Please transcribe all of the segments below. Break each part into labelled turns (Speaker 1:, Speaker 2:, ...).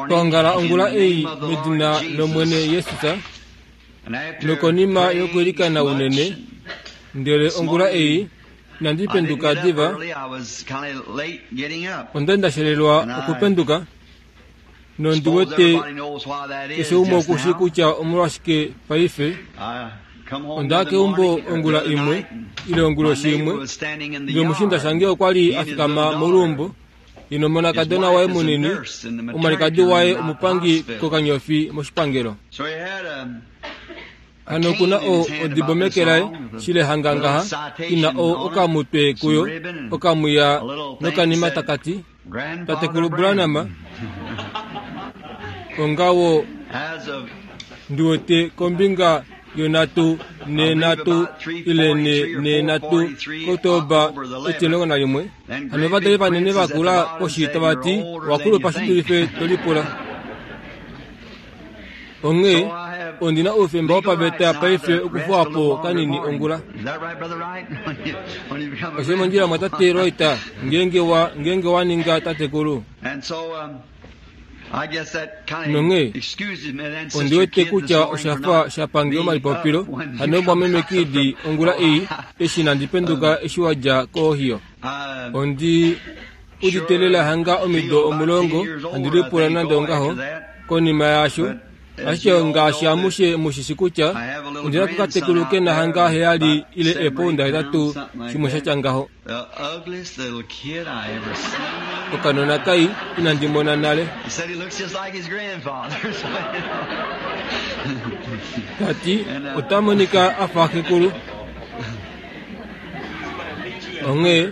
Speaker 1: Twa ongala ongula ei medina lOmwene Jesus, nokonima yokuilikana unene, ndele ongula ei inandi penduka diva, onda nda shelelwa okupenduka, nondi wete keshe umwe oku shii kutya omolwashike paife. Onda ya keumbo ongula imwe ile onguloshi imwe, ndele omushiinda shange okwa li a fikama moluumbo ye nomonakadona waye munini, omwalikadi waye omupangi kokanyofi moshipangelo. Hano oku na o, odibo meke laye, shile hanga ngaha, i na o, okamutwe kuyo, okamwiya nokanima taka ti, Tatekulu Branham, ongawo ndi wete kombinga yonhatu nenhatu ile ne nenhatu Oktoba 11. Hano ovadali vanene va kula poshi tava ti, Owa kulupa shi dulife to lipula. Onghee ondi na oufemba wopaveta paife okufuwa po kanini ongula. Osho mondjila mwatate Wright, ngeenge wa, ngeenge wa ninga tatekulu. Nonghee ondi wete kutya osha fa sha pange omalipopilo hano mumwameme Kidd ongula ei eshi inandi penduka eshi wa dja koOhio. Ondi udite lela hanga omido omulongo handi lipula nande ongaho konima yaasho. Ashike ngaashi amushe mu shi shi kutya ondi na kokatekulu ke na hanga heyali ile eepounda hetatu shimwe sha tya ngaho. Okanona kai inandi mona nale. Ta ti ota monika a fa xekulu. Onghee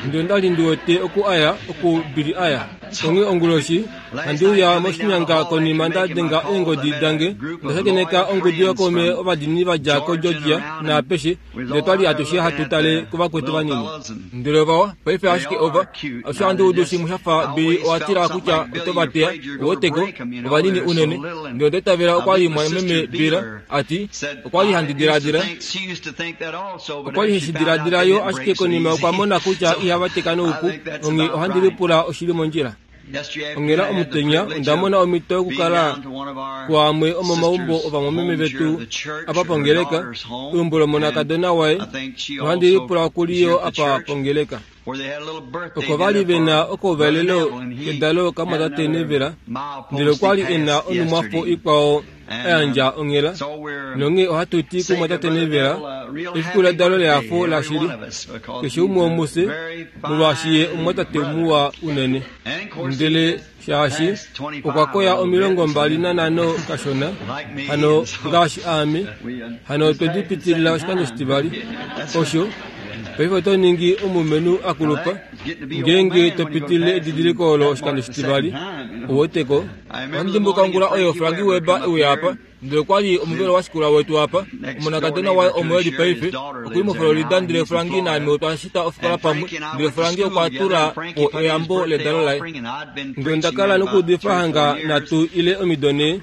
Speaker 1: ndele onda li ndi wete oku a ya, oku Billy a ya. Onghee onguloshi, handi uya moshinyanga konima nda denga eengodi dange, onda shakeneka ongudu yookaume ovadiinini va dja koGeorgia naapeshe, ndele twa li atushe hatu tale kuvakwetu vanini. Ndele ovawa, paife ashike ova, alushe ohandi udu shimwe sha fa Billy owa tila kutya oto va teya, uweteko, ovanini unene. Ndele onda itavela okwa li mumwameme Bill a ti, Okwa li handi diladila. Okwa li he shi diladila yo ashike konima okwa mona kutya ihava teka noupu, onghee ohandi lipula oshi li mondjila. Onghela omutenya onda mona omhito yokukala kuamwe omomaumbo ovamwameme vetu apa pongeleka, eumbo lomonakadona waye, nohandi lipula oku li yo apa pongeleka. Oko va li ve na okauvalelo kedalo kamwatate Neville, ndele okwa li e na onhumwafo ikwao a yandja onghela. Nonghee ohatu ti kumwatate Neville, efiku ledalo lehafo lashili, keshe umwe womufye, molwaashi ye omumwatate muwa unene. Ndele shaashi okwa koya 25 kashona, hano ngaashi aame, hano otwe di pitilila oshikando shitivali. Osho, paife oto ningi omulumenhu a kulupa, ngeenge to pitilile edidiliko olo oshikando shitivali. Ouweteko? Ohandi dimbuka ongula oyo Frankie Weber e uya apa. Ndele okwa li omuvelo wa shikula wetu apa, omonakadona waye omo e li paife, oku li moFlorida. Ndele Frankie naame otwa shita ofikola pamwe, ndele Frankie okwa tula po eyambo ledalo laye. Ndele onda kala nokuudifa hanga nhatu ile omido nhee.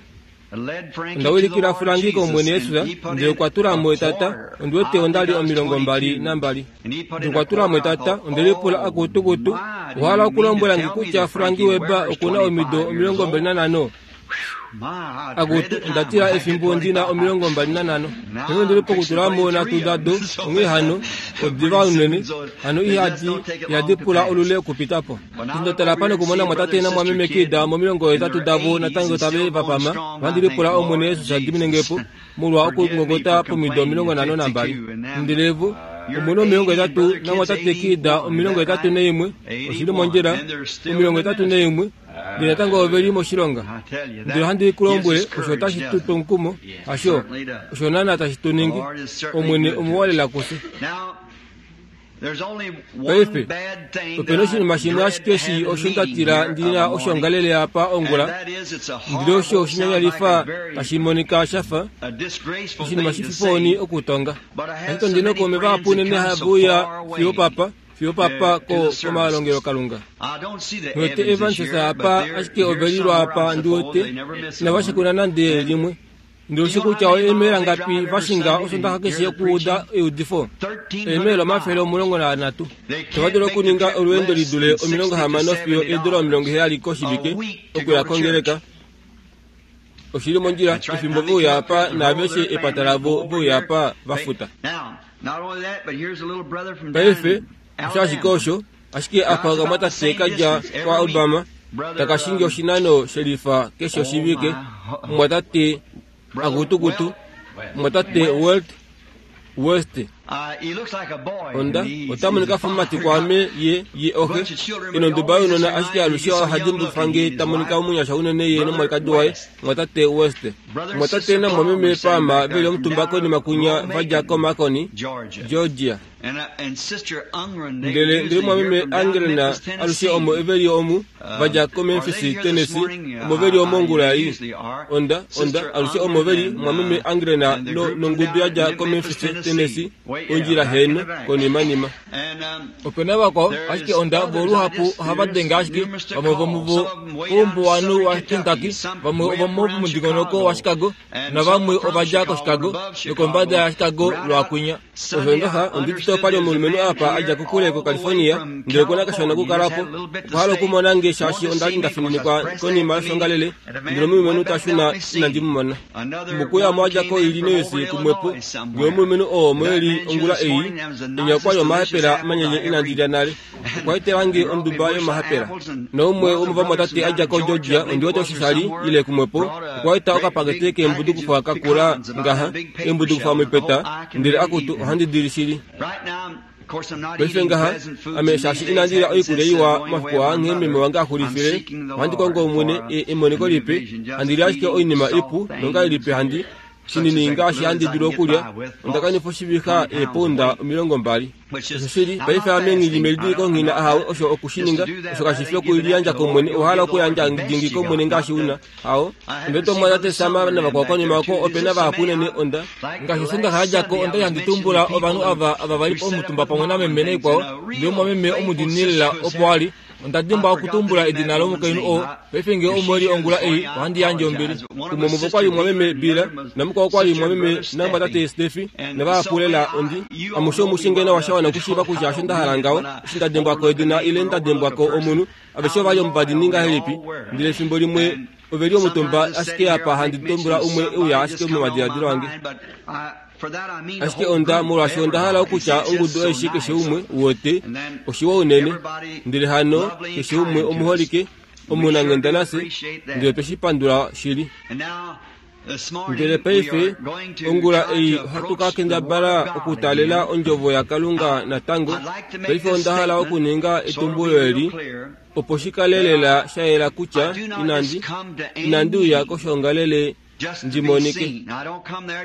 Speaker 1: Onda wilikila Frankie kOmwene Jesus, ndele okwa tula mo etata, ondi wete onda li 22. Ndele okwa tula mo etata, onde lipula, Akutukutu, owa hala okulombwela nge kutya Frankie Weber oku na omido 25? Akutu, onda tila efimbo ndi na 25. Onghee ondi li pokutula mo nhatu dado, onghee hano, odiva unene, hano ihadi, ihadi pula olule okupita po. Eshi nda tala apa nokumona mwatate namwameme Kidd momilongohetatu davo natango tave va pama, ohandi lipula Omwene Jesus a dimine nge po, molwa okungongota pomido 52. Ndele vo, omu na 80, namwatate Kidd 81, oshi li mondjila, 81. Ndele natango ove li moshilonga. Ndele ohandi ku lombwele, osho otashi tu tu omukumo, hasho? Osho naanaa tashi tu ningi. Omwene omuwa lela kufye. Paife, ope na oshinima shimwe ashike shii osho nda tila ndi na oshoongalele apa ongula, ndele osho oshinyanyalifa tashi monika sha fa oshinima shififohoni okutonga. Ashike ondi na ookaume vahapu unene have uya fiyo opapa, fiyo papa ko komalongelokalunga. Ndiwete Evans apa, ashike ove li lwaapa, ndi wete, inava shikula nande limwe. Ndele ushi kutya oemaila ngapi va shinga Osondaxa keshe okuuda eudifo? Eemaila 130. Itava dulu okuninga olweendo li dule 60 fiyo eedula 70 koshivike okuya kongeleka. Oshi li mondjila efimbo ve uya apa naaveshe epata lavo ve uya apa va futa. Paife, osho ashike osho, ashike apa okamwatate ka dja kwaAlabama taka shingi oshinano shelifa keshe oshivike, omumwatate Akutukutu, omumwatate Welt West. Onda, ota monika fa omumati kwaame, ye, ye oxe, e nonduba younona, ashike alushe oha dimbulukifa nge ta monika omunyasha unene ye nomwalikadi waye, omumwatate West. Omumwatate namumwameme Palmer ve li omutumba konima kunya va dja koMacon, Georgia. Ndele ndele mwameme Angelina alushe omo ve li omu, va dja koMemphis, Tennessee, omo ve li omo ongula ei. Onda, onda, alushe omo ve li, mwameme Angelina no, nongudu ya dja koMemphis, Tennessee, ondjila heeno, konimanima. Ope na vakwao, ashike onda, vo luhapu ohava denge ashike, vamwe vomuvo koumbuwanhu waKentucky, vamwe ovomomudingonoko waChicago, navamwe ova dja koChicago nokombada yaChicago lwaakwinya. Osho ngaha ondi udite opa li omulumenhu apa a dja kokule koCalifornia, ndele oku na kashona okukala po. Okwa hala okumona nge shaashi onda li nda fininikwa konima yoshongalele, ndele omulumenhu ta shuna inandi mu mona. Mukuya omo a dja koIllinois kumwepo, ndele omulumenhu oo omo e li ongula ei, enya okwa li omahapela manyenye inandi lya nale. Okwa etela nge onduba yomahapela. Naumwe womovamwatate a dja koGeorgia, ondi wete osho sha li, ile kumwepo, okwa eta okapakete keembudukufwa ka kula ngaha, eembudukufwa momipeta, ndele akutu, ohandi di li shili. Paife ngaha, ame shaashi inandi lya oikulya iwa omafiku aa nghee meme wange a xulifile, ohandi kongo Omwene e, emoniko lipe, handi li ashike oinima ipu, nongahelipi handi, shinini ngaashi handi dulu okulya, onda kanifa oshivixa eepounda 20. Oshoshili, paife ame nghi li melidiliko nghi na ahawe osho oku shi ninga. Osho kashi fi okuliyandja kOmwene. Owa hala okuyandja dingi kOmwene ngaashi u na. Hao. Onda wete omumwatate Sam navakwao konima oko, ope na vahapu unene. Onda. Ngaashi Osondaxa ya dja ko, onda li handi tumbula ovanhu ava, ava va li omutumba pamwe nameme naikwao, ndele omumwameme omudiinini lela opo a li. Onda dimbwa okutumbula edina lomukainhu oo. Paife ngee omo e li ongula ei, ohandi yandje ombili. Umwe womuvo okwa li mumwameme Bill, namukwao okwa li mumwameme namumwatate Steffy, navahapu lela. Ondi. Amushe omu shi ngeno sha wana okushiiva kutya osho nda hala ngaho, eshi nda dengwa ko edina ile nda dengwa ko omunhu. Aveshe ova li omuvadini ngahelipi? Ndele efimbo limwe ove li omutumba ashike apa handi tumbula umwe e uya ashike momadiladilo ange. Ashike onda, molwaashi onda hala okutya ongudu aishe keshe umwe, uwete, oshiwa unene. Ndele hano, keshe umwe omuholike, omunanghenda nafye, ndele otwe shi pandula shili. Ndele paife, ongula ei ohatu ka kendabala okutaalela Ondjovo yaKalunga natango. Paife onda hala okuninga etumbulo eli, opo shi kale lela sha yela kutya inandi, inandi uya koshoongalele ndi monike.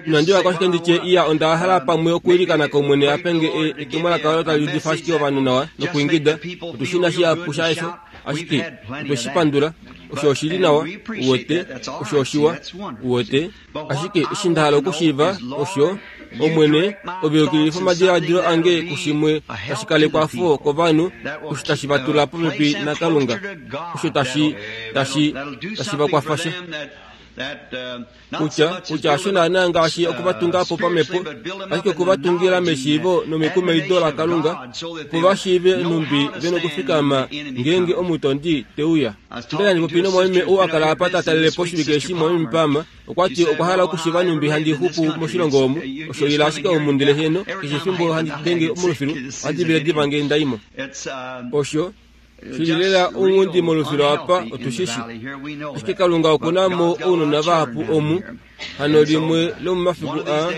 Speaker 1: Inandi uya ko ashike ndi tye, Iya, onda hala pamwe okwiilikana kOmwene a pe nge e, etumwalaka olo tali udifa ashike ovanhu nawa nokwiingida. Otu shi na shihapu shaesho, ashike otwe shi pandula. Osho oshi li nawa, uwete, osho oshiwa, uwete. Ashike eshi nda hala okushiiva osho, Omwene, ove yukililifa omadiladilo ange kushimwe tashi kalekwa fo kovanhu, osho tashi va tula popepi naKalunga, osho tashi, tashi, tashi va kwafa sha. Kutya, kutya hasho naanaa ngaashi oku va tunga po pamhepo, ashike oku va tungila meshiivo nomekumaido laKalunga, opo va shiive nhumbi ve nokufikama ngeenge omutondi te uya. Onda li handi popi nomwameme ou a kala apa ta talele po oshivike eshi, mwameme Palmer, Okwa ti okwa hala okushiva nhumbi handi xupu moshilongo omu. Osho ila ashike omu ndele heeno, keshe efimbo handi denge molufilu, ohandi vele diva nge nda i mo. Osho shi li lela ounghundi molufilu apa, otu shi shi. Ashike Kalunga oku na mo ounona vahapu omu. Hano limwe lomomafiku aa,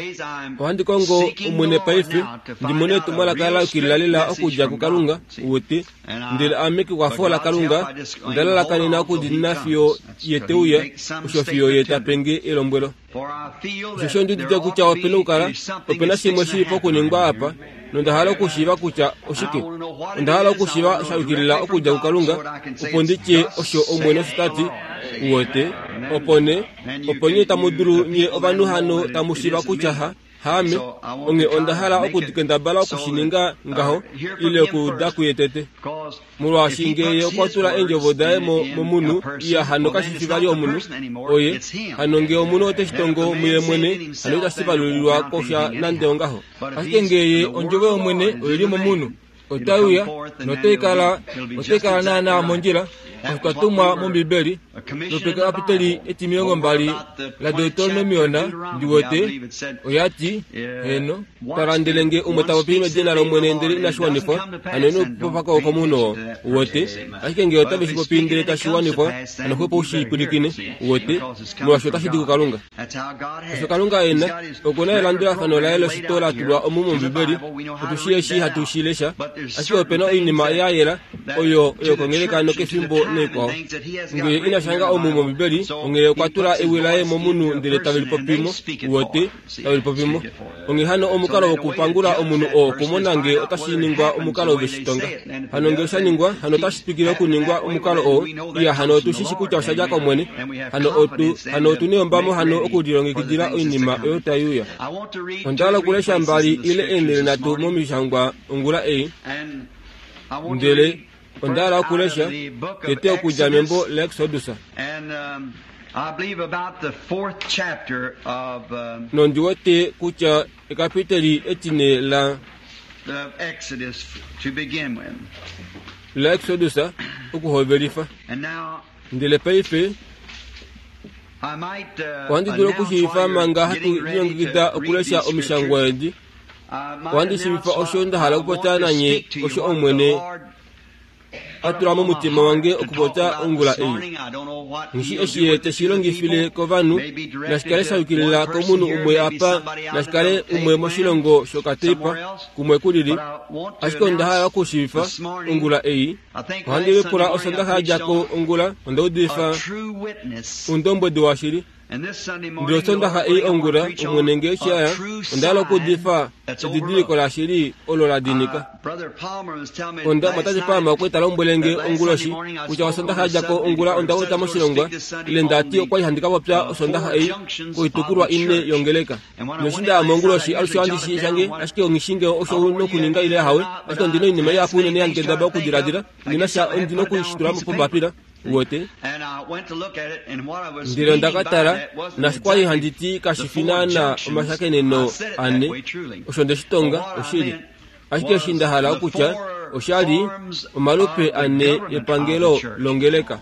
Speaker 1: ohandi kongo Omwene paife, ndi mone etumwalaka la yukilila lela okudja kuKalunga, uwete. Ndele ame kekwafo laKalunga, onda lalakanena okudiinina fiyo Ye te uya, osho fiyo Ye ta pe nge elombwelo. Osheshi ondi udite kutya ope na okukala ope na shimwe shi li pokuningwa apa, nonda hala okushiiva kutya oshike. Onda hala okushiiva sha yukilila okudja kuKalunga, opo ndi tye osho Omwene osho ta ti, uwete, opo nee, opo nye tamu dulu nye ovanhu hano tamu shiiva kutya ha. Haame, onghee onda hala okukendabala oku shi ninga ngaho, ile okuuda kuye tete. Molwaashi nge ye okwa tula eendjovo daye mo, momunhu, iya hano kashi fi vali omunhu, oye. Hano nge omunhu ote shi tongo muye mwene, hano itashi valulilwa kosha nande ongaho. Ashike nge ye ondjovo yOmwene oi li momunhu, otai uya notai kala otai kala naanaa mondjila osho twa tumwa mOmbibeli lopekapiteli etimilongo mbali laDeuteronomiona ndi wete oya ti heeno tala ndele nge umwe ta popi medina lOmwene ndele inashi wanifwa hano ino popako komunhu oo uwete ashike nge otave shi popi ndele tashi wanifwa hano xwepo u shi pwilikine uwete molwaashi otashi di kuKalunga. Osho Kalunga e na, oku na elandulafano laye loshito la tulwa omu mOmbibeli. Otu shii eshi hatu shi lesha, ashike ope na oinima ya yela oyo oyo kongeleka nokefimbo naikwao. Nge ina shanga omu mOmbibeli, onghee okwa tula ewi laye momunhu ndele tave lipopi mo, uwete, tave lipopi mo. Onghee hano omukalo wokupangula omunhu oo okumona nge otashi ningwa omukalo ve shi tonga. Hano nge osha ningwa, hano otashi twikile okuningwa omukalo oo. Iya, hano otu shi shi kutya osha dja kOmwene. Hano otu, hano otu neyombamo hano okulilongekidila oinima oyo tai uya. Onda hala okulesha mbali ile eenhele nhatu mOmishangwa ongula ei. Ndele onda hala okulesha tete okudja membo laExodus. Nondi wete kutya ekapiteli etine la laExodus okuhovelifa. Ndele paife ohandi dulu okushiivifa manga hatu lilongekida okulesha omishangwa edi. Ohandi shiivifa osho nda hala okupopya nanye osho Omwene a tula momutima wange okupopya ongula ei. Nghi eshi ye te shi longifile kovanhu, nashi kale sha yukilila komunhu umwe apa, nashi kale umwe moshilongo shokateipa, kumwe ku lili. Ashike onda hala okushiivifa ongula ei. Ohandi lipula Osondaxa ya dja ko ongula, onda udifa oundombwedi washili. Ndele Osondaxa ei ongula, Omwene nge eshi a ya, onda hala okuudifa edidiliko lashili olo la dinika. Onda, Mwatate Palmer okwa li ta lombwele nge onguloshi kutya Osondaxa ya dja ko ongula onda uta moshilongwa, ile nda ti okwa li handi ka popya Osondaxa ei koitukulwa ine yongeleka. Noshi nda ya monguloshi, alushe ohandi shi shange, ashike onghi shi nge osho u nokuninga ile ahawe, ashike ondi na oinima ihapu unene handi kendabala okudiladila, ndi na sha, ondi noku shi tula pombapila. Uwete? Ndele onda ka tala, naashi kwa li handi ti kashi fi naana omashakeneno ane, osho nde shi tonga, oshili. Ashike eshi nda hala okutya, osha li omalupe ane epangelo longeleka.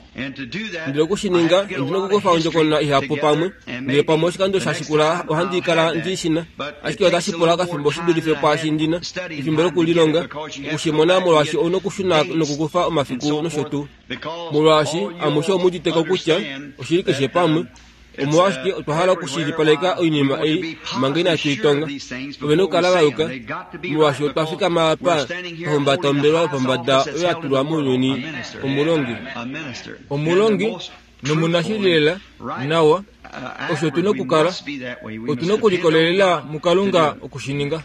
Speaker 1: Ndele oku shi ninga, ondi na okukufa ondjokonona ihapu pamwe, ndele pamwe oshikando sha shikula ohandi kala ndi shi na. Ashike otashi pula okafimbo shi dulife pwaashi ndi na, efimbo lokulilonga, oku shi mona molwaashi ou na okushuna nokukufa omafiku nosho tuu. Molwaashi amushe omu udite ko kutya oshili keshe pamwe, omolwashike otwa hala okushilipaleka oinima ei manga inatu i tonga. Ove na okukala va yuka, molwaashi otwa fikama apa twa humbata ombelewa yopombada oyo ya tulwa mounyuni, omulongi. Omulongi nomunashili lela, nawa, osho tu na okukala. Otu na okulikolelela muKalunga oku shi ninga.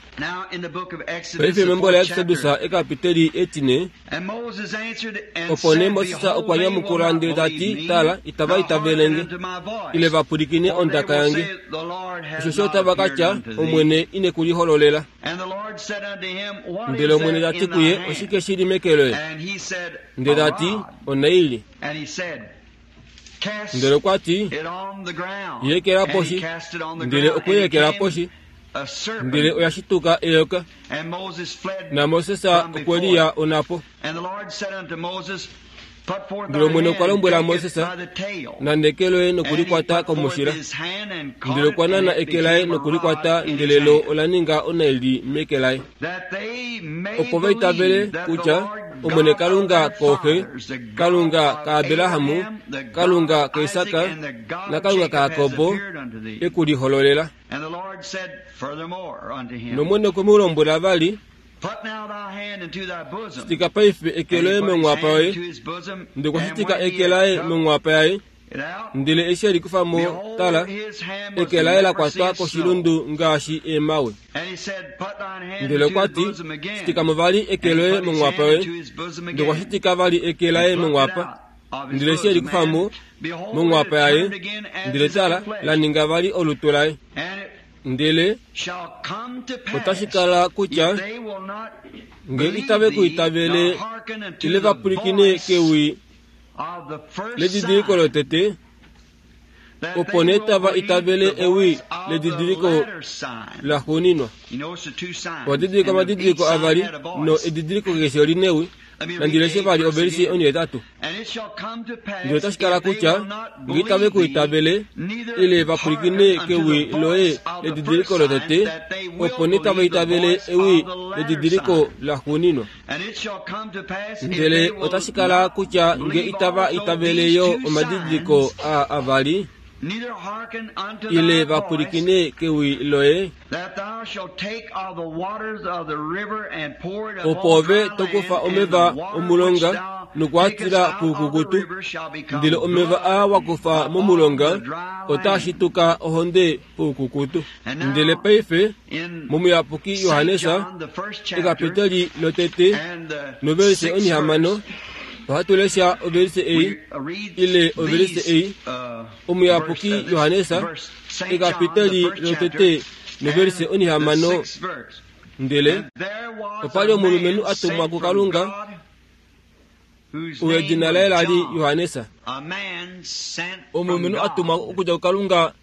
Speaker 1: Paife membo laExodus ekapiteli etine, Opo nee Moses okwa nyamukula ndele ta ti, Tala, itava itavele nge, ile va pwilikine ondaka yange. Osheshi otava ka tya, Omwene ine ku lihololela. Ndele Omwene ta ti kuye, Oshike shi li meke loye? Ndele ta ti, Onaili. Ndele okwa ti, I ekela poshi. Ndele okwe i ekela poshi, ndele oya shituka eyoka. NaMoses okwe liya onhapo. Ndele Omwene okwa lombwela Moses, Nana eke loye nokulikwata komushila. Ndele okwa nana eke laye nokulikwata, ndele lo ola ninga onaili meke laye. Opo va itavele kutya Omwene Kalunga kooxe, Kalunga kaAbraham, Kalunga kaIsak naKalunga kaJakob e ku lihololela. NOmwene okwe mu lombwela vali, Shitika paife eke loye monghwapa yoye. Ndele okwa shitika eke laye monghwapa yaye, ndele eshi e li kufa mo, tala, eke laye la kwatwa koshilundu ngaashi eemhawe. Ndele okwa ti, Shitika mo vali eke loye monghwapa yoye. Ndele okwa shitika vali eke laye monghwapa. Ndele eshi e li kufa mo monghwapa yaye, ndele tala, la ninga vali olutu laye. Ndele otashi kala kutya nge itave ku itavele ile va pwilikine kewi ledidiliko lotete, opo nee tava itavele ewi ledidiliko laxuuninwa. Owa didilika omadidiliko avali no edidiliko keshe oli newi. Nandi leshe vali ovelise onhetatu. Ndele otashi kala kutya nge itave ku itavele ile va pwilikine kewi loye ledidiliko lotete, opo nee tava itavele ewi ledidiliko laxuuninwa. Ndele otashi kala kutya nge itava itavele yo omadidiliko aa avali, ile va pwilikine kewi loye, opo ove to kufa omeva omulonga noku a tila poukukutu, ndele omeva aa wa kufa momulonga otaa shituka ohonde poukukutu. Ndele paife mOmuyapuki Johannes ekapiteli lotete novelise onhihamano ohatu lesha ovelise ei ile ovelise ei Omuyapuki Johannes ekapiteli lotete novelise onhihamano ndele opa li omulumenhu a tumwa kuKalunga uyo edina laye la li Johannes. Omulumenhu a tumwa okudja kuKalunga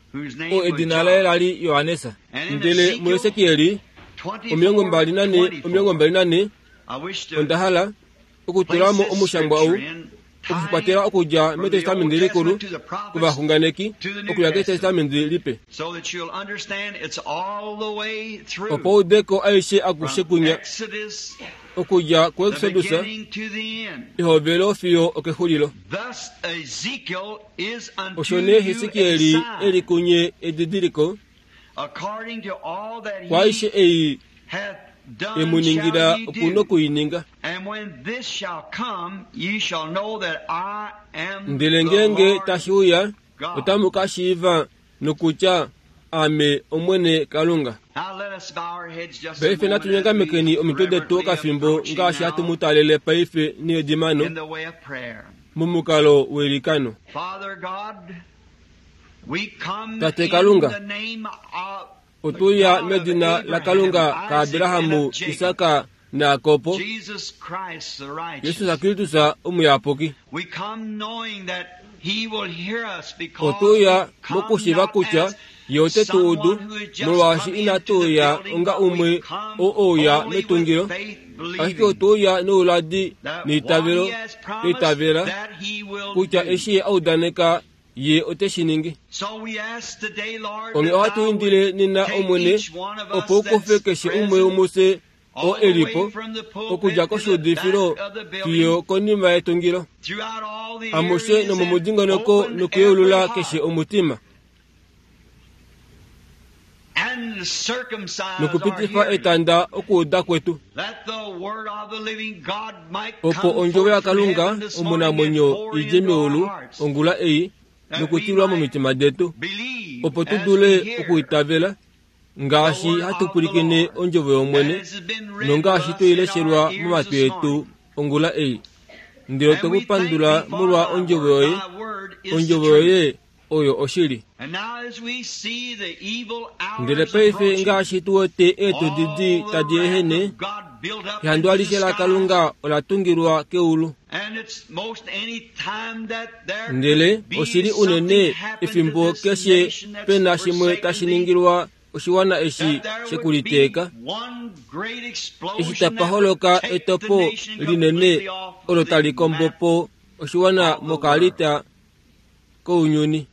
Speaker 1: oo edina laye la li Johannes. Ndele muHesekieli 24 24 onda hala okutula mo omushangwa ou okukwatela okudja mEtestamenti Likulu kovaxunganeki okuya kEtestamenti Lipe, opo ude ko aishe akushe kunya okudja kuExodus ehovelo fiyo okexulilo. Osho nee Hesekiel e li kunye edidiliko kwaaishe ei e mu ningila oku noku i ninga. Ndele ngeenge tashi uya, otamu ka shiiva nokutya Aame Omwene Kalunga. Paife natu nyangamekeni omitwe detu okafimbo ngaashi hatu mu talele paife needimano momukalo weilikano. Tate Kalunga, otu ya medina laKalunga kaAbraham, Isak naJakob, Jesus Kristus omuyapuki. Otu ya mokushiiva kutya Ye ote tu udu, molwaashi inatu uya onga umwe oo ouya metungilo, ashike otu uya nouladi neitavelo, twa itavela kutya eshi Ye a udaneka Ye ote shi ningi. Onghee ohatu indile nena, Omwene, opo u kufe keshe umwe womufye oo e li po, okudja koshuudifilo fiyo konima yetungilo, amushe nomomudingonoko nokuyeulula keshe omutima, nokupitifa etanda okuuda kwetu, opo Ondjovo yaKalunga omunamwenyo i dje meulu ongula ei nokutilwa momitima detu, opo tu dule okuitavela ngaashi hatu pwilikine ondjovo yOmwene nongaashi twe i leshelwa momatwi etu ongula ei. Ndele otwe ku pandula molwa ondjovo yoye. Ondjovo yoye oyo oshili. Ndele paife ngaashi tu wete eetudi di tadi ehene, ehandu alishe laKalunga ola tungilwa keulu. Ndele oshi li unene efimbo keshe pe na shimwe tashi ningilwa oshiwana eshi shekuliteeka, eshi tapa holoka etopo linene olo tali kombo po oshiwana mokaalita kounyuni.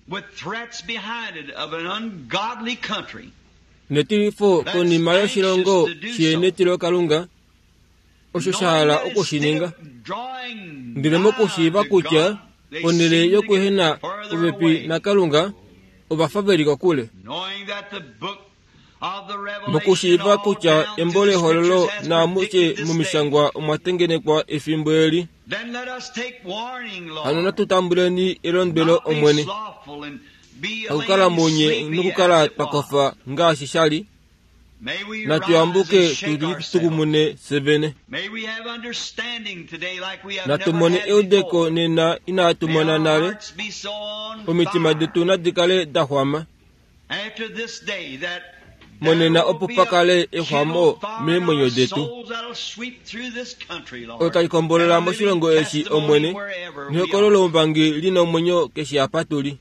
Speaker 1: Netilifo konima yoshilongo shienetilokalunga osho sha hala oku shi ninga. Ndele mokushiiva kutya ponhele yokuehena popepi naKalunga, ova fa ve li kokule. Mokushiiva kutya embo lEhololo naamushe mOmishangwa omwa tengenekwa efimbo eli, hano natu tambuleni elondwelo Omwene, hakukala mounye nokukala twa kofa ngaashi sha li, Natu yambuke tu litukumune fye vene. Natu mone eudeko nena inaatu mona nale. Omitima detu nadi kale da xwama. Monena opo pa kale exwamo meemwenyo detu. Olo tali kombolola moshilongo eshi, Omwene, nehokolo loumbangi li na omwenyo keshe apa tu li.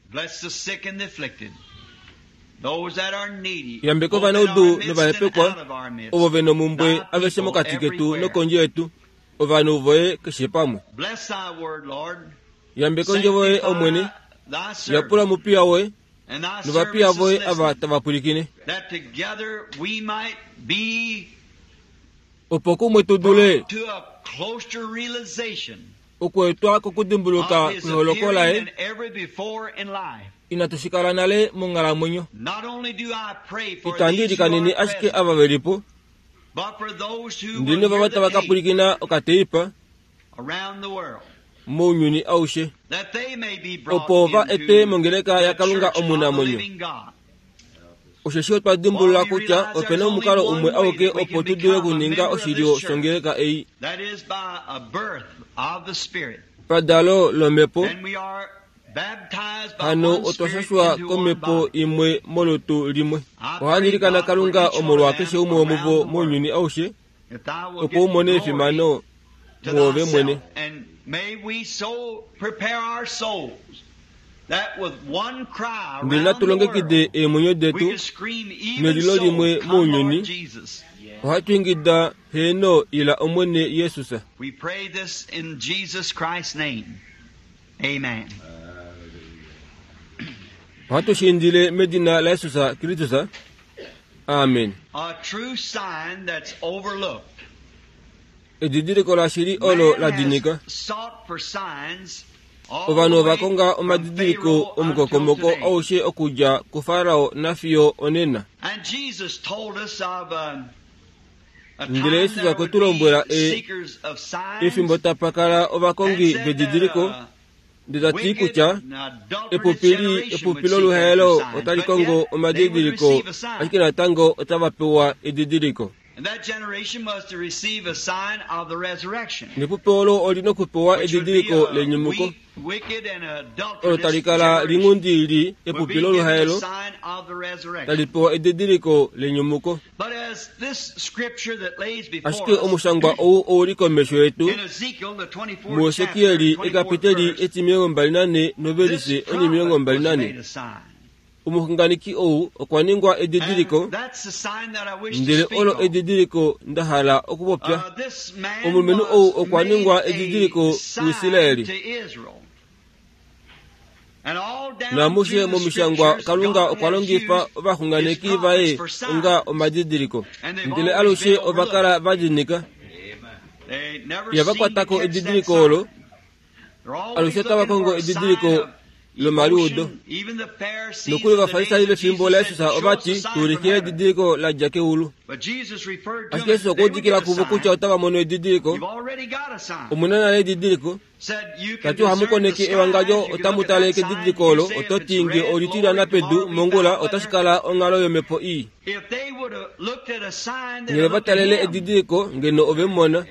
Speaker 1: Yambeka ovanaudu novahepekwa, ovo ve nomumbwe aveshe mokati ketu nokondje yetu, ovanhu voye keshe pamwe. Yambeka ondjovo yoye, Omwene, yapula omupiya woye novapiya voye ava tava pwilikine, opo kumwe tu dule okuetwa kokudimbuluka kweholoko laye inatu shi kala nale monghalamwenyo. Itandi ilikanene ashike ava ve li po, ndele novava tava ka pwilikina okateipa mounyuni aushe, opo va etwe mongeleka yaKalunga omunamwenyo. Osheshi otwa dimbulula kutya ope na omukalo umwe auke opo tu dule okuninga oshilyo shongeleka ei. Padalo lOmhepo, hano otwa shashwa komhepo imwe molutu limwe. Ohandi ilikana Kalunga omolwakeshe umwe womuvo mounyuni aushe, opo u mone efimano mwoove mwene. Ndele natu longekide eemwenyo detu nelilo limwe mounyuni, ohatu ingida, Heeno, ila Omwene Jesus. Ohatu shi indile medina laJesus Kristus. Amen. Edidiliko lashili olo la dinika. Ovanhu ova konga omadidiliko omukokomoko aushe okudja kuFarao nafiyo onena. Ndele Jesus okwe tu lombwela e, efimbo tapa kala ovakongi vedidiliko, ndele ta ti kutya epupi epupi loluhaelo otali kongo omadidiliko, ashike natango otava pewa edidiliko. Nepupi olo oli nokupewa edidiliko lenyumuko, olo tali kala linghundi li epupi loluhaelo, tali pewa edidiliko lenyumuko. Ashike omushangwa ou ou li komesho yetu, muHesekieli ekapiteli etimilongo 24 novelise onimilongo 24, omuxunganeki ou okwa ningwa edidiliko, ndele olo edidiliko nda hala okupopya. Omulumenhu ou okwa ningwa edidiliko kuIsraeli. Naamushe momishangwa Kalunga okwa longifa ovaxunganeki vaye onga omadidiliko, ndele alushe ova kala va dinika. Ihava kwata ko edidiliko olo, alushe otava kongo edidiliko lomaliudo. Nokuli Ovafarisai vefimbo laJesus ova ti, Tu ulikile edidiliko la dja keulu. Ashike Jesus okwa udikila kuvo kutya otava mono edidiliko. Omu na nale edidiliko. Ta ti ohamu koneke ewangadjo otamu tale kedidiliko olo, oto ti nge oli tilyana pedu mongula otashi kala onghalo yomhepo ii. Ngeno ova talele edidiliko, ngeno ove mu mona,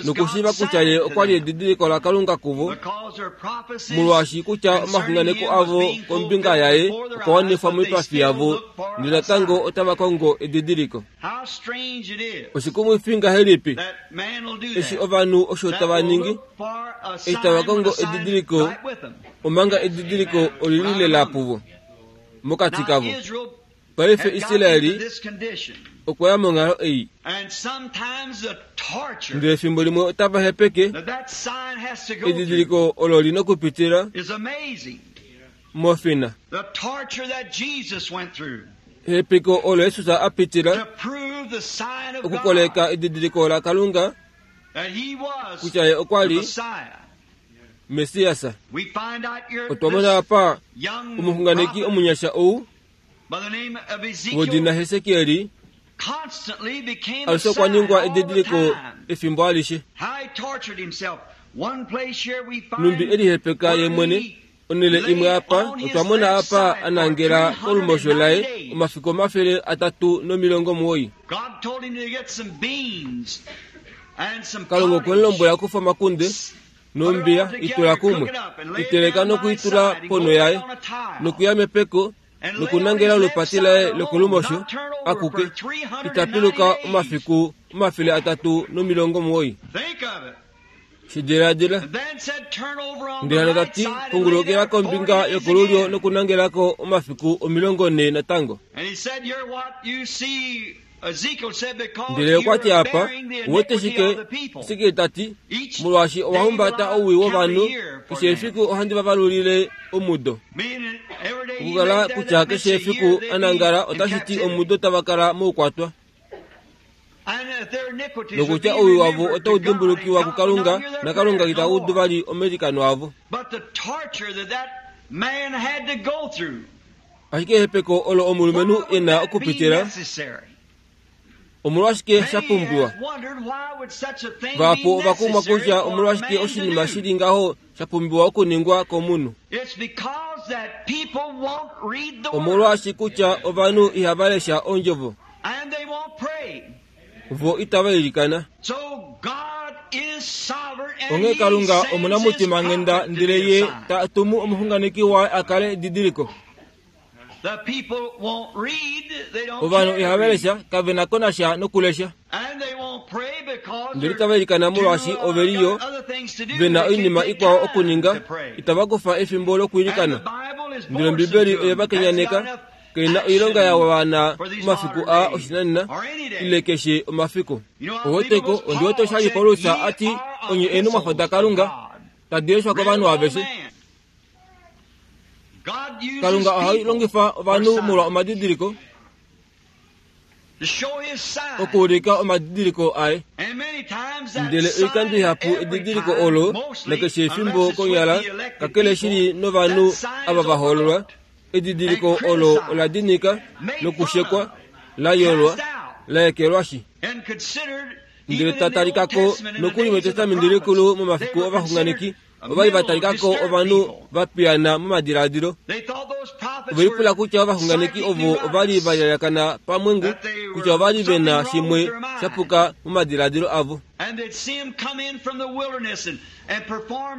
Speaker 1: nokushiiva kutya ye okwa li edidiliko laKalunga kuvo, molwaashi kutya omaxunganeko avo kombinga yaye okwa wanifwa moipafi yavo, ndele natango otava kongo edidiliko. Oshikumwifi ngahelipi eshi ovanhu osho tava ningi, eshi tava kongo edidiliko, omanga edidiliko oli li lela puvo, mokati kavo. Paife Israeli okwa ya monghalo ei. Ndele efimbo limwe otava hepeke edidiliko olo li nokupitila mofina. Ehepeko olo Jesus a pitila okukoleka edidiliko laKalunga kutya ye okwa li Messias. Otwa mona apa omuxunganeki omunyasha ou wodina Hesekieli alushe okwa ningwa edidiliko efimbo alishe. Numbi e lihepeka ye mwene onhele imwe apa, otwa mona apa a nangela kolumosho laye omafiku 390. Kalunga okwe mu lombwela kufa omakunde nombiya i tula kumwe, i teleka noku i tula ponho yaye, nokuya mepeko. nokunangela olupati laye lokolumosho akuke ita piluka omafiku 390. Shidiladila. Ndele hano ta ti, Pungulukila kombinga yokolulyo nokunangelako omafiku 40 natango. Ndele okwa ti apa, Uwete shike? Esekiel ta ti, Molwaashi owa humbata owii wovanhu, keshe efiku ohandi va valulile omudo. Okukala kutya keshe efiku a nangala otashi ti omudo tava kala moukwatwa. Nokutya owii wavo otau dimbulukiwa kuKalunga, naKalunga ita udu vali omailikano avo. Ashike ehepeko olo omulumenhu e na okupitila, omolwashike sha pumbiwa? Vahapu ova kumwa kutya omolwashike oshinima shi li ngaho sha pumbiwa okuningwa komunhu. Omolwaashi kutya ovanhu ihava lesha Ondjovo. Vo itava ilikana. Onghee Kalunga omunamutimanghenda ndele Ye ta tumu omuxunganeki waye a kale edidiliko. Ovanhu ihava lesha, kave na ko nasha nokulesha. Ndele itava ilikana molwaashi ove li yo ve na oinima ikwao okuninga, itava kufa efimbo lokwiilikana. Ndele Ombibeli oye va kenyaneka, kai na oilonga ya wana omafiku aa oshinanena ile keshe omafiku. Oweteko, ondi wete oshali Paulus a ti, Onye eenhumwafo daKalunga, tadi leshwa kovanhu aveshe. Kalunga oha longifa ovanhu molwa omadidiliko okuulika omadidiliko aye. Ndele oikando ihapu edidiliko olo nakeshe efimbo konyala kakele shili novanhu ava va hoololwa, edidiliko olo ola dinika nokushekwa, la yolwa, la ekelwashi. Ndele ta talika ko nokuli mEtestamenti Likulu momafiku ovaxunganeki, ova li va talika ko ovanhu va piyana momadiladilo. Ove lipula kutya ovaxunganeki ovo ova li va lyalyakana pamwengu, kutya ova li ve na shimwe sha puka momadiladilo avo.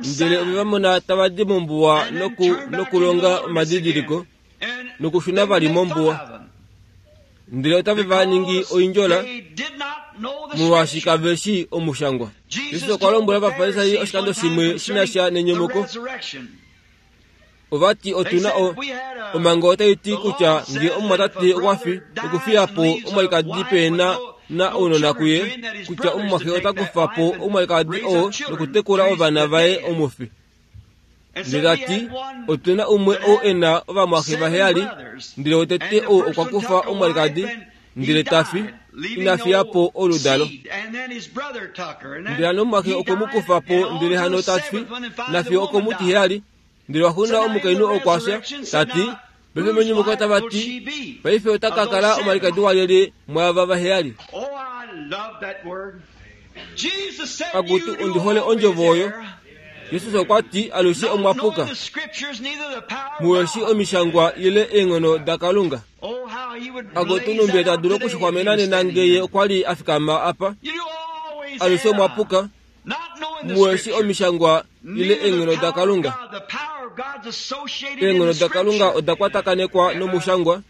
Speaker 1: Ndele ove va mona tava di mombuwa noku, nokulonga omadidiliko, nokushuna vali mombuwa. Ndele otave va ningi oindjola, molwaashi kave shii Omushangwa. Jesus okwa lombwela Ovafarisai oshikando shimwe shi na sha nenyumuko. Ova ti otu na o, omhango otai ti kutya nge omumwatate okwa fi nokufiya po omwalikadi pe na na ounona kuye, kutya omumwaxe ota kufa po omwalikadi oo nokutekula ovana vaye omufi. Ndele ta ti, Otu na umwe ou e na ovamwaxe vaheyali, ndele wotete ou okwa kufa omwalikadi, ndele ta fi, ina fiya po oludalo. Ndele hano omumwaxe okwe mu kufa po, ndele hano ta fi, nafiyo okomutiheyali. Ndele waxuuninwa omukainhu okwa fya, ta ti, Paife menyumuko otava ti, Paife ota ka kala omwalikadi walyelye mwaava vaheyali? Akutu, ondi hole ondjovo oyo. Jesus okwa ti, Alushe omwa puka. Muwe shi omishangwa ile eenghono daKalunga. Akutu, numbi ta dulu okuxwamena nena nge ye okwa li a fikama apa. Alushe omwa puka. Muwe shi omishangwa ile eenghono daKalunga. Eenghono daKalunga oda kwatakanekwa nomushangwa.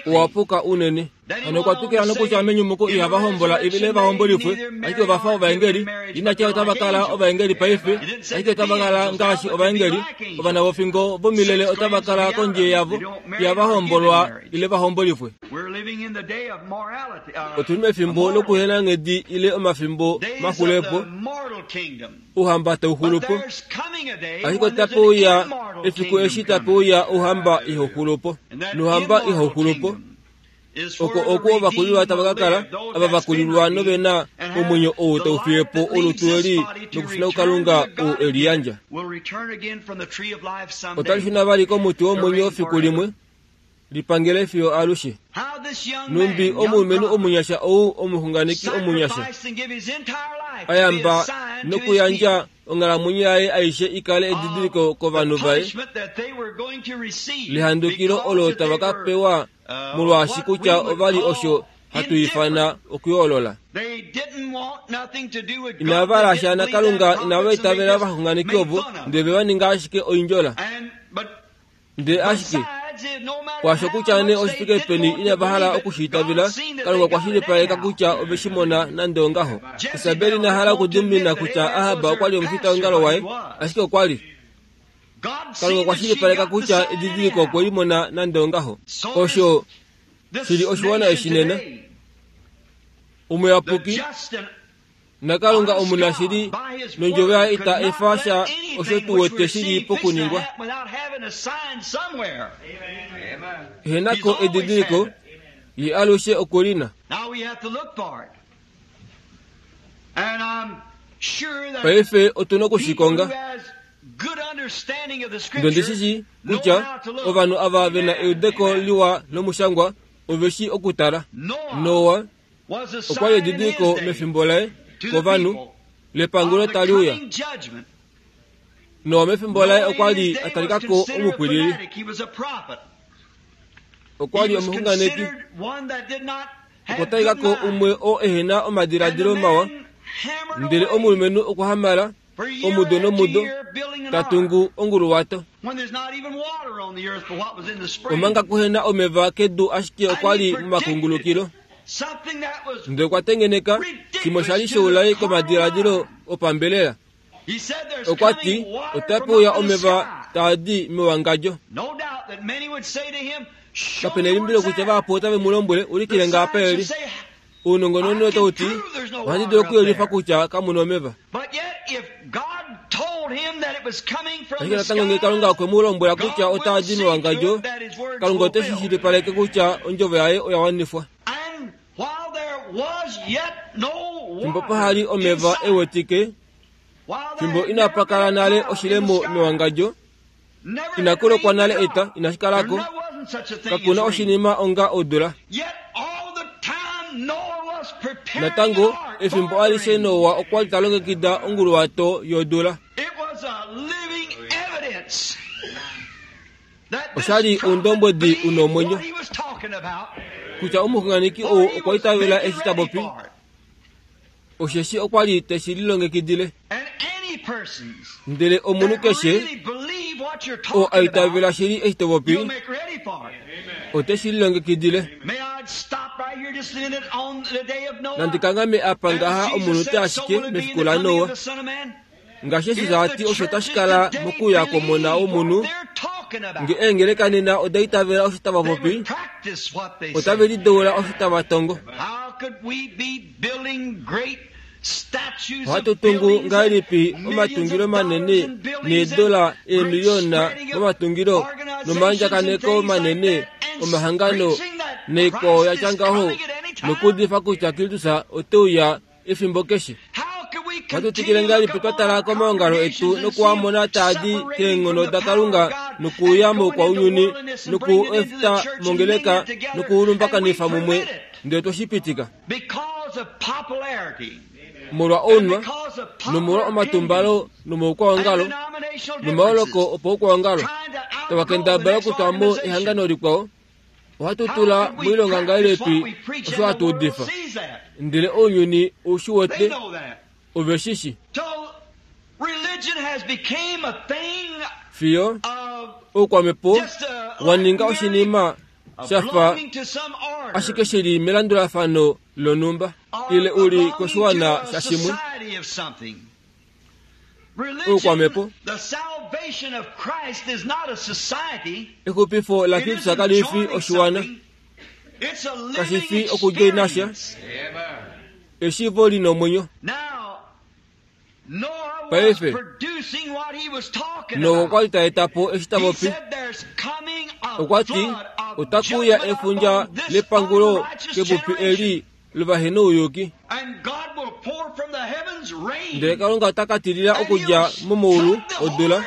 Speaker 1: Owa puka unene. Hano okwa twikila nokutya menyumuko ihava hombola ile va hombolifwe, ashike ova fa ovaengeli. Ina tya otava kala ovaengeli paife, ashike otava kala ngaashi ovaengeli. Ovana vofingo vomilele otava kala kondje yavo, ihava hombolwa ile va hombolifwe. Otu li mefimbo lokuhenanghedi ile omafimbo maxulepo. Ouhamba tau xulu po, ashike otape uya efiku eshi tape uya Ouhamba ihau xulu po. NOuhamba ihau xulu po, oko oku ovakulilwa tava ka kala, ava va kulilwa nove na omwenyo ou tau fiye po olutu eli nokushuna kuKalunga ou e li yandja. Otali shuna vali komuti womwenyo fiku limwe, li pangele fiyo alushe. Nhumbi omulumenhu omunyasha ou omuxunganeki omunyasha a yamba nokuyandja onghalamwenyo yaye aishe i kale edidiliko kovanhu vaye lehandukilo olo tava ka pewa molwaashi kutya ova li osho hatu ifana okuyoolola. Inava hala sha naKalunga, inava itavela ovaxunganeki ovo, ndele ve va ninga ashike oindjola. Ndele ashike kwaasho kutya nee oshifike peni inava hala oku shi itavela, Kalunga okwa shilipaleka kutya ove shi mona nande ongaho. Isabel ina hala okudimina kutya Ahab okwa li omufitaongalo waye, ashike okwa li. Kalunga okwa shilipaleka kutya edidiliko okwe li mona nande ongaho. Osho shi li oshiwana eshi nena. Omuyapuki naKalunga omunashili nondjovo yaye ita efa sha osho tu wete shi li pokuningwa. Ehena ko edidiliko, ye alushe oku li na. Paife otu na oku shi konga. Ndondi shi shii kutya ovanhu ava ve na eudeko liwa lomushangwa ove shii okutala. Noa okwa li edidiliko mefimbo laye kovanhu lepangulo tali uya. Noa mefimbo laye okwa li a talika ko omupwilili. Okwa li omuxunganeki. Okwa talika ko umwe oo ehe na omadiladilo mawa, ndele omulumenhu okwa hamala omudo nomudo ta tungu onguluwato. Omanga kuhe na omeva kedu ashike okwa li momakungulukilo. Ndele okwa tengeneka shimwe sha li shoulai komadiladilo opambelela. Okwa ti, Otape uya omeva taa di mewangadjo. Kape na elimbilo kutya vahapu otave mu lombwele, Ulikile nge apa e li. Ounongononi otau ti, Ohandi dulu okuyelifa kutya kamu na omeva. Ashike natango ngee Kalunga okwe mu lombwela kutya otaa di mewangadjo, Kalunga ote shi shilipaleke kutya ondjovo yaye oya wanifwa. Fimbo paha li omeva e wetike, fimbo inapa kala nale oshilemo mewangadjo, Inaku lokwa nale eta, inashi kala ko. Kaku na oshinima onga odula. Natango, efimbo alishe Noa okwa li ta longekida onguluwato yodula. Osha li oundombwedi u na omwenyo kutya omuxunganeki ou okwa itavela eshi ta popi, osheshi okwa li te shi lilongekidile. Ndele omunhu keshe oo a itavela shili eshi to popi, ote shi lilongekidile. Nandi kanghame apa ngaha omunute ashike mefiku laNoa. Ngaashi Jesus a ti osho tashi kala mokuuya kwOmona wOmunhu, nge eengeleka nena oda itavela osho tava popi, otave lideula osho tava tongo. Ohatu tungu ngahelipi omatungilo manene needola eemiliyona momatungilo nomaandjakaneko manene omahangano naikwao ya tya ngaho nokuudifa kutya Kristus ote uya efimbo keshe? Ohatu twikile ngahelipi twa tala komaongalo etu noku a mona taa di keenghono daKalunga nokuuya moukwaunyuni noku u eta mongeleka noku u lumbakanifa mumwe ndele twe shi pitika? Molwa ounwa, nomolwa omatumbalo nomaukwaongalo nomaoloko opaukwaongalo, tava kendabala okutwa mo ehangano likwao, ohatu tula moilonga ngahelipi osho hatu udifa? Ndele ounyuni ou shi wete, ove shi shi. Fiyo oukwamhepo wa ninga oshinima sha fa ashike shi li melandulafano lonhumba ile u li koshiwana shashimwe. Oukwamhepo Exupifo laKristus kali fi oshiwana, kashi fi okudjoina sha, eshiivo li nomwenyo. Paife, Noa okwa li ta eta po eshi ta popi. Okwa ti, Otaku uya efundja lepangulo kepupi eli lovahenouyuki. Ndele Kalunga ota ka tilila okudja momaulu odula,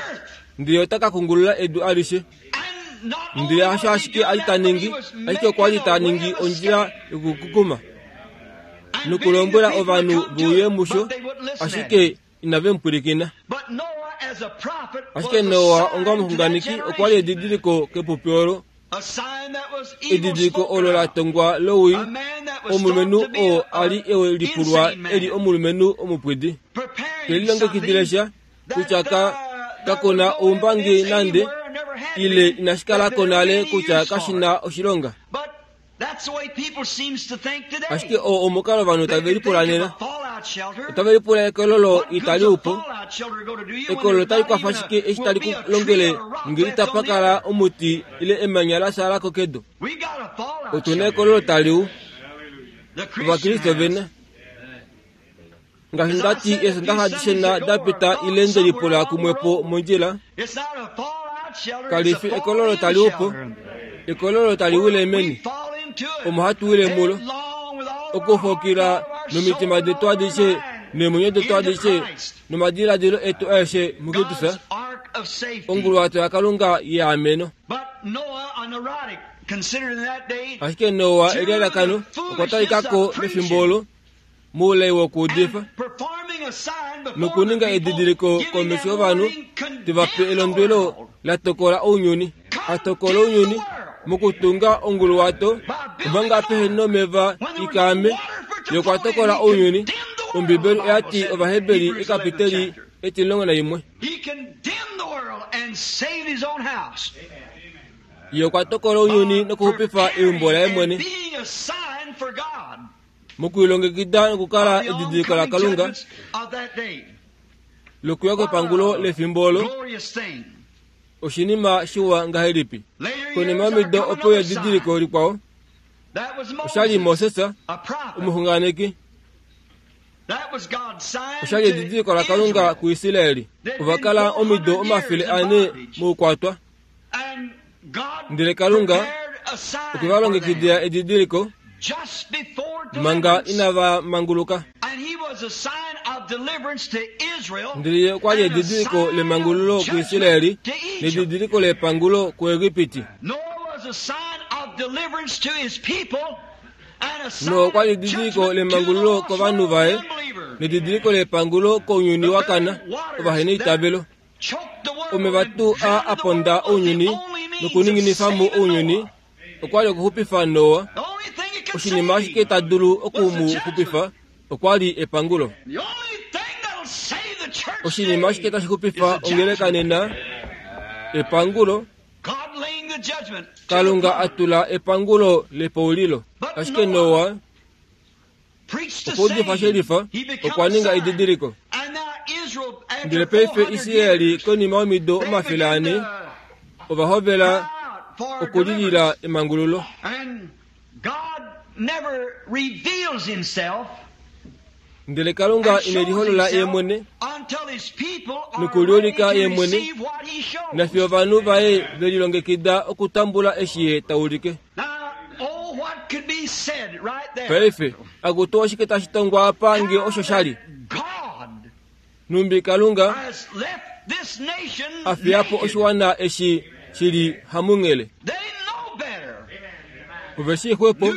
Speaker 1: ndele ota ka kungulula edu alishe. Ndele hasho ashike a li ta ningi, ashike okwa li ta ningi ondjila yokukukuma nokulombwela ovanhu ve uye musho, ashike inave mu pwilikina. Ashike Noa onga omuxunganeki okwa li edidiliko kepupi olo, edidiliko olo la tongwa lowii, omulumenhu oo a li e lipulwa e li omulumenhu omupwidi. Te lilongekidile sha kutya ka, kaku na oumbangi nande. ile inashi kala ko nale kutya kashi na oshilonga. Ashike oo omukalo ovanhu tave lipula nena. Otave lipula ekololo itali u po. Ekololo otali kwafa shike eshi tali ku longele nge itapa kala omuti ile emanya la shala ko kedu? Otu na ekololo tali u. Ovakriste ove na. Ngaashi nda ti eesondaxa adishe na da pita ile nde lipula kumwe po mondjila, kali fi ekololo tali u po, ekololo tali wile meni, omo hatu wile mulo. Okufokila nomitima detu adishe neemwenyo detu adishe nomadiladilo etu aeshe muKristus, onguluwato yaKalunga yeameno. Ashike Noa elialakano okwa talika ko mefimbo olo moulai wokuudifa nokuninga edidiliko komesho yovanhu te va pe elondwelo la tokola ounyuni, a tokola ounyuni mokutunga onguluwato omanga pehe nomeva i kaame. Ye okwa tokola ounyuni. Ombibeli oya ti Ovaheberi ekapiteli 11. Ye okwa tokola ounyuni nokuxupifa eumbo laye mwene. Mokulilongekida nokukala edidiliko laKalunga lokuya kwepangulo lefimbo olo, oshinima shiwa ngahelipi! Konima yomido opo yedidiliko likwao, osha li Moses, omuxunganeki. Osha li edidiliko laKalunga kuIsrael. Ova kala omido 400 moukwatwa. Ndele Kalunga okwe va longekidila edidiliko manga inava manguluka. Ndele ye okwa li edidiliko lemangululo kuIsraeli nedidiliko lepangulo kuEgipiti. Noa okwa li edidiliko lemangululo kovanhu vaye nedidiliko lepangulo kounyuni wa kana ovaheneitavelo. Omeva tuu aa a ponda ounyuni nokuninginifa mo ounyuni okwa li okuxupifa Noa. Oshinima ashike ta dulu oku mu xupifa okwa li epangulo. Oshinima ashike tashi xupifa ongeleka nena epangulo. Kalunga a tula epangulo lepoulilo. Ashike Noa Okwa udifa shelifa, okwa ninga edidiliko. Ndele paife Israel konima yomido 400 ova hovela okulilila emangululo. Ndele Kalunga ine liholola ye mwene nokuliulika ye mwene nafiyo ovanhu vaye ve lilongekida okutambula eshi ye ta ulike. Paife, akutu oshike tashi tongwa apa nge osho sha li? Nhumbi Kalunga a fiya po oshiwana eshi shi li hamunghele. Ove shii xwepo.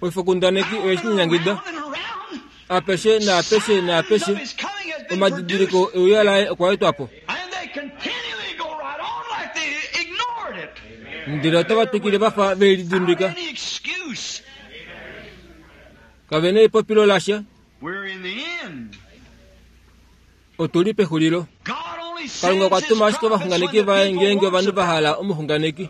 Speaker 1: Oifokundaneki oye shi nyanyangida. Apeshe naapeshe naapeshe, omadidiliko euya laye okwa etwa po. Ndele otava twikile va fa ve lidimbika. Kave na epopilo lasha. Otu li pexulilo. Kalunga okwa tuma ashike ovaxunganeki vaye ngeenge ovanhu va hala omuxunganeki.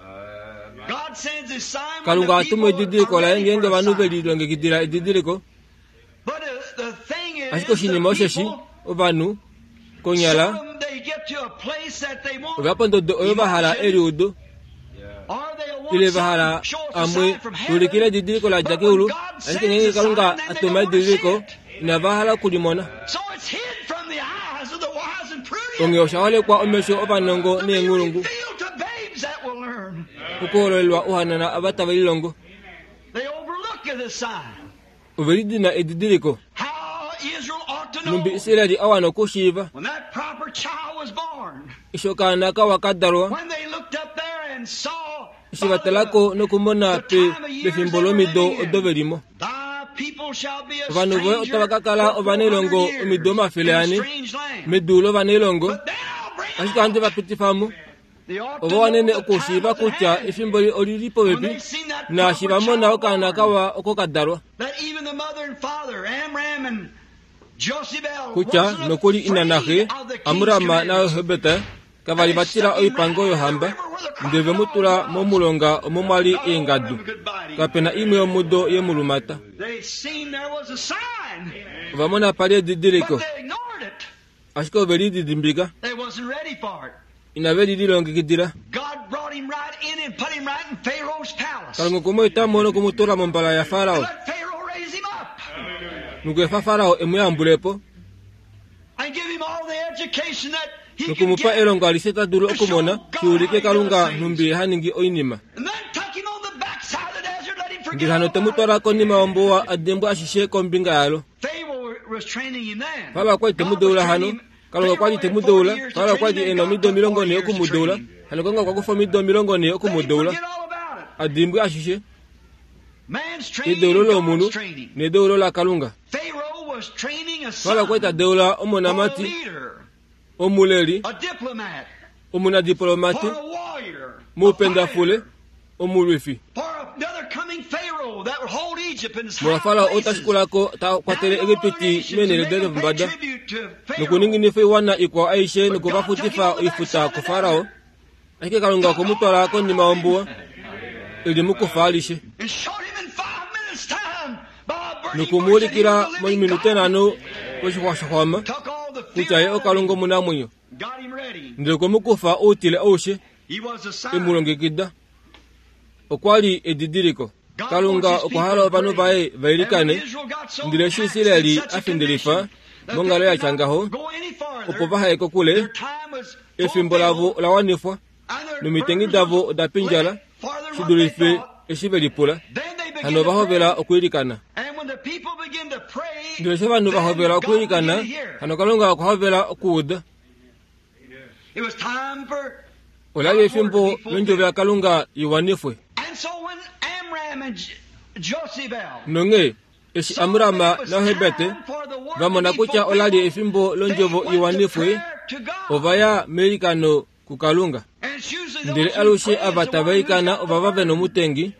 Speaker 1: Kalunga oha tumu edidiliko laye ngeenge ovanhu ve lilongekidila edidiliko. Ashike oshinima osheshi, ovanhu, konyala, ova pondodo oyo va hala eliudo, ile va hala amwe tuulikile edidiliko la dja keulu, ashike ngeenge Kalunga a tuma edidiliko, inava hala oku li mona. Onghee osha holekwa omesho ovanongo neenghulungu, okuhololelwa ouhanana ava tave lilongo. Ove lidina edidiliko. Nhumbi Israel a wana okushiiva eshi okaana kawa ka dalwa, eshi va tala ko nokumona pe pefimbo lomido odo ve li mo. Ovanhu voye otava ka kala ovanailongo omido 400 medu lovanailongo, ashike ohandi va pitifa mo. Ova wanene okushiiva kutya efimbo oli li popepi naashi va mona okaana kawa oko ka dalwa. Kutya nokuli ina naxe, Amram naJohebet, Kava li va tila oipango yohamba, ndele ve mu tula momulonga omo mwa li eengadu. Kape na imwe yomudo ye mu lumata. Ova mona pa li edidiliko, ashike ove li didimbika. Inave li lilongekidila. Kalunga okwe mu eta mo noku mu tula mombala yaFarao, nokweefa Farao e mu yambule po. Nokumupa elongo alishe ta dulu okumona, shi ulike Kalunga nhumbi ha ningi oinima. Ndele hano te mu twala konima yombuwa a dimbwa ashishe kombinga yalo. Farao okwa li te mu deula hano. Kalunga okwa li te mu deula. Farao okwa li e na omido 40 oku mu deula. Hano Kalunga okwa kufa omido 40 oku mu deula. A dimbwe ashishe. Edeulo lomunhu nedeulo laKalunga. Farao okwa li ta deula omonamati, omuleli, omunadiplomate, moupendafule, omulwifi. Molwa Farao ou ta shikula ko ta kwatele Egipiti meenhele daye dopombada nokuninginifa oiwana ikwao aishe noku va futifa oifuta kuFarao, ashike Kalunga okwe mu twala konima yombuwa e li mukufa alishe noku mu ulikila mominute nhano koshixwa shoxwama kutya ye oKalunga omunamwenyo. Ndele okwe mu kufa outile aushe e mu longekida. Okwa li edidiliko. Kalunga okwa hala ovanhu vaye va ilikane, ndele eshi Israel a findilifa monghalo ya tya ngaho, opo vaha ye kokule, efimbo lavo ola wanifwa nomitengi davo oda pindjala shi dulife eshi ve lipula. Hano ova hovela okwiilikana. Ndele eshi ovanhu va hovela okwiilikana, hano Kalunga okwa hovela okuuda. Ola li efimbo londjovo yaKalunga i wanifwe. Nonghee eshi Amram naHebert va mona kutya ola li efimbo londjovo i wanifwe, ova ya meilikano kuKalunga. Ndele alushe ava tava ilikana ovava ve nomutengi,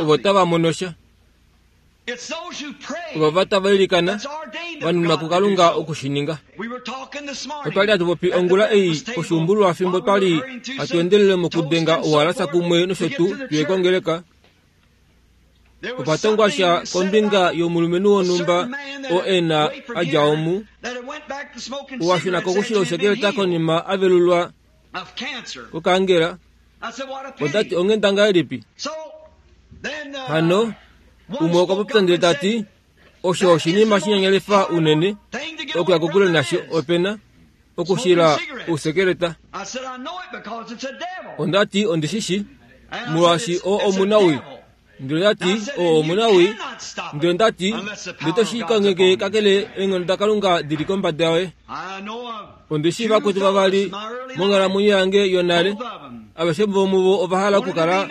Speaker 1: ovo tava mono sha. Ovava tava ilikana va nunwa kuKalunga oku shi ninga. Otwa li hatu popi ongula ei poshuumbululwa fimbo twa li hatu endelele mokudenga ouhalasa kumwe nosho tuu tuye kongeleka. Okwa tongwa sha kombinga yomulumenhu wonhumba oo e na a dja omu, oo a shuna kokushila ousekeleta konima a velulwa kokaangela. Ota ti onghenda ngahelipi? Hano umwe okwa popya ndele ta ti, Osho oshinima shinyanyalifa unene okuya kokule nasho ope na okushila ousekeleta. Onda ti ondi shi shi, molwaashi oo omunawii. Ndele nda ti, oo omunawii. Ndele nda ti, ndele to shi kangheke kakele eenghono daKalunga di li kombada yoye. Ondi shii vakwetu vavali monghalamwenyo yange yonale, aveshe vomuvo ova hala okukala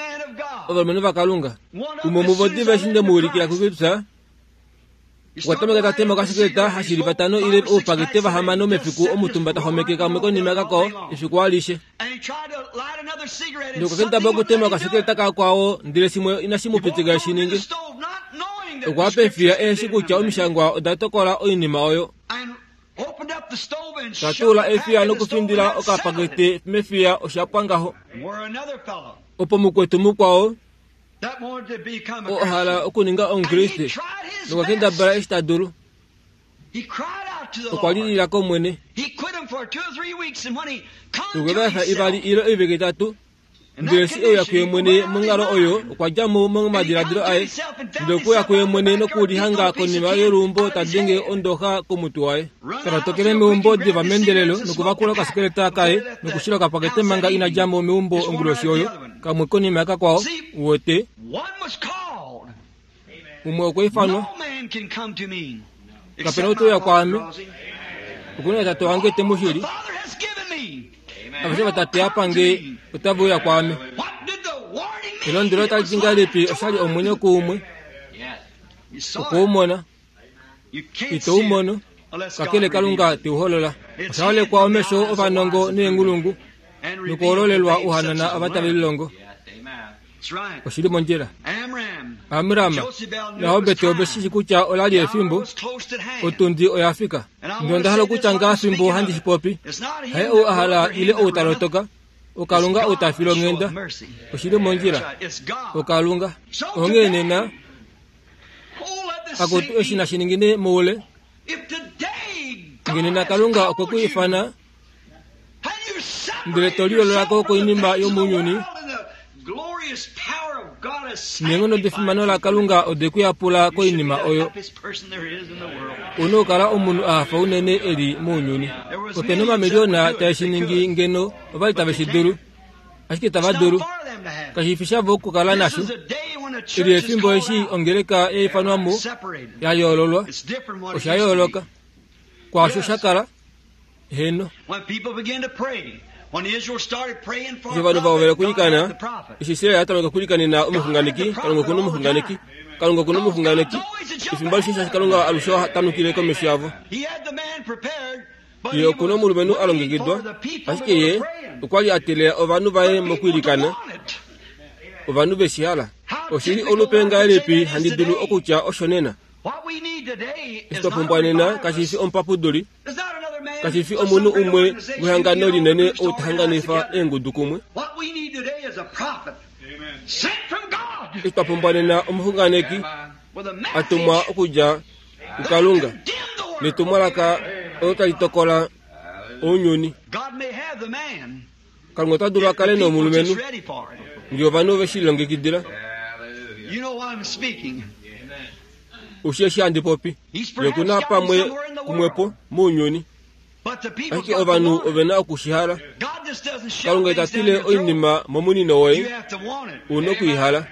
Speaker 1: ovalumenhu vaKalunga. Umwe muvo diva eshi nde mu ulikila kuGibsa, okwa tameka ta tema okashikileta hashi li vatano ile oupakete vahamano mefiku omutumba ta xomeke kamwe konima kakwao efiku alishe. Nokwa kendabala okutema okashikileta kakwao ndele shimwe inashi mu pitika eshi ninge. Okwa pa efiya eheshi kutya omishangwa oda tokola oinima oyo. Ta tuula efiya nokufindila okapakete mefiya osha pwa ngaho. Opo mukwetu mukwao oo a hala okuninga Omukriste nokwa kendabala eshi ta dulu. Okwa lilila kOmwene. Okwe va efa ivali ile oivike itatu, ndele eshi e uya kuye mwene monghalo oyo, okwa dja mo momadiladilo aye, ndele okwe uya kuye mwene nokulihanga konima yoluumbo ta denge ondoxa komutwe waye. Ta totokele meumbo diva meendelelo nokuvakula okasikeleta kaye nokushila okapakete manga ina dja mo meumbo onguloshi oyo. Kamwe konima yakakwao, uwete. Umwe okwa ifanwa. Kape na ou te uya kwaame. Oku na Tate wange te mu shili. Aveshe vaTate a pa nge otave uya kwaame. Elondwelo otali ti ngahelipi oshali omwenyo kuumwe? Oku u mona. Ito u mono, kakele Kalunga te u holola. Osha holekwa omesho ovanongo neenghulungu, nokuhololelwa ouhanana ava tave lilongo. Oshi li mondjila. Amram naHobet ove shi shi kutya ola li efimbo, otundi oya fika. Ndele onda hala okutya ngaa fimbo handi shi popi, haye ou a hala ile ou ta lotoka, oKalunga ou ta file onghenda. Oshi li mondjila. OKalunga. Onghee nena, akutu eshi nashi ningine moule, nge nena Kalunga okwe ku ifana, ndele to liyoolola ko koinima yomounyuni, neenghono defimano laKalunga ode ku yapula koinima oyo, u na okukala omunhu a hafa unene e li mounyuni. Ope na omamiliyona tae shi ningi ngeno ova li tave shi dulu, ashike itava dulu. Kashi fi shavo okukala nasho. Eli efimbo eshi ongeleka ya ifanwa mo, ya yoololwa. Osha yooloka kwaasho sha kala. Heeno. Eshi ovanhu va hovela okwiilikana, eshi Israel a tameka okwiilikanena omuxunganeki, Kalunga oku na omuxunganeki. Kalunga oku na omuxunganeki. Efimbo alishe shaashi Kalunga alushe oha tanukile komesho yavo. Ye oku na omulumenhu a longekidwa, ashike ye okwa li a teelela ovanhu vaye mokwiilikana, ovanhu ve shi hala. Oshi li olupe ngahelipi handi dulu okutya osho nena? Eshi twa pumbwa nena kashi fi omupapuduli, Kashi fi omunhu umwe wehangano linene ou ta hanganifa eengudu kumwe. Eshi twa pumbwa nena omuxunganeki a tumwa okudja kuKalunga netumwalaka olo tali tokola ounyuni. Kalunga ota dulu a kale nomulumenhu ngee ovanhu ove shi lilongekidila. Ushi eshi handi popi? Ye oku na pamwe kumwepo mounyuni. Ashike ovanhu ove na oku shi hala. Kalunga ita tile oinima momunino woye, u noku i hala.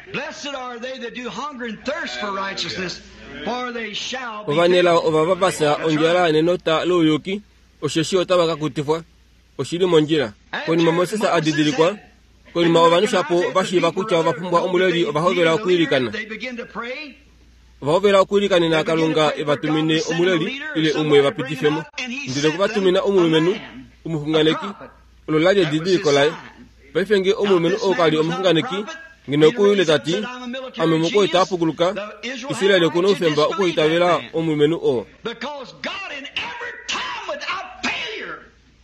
Speaker 1: Ovanelao ovava va fya ondjala nenota louyuki, osheshi otava ka kutifwa. Oshi li mondjila. Konima Moses a didilikwa, konima ovanhu shapo va shiiva kutya ova pumbwa omuleli ova hovela okwiilikana. Ova hovela okwiilikanena Kalunga e va tumine omuleli ile umwe e va pitife mo. Ndele okwe va tumina omulumenhu, omuxunganeki. Olo la li edidiliko laye. Paife nge omulumenhu oo ka li omuxunganeki, ngeno okwe uyile ta ti, Ame omukwaita a pukuluka, Israel oku na oufemba okuitavela omulumenhu oo.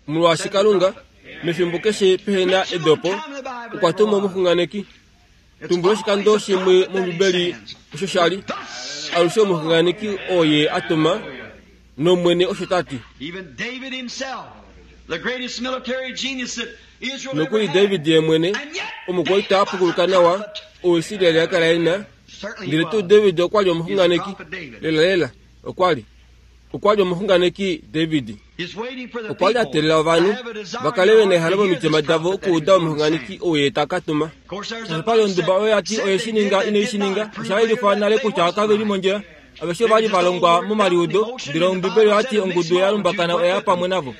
Speaker 1: Molwaashi Kalunga, mefimbo keshe pehe na edopo, okwa tuma omuxunganeki. Tumbula oshikando shimwe mOmbibeli osho sha li alushe omuxunganeki oo ye a tuma, nOmwene osho ta ti. Nokuli David ye mwene, omukwaita a pukuluka nawa, oo Israel a kala e na, ndele tuu David okwa li omuxunganeki, lelalela, okwa li. Okwa li omuxunganeki David. Okwa li a teelela ovanhu va kale ve na ehalo momitima davo okuuda omuxunganeki ou ye ta ka tuma. Opa li onduba oyo ya ti oye shi ninga inai shi ninga. Osha yelifwa nale kutya kave li mondjila. Aveshe ova li va longwa momaliudo, ndele Ombibeli oya ti ongudu ya lumbakana oya ya pamwe navo.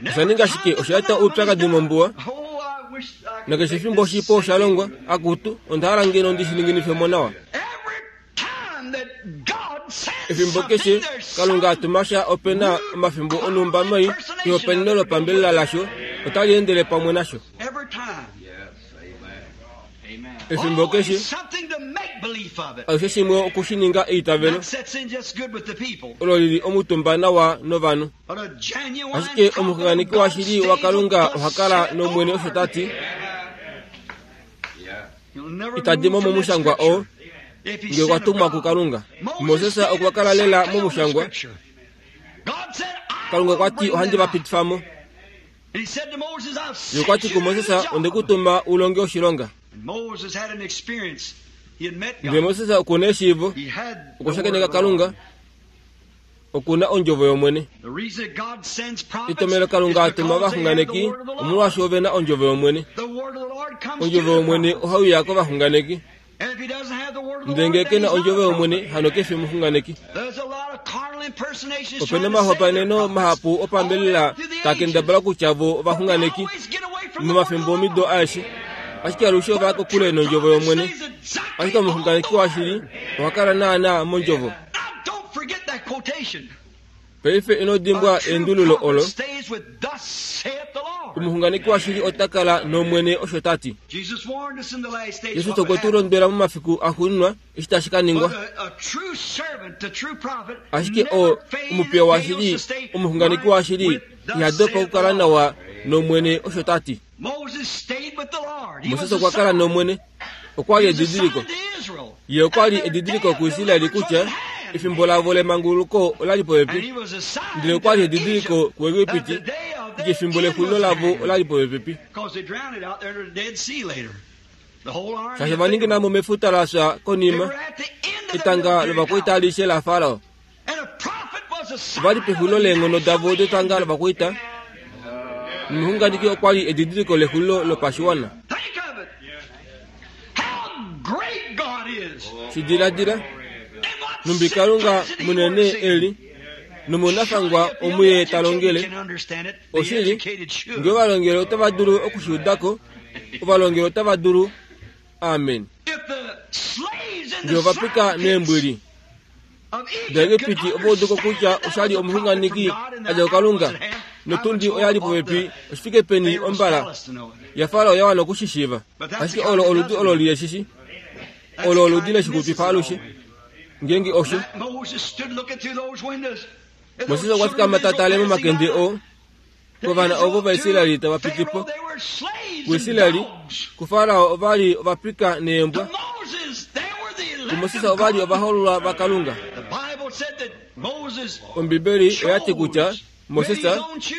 Speaker 1: Osha ninga shike? Osha eta oupyakadi mombuwa. Nakeshe efimbo oshipo osha longwa. Akutu, onda hala ngeno ndi shi ninginife mo nawa. Efimbo keshe Kalunga a tuma sha ope na omafimbo onhumba mai ehopaeneno lopambelela lasho otali endele pamwe nasho. Efimbo keshe alushe shimwe oku shi ninga eitavelo olo li li omutumba nawa novanhu. Ashike omuxunganeki washili waKalunga oha kala nOmwene osho ta ti. Ita di mo momushangwa oo nge okwa tumwa kuKalunga. Moses okwa kala lela momushangwa. Kalunga okwa ti ohandi va pitifa mo. Ye okwa ti kuMoses, onde ku tuma u longe oshilonga. Ndele Moses oku na eshiivo, okwa shakeneka Kalunga, oku na ondjovo yOmwene. Etomhelo Kalunga a tuma ovaxunganeki omolwaashi ove na ondjovo yOmwene. Ondjovo yOmwene ohai uya kovaxunganeki. Ndele ngee ke na ondjovo yOmwene, hano ke fi omuxunganeki. Ope na omahopaeneno mahapu opambelela taa kendabala kutya vo ovaxunganeki momafimbo omido aeshe, ashike alushe ova ya kokule nondjovo yOmwene. Ashike omuxunganeki washili oha kala naanaa mondjovo. Paife ino dimbwa eendululo olo. Omuxunganeki washili ota kala nOmwene osho ta ti. Jesus okwe tu londwela momafiku axuuninwa eshi tashi ka ningwa. Ashike o, omupiya washili, omuxunganeki washili, iha dopa okukala nawa nOmwene osho ta ti. Moses okwa kala nOmwene. Okwa li edidiliko. Ye okwa li edidiliko kuIsraeli kutya efimbo lavo lemanguluko ola li popepi. Ndele okwa li edidiliko kuEgipiti kutya efimbo lexulilo lavo ola li popepi. Shaashi va ningina mo mefuta la fya konima, etanga lovakwaita alishe laFarao Ova li pexulilo leenghono davo detanga lovakwaita, nomuxunganeki okwa li edidiliko lexulilo lopashiwana. Shi diladila, nhumbi Kalunga munene e li, nomunafangwa omu Ye ta longele. Oshili, nge ovalongeli otava dulu oku shi uda ko, ovalongeli otava dulu. Amen. Nge ovapika meembwili daEgipiti ova udu ko kutya osha li omuxunganeki a dja kuKalunga, notundi oya li popepi oshifike peni ombala yaFarao ya wana oku shi shiiva. Ashike olo oludi olo li leshishi. Olo oludi leshikupifa alushe. Ngeenge osho. Moses okwa fikama ta tale momakende oo kovana ovo vaIsraeli tava piti po. KuIsraeli, kuFarao ova li ovapika neembwa. KuMoses ova li ovahoololwa vaKalunga. Ombibeli oya ti kutya Moses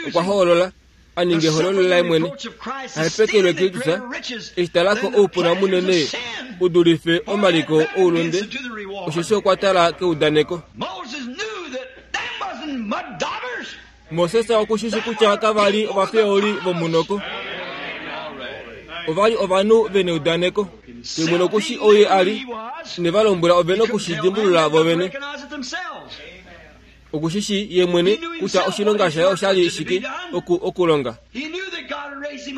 Speaker 1: okwa hoolola a ninge ehololo laye mwene, a hepekelwe Kristus, eshi tala ko oupuna munene u dulife omaliko oulunde, osheshi okwa tala keudaneko. Moses oku shi shi kutya kava li ovafeoli vomunoko. Ova li ovanhu ve neudaneko. Ye mwene oku shi oye a li, ne va lombwela ove noku shi dimbulula vo vene. Oku shi shi ye mwene kutya oshilonga shaye osha li shike oku okulonga.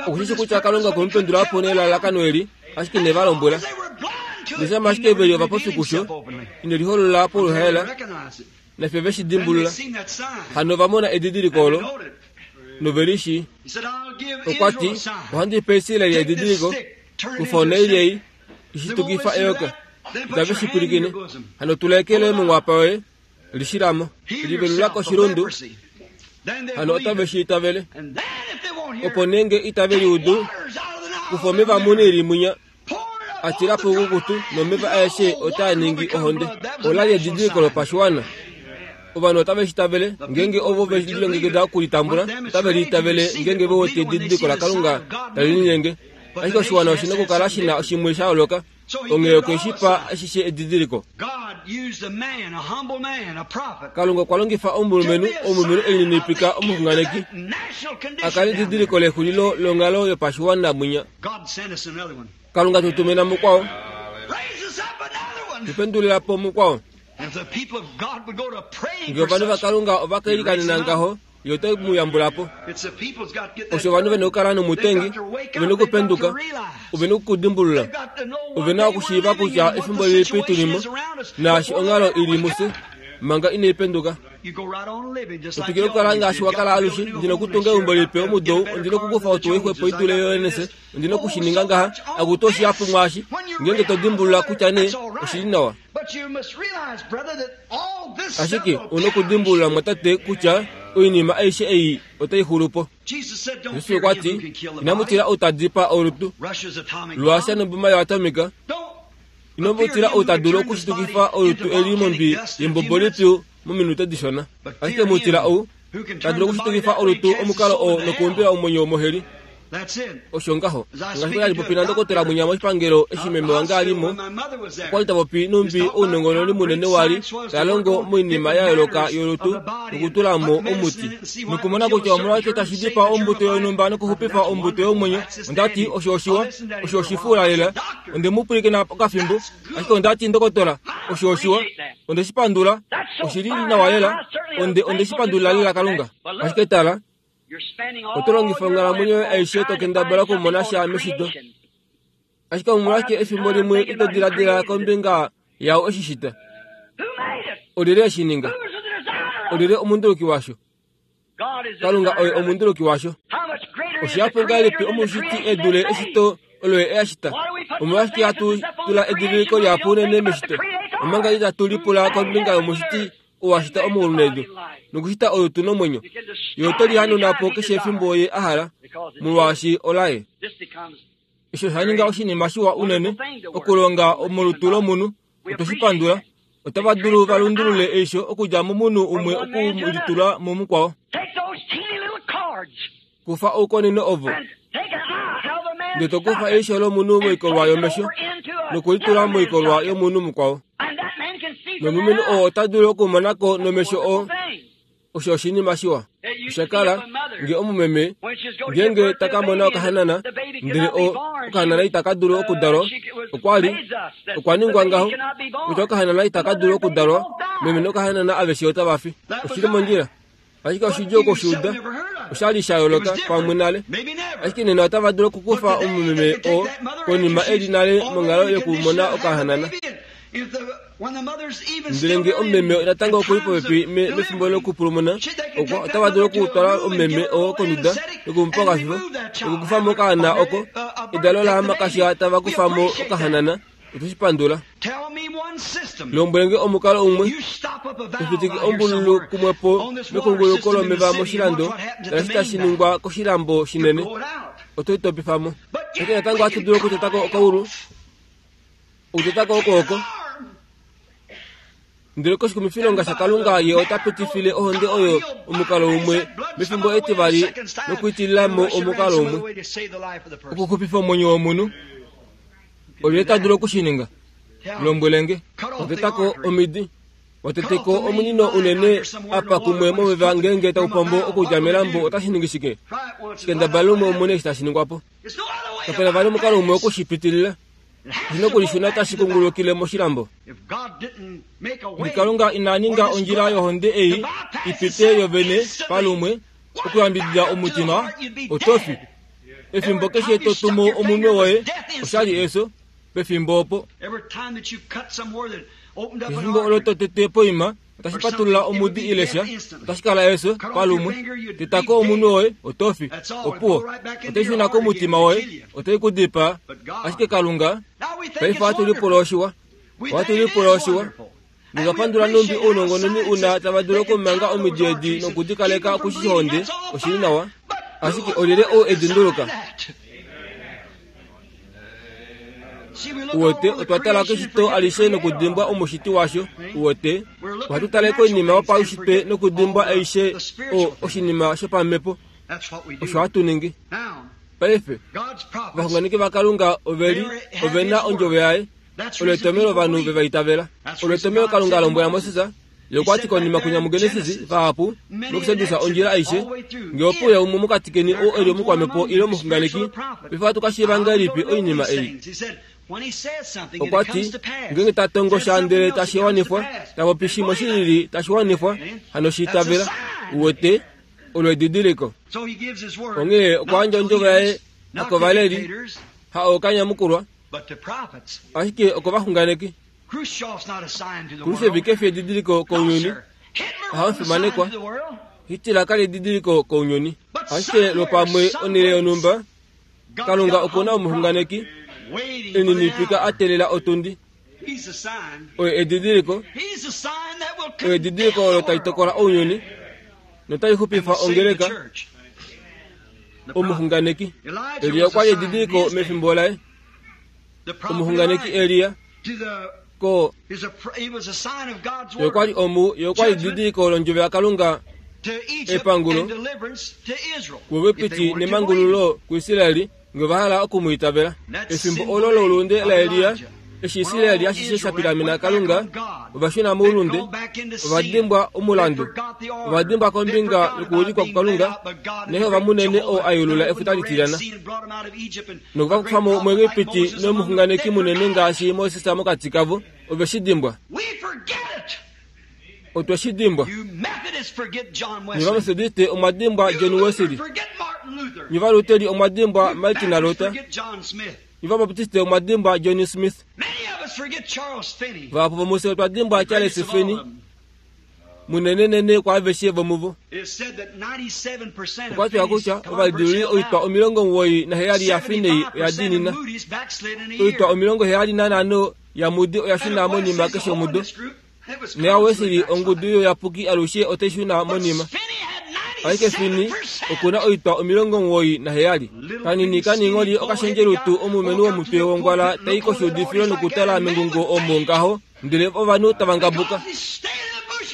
Speaker 1: Oku shi shi kutya Kalunga okwe mu pendula po nelalakano eli, ashike ne va lombwela. Neshama ashike ve li ovapofi kusho, ine liholola poluhaela. Nafye ve shi dimbulula. Hano ova mona edidiliko olo, nove li shii. Okwa ti, Ohandi pe Israel edidiliko, kufa onhaili ei, i shitukifa eyoka. Itave shi pwilikine. Hano tula eke loye monghwapa yoye, li shila mo. Livelula koshilundu. Hano otave shi itavele. Opo nee nge itave li udu, kufa omeva munili mwinya. a tila poukukutu nomeva aeshe otaa ningi ohonde. Ola li edidiliko lopashiwana. Ovanhu otave shi tavele ngeenge ovo ve lilongekida oku li tambula, otave li itavele ngeenge ve wete edidiliko laKalunga tali linyenge. Ashike oshiwana oshi na okukala shi na shimwe sha yooloka, onghee okwe shi pa ashishe edidiliko. Kalunga okwa longifa omulumenhu, omulumenhu e lininipika omuxunganeki, a kale edidiliko lexulilo longhalo yopashiwana mwinya. Kalunga tu tumina mukwao. Tu pendulila po mukwao. Nge ovanhu vaKalunga ova ka ilikanena ngaho, ye ote mu yambula po. Osho ovanhu ve na okukala nomutengi, ove na okupenduka, ove na okudimbulula, ove na okushiiva kutya efimbo lilipi tu li mo, naashi onghalo i li mufye, manga inai penduka. Otwikile okukala ngaashi wa kala alushe. Ndi na okutunga eumbo lipe omudo ou. Ondi na okukufa otuwa ixwepo i dule yoNS. Ondi na oku shi ninga ngaha. Akutu oshihapu mwaashi, ngeenge to dimbulula kutya nee oshi li nawa. Ashike ou na okudimbulula, mumwatate, kutya oinima aishe ei otai xulu po. Jesus okwa ti, Inamu tila ou ta dipaa olutu lwaAsia noboma yoatomika. Ino mu tila ou ta dulu okushitukifa olutu eli mondwi yembombo lipyu mominute dishona. Ashike mu tila ou ta dulu okushitukifa olutu omukalo oo nokuumbila omwenyo womoheli. Osho ngaho. Ngaashi kwa li popi nandokotola mwinya moshipangelo eshi meme wange a li mo, okwa li ta popi nhumbi ounongononi munene wa li ta longo moinima ya yooloka yolutu nokutula mo omuti nokumona kutya omolwashike tashi dipaa ombuto yonhumba nokuxupifa ombuto yomwenyo. Onda ti, Osho oshiwa. Osho oshifuula lela. Onde mu pwilikina okafimbo, ashike onda ti, Ndokotola, osho oshiwa. Onde shi pandula. Oshi li nawa lela. Onde, onde shi pandulila lela Kalunga. Ashike tala, oto longifa onghalamwenyo yoye aishe to kendabala okumona sha meshito. Ashike omolwashike efimbo limwe ito diladila kombinga yao eshi shita? Olyelye e shi ninga? Olyelye omunduluki washo? Kalunga oye omunduluki washo. Oshihapu ngahelipi omushiti e dule eshito olo ye a shita? Omolwashike hatu tula ediviliko lihapu unene meshito, omanga itatu lipula kombinga yomushiti oo a shita omaulu nedu nokushita olutu nomwenyo? Ye ote li hanuna po keshe efimbo ye a hala, molwaashi olaye. Osho osha ninga oshinima shiwa unene okulonga molutu lomunhu. Otwe shi pandula. Otava dulu va lundulule eisho okudja momunhu umwe oku li tula mumukwao. Kufa oukonino ovo, ndele to kufa eisho lomunhu moikolwa yomesho noku li tula moikolwa yomunhu mukwao. Nomulumenhu oo ota dulu okumona ko nomesho oo. Osho oshinima shiwa. Osha kala nge omumeme ngeenge ta ka mona okahanana, ndele o, okahanana itaka dulu okudalwa. Okwa li, okwa ningwa ngaho, kutya okahanana itaka dulu okudalwa, meme nokahanana aveshe otava fi. Oshi li mondjila. Ashike oshidjuu oku shi uda. Osha li sha yooloka pamwe nale. Ashike nena otava dulu okukufa omumeme oo konima e li nale monghalo yokumona okahanana. Ndele nge omumeme natango oku li popepi mefimbo lokupulumuna, okwa otava dulu okutwala omumeme oo konduda noku mu pa okafifo nokukufa mo okaana oko. Edalo lahamakasha tava kufa mo okahanana. Otwe shi pandula. Lombwele nge omukalo umwe to fitike ombululu kumwe po mekunguluko lomeva moshilando ngaashi tashi ningwa koshilambo shinene. Oto i topifa mo. Ashike natango ohatu dulu okuteta ko okaulu, okuteta ko okwooko. Ndele koshikumifilonga shaKalunga ye ota pitifile ohonde oyo omukalo umwe mefimbo etivali nokuitilila mo omukalo umwe okuxupifa omwenyo womunhu. Olyelye ta dulu oku shi ninga? Lombwele nge. Wateta ko omidi. Watete ko omunino unene apa kumwe momeva ngeenge tau pombo okudja melambo otashi ningi shike? Kendabala lumwe umone eshi tashi ningwa po. Kape na vali omukalo umwe oku shi pitilila. Oshi na okulishuna tashi kungulukile moshilambo. Nge Kalunga ina ninga ondjila yohonde ei i pite yovene palumwe okuyambidida omutima, oto fi. Efimbo keshe to tumu omunwe woye, osha li efyo, pefimbo opo. Efimbo olo to tete poima, otashi patulula omudi ile sha, otashi kala efyo, palumwe. Teta ko omunwe woye, oto fi. Opuwo. Otai shuna komutima woye, otai ku dipaa. Ashike Kalunga, paife ohatu lipula oshiwa. Ohatu lipula oshiwa. Notwa pandula nhumbi ounongononi una tava dulu okumanga omidi edi noku di kaleka kushihonde, oshi li nawa. Ashike olyelye ou e di nduluka? Uwete, otwa tala keshito alishe nokudimbwa omushiti washo. Uwete, ohatu tale koinima yopaushitwe nokudimbwa aishe o, oshinima shopamhepo. Osho hatu ningi. Paife, ovaxunganeki vaKalunga ove li, ove na ondjovo yaye. Olo etomhelo ovanhu ve va itavela. Olo etomhelo Kalunga a lombwela Moses, Ye okwa ti konima kwinya muGenesis, vahapu, nokusedusa ondjila aishe, Nge ope uya umwe mokati keni ou e li omukwamhepo ile omuxunganeki, paife ohatu ka shiiva ngahelipi oinima ei? Okwa ti, Ngeenge ta tongo sha ndele tashi wanifwa, ta popi shimwe shi lili tashi wanifwa, hano shi itavela. Uwete, olo edidiliko. Onghee okwa yandja ondjovo yaye hakovaleli, ha ookanyamukulwa, Ashike okovaxunganeki. Khrushchev ke fi edidiliko kounyuni. Oha fimanekwa. Hitler ka li edidiliko kounyuni. Ashike lwopamwe onhele yonhumba, Kalunga oku na omuxunganeki e ninipika a teelela otundi. Oye edidiliko. Oye edidiliko olo tali tokola ounyuni notali xupifa ongeleka. Omuxunganeki Elia okwa li edidiliko mefimbo laye. Omuxunganeki Elia ko ye okwa li omu ye okwa li edidiliko londjovo yaKalunga epangulo kuEgipiti nemangululo kuIsraeli nge va hala oku mu itavela. Efimbo olo loulunde laElia, eshi Israel ashishe sha pilamena Kalunga, ova shuna moulunde, ova dimbwa omulandu, ova dimbwa kombinga yokuulikwa kuKalunga, nehova munene oo a yulula Efuta Litilyana, noku va kufa mo muEgipiti nomuxunganeki munene ngaashi Moses mokati kavo, ove shi dimbwa. Otwe shi dimbwa. Nye Vametodiste omwa dimbwa John Wesley. Nye Valuteri omwa dimbwa Martin Luther. Nye Vabaptiste omwa dimbwa John Smith. Vahapu vomufye otwa dimbwa Charles Finney. Munenenene kwaaveshe vomuvo. Okwa tiwa kutya ovalidiluli oitwa 97 yaFinney oya diinina. Oitwa 75 yaMoody oya shuna monima keshe omudo. NoyaWesley ongudu youyapuki alushe otai shuna monima. Ashike Finney oku na oitwa 97. Kanini kaningholi okashendjelutu omulumenhu womutwe wongwala tai koshuudifilo nokutala mengungo omo ngaho ndele ovanhu tava ngabuka.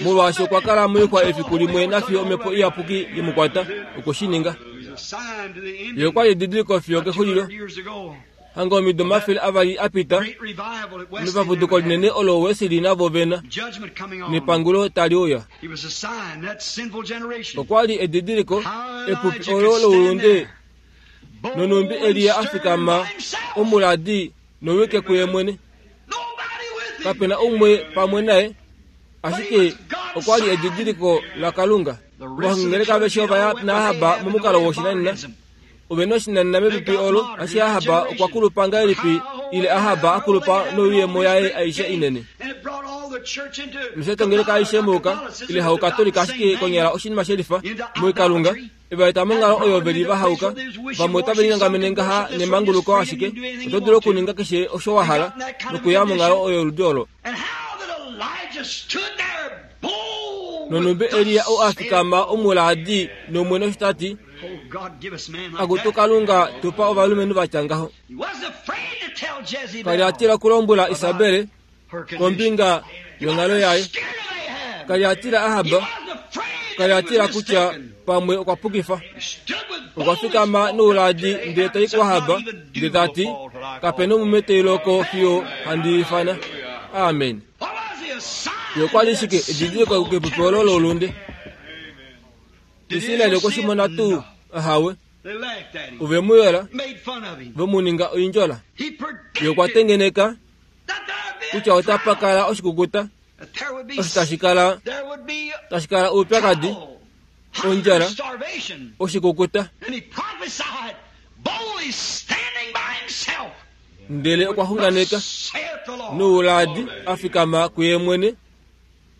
Speaker 1: Molwaashi okwa kala moixwa efiku limwe nafiyo omhepo iyapuki ye mu kwata, okwe shi ninga. Ye okwa li edidiliko fiyo kexulilo. Hanga omido 200 a pita, mepapuduko linene olo Wesley navo ve na, nepangulo tali uya. Okwa li edidiliko, epupi olo loulunde, nonhumbi Elia a fikama omuladi nowike kuye mwene. Kape na umwe pamwe naye, ashike okwa li edidiliko laKalunga. Ovahongingeleka aveshe ova ya naAhab momukalo woshinanena. Ove na oshinanena mepipi olo, ashike Ahab okwa kulupa ngahelipi ile Ahab a kulupa noiyemo yaye aishe inene. Noshatongeleka aishe mouka ile haukatolika ashike konyala oshinima shelifa moikalunga eva eta monghalo oyo ve li va hauka. Vamwe otave lingangamene ngaha nemanguluko ashike oto dulu okuninga keshe osho wa hala nokuya monghalo oyo yoludi olo. Nonhumbi Elia ou a fikama omulaadi nOmwene osho ta ti, Akutu Kalunga, tu pa ovalumenhu va tya ngaho. Ka li a tila okulombwela Isabel kombinga yonghalo yaye. Ka li a tila Ahab. Ka li a tila kutya pamwe okwa pukifa. Okwa fikama nouladi ndele ta i kuAhab ndele ta ti, Kape nomume tai loko fiyo handi ifana. Amen. Ye okwa li shike edidiliko kepupi olo loulunde? Israel okwe shi mona tuu? Ahawe. Ove mu yola, ve mu ninga oindjola. Ye okwa tengeneka kutya otapa kala oshikukuta osho tashi kala tashi kala oupyakadi, ondjala, oshikukuta. Ndele okwa xunganeka nouladi a fikama kuye mwene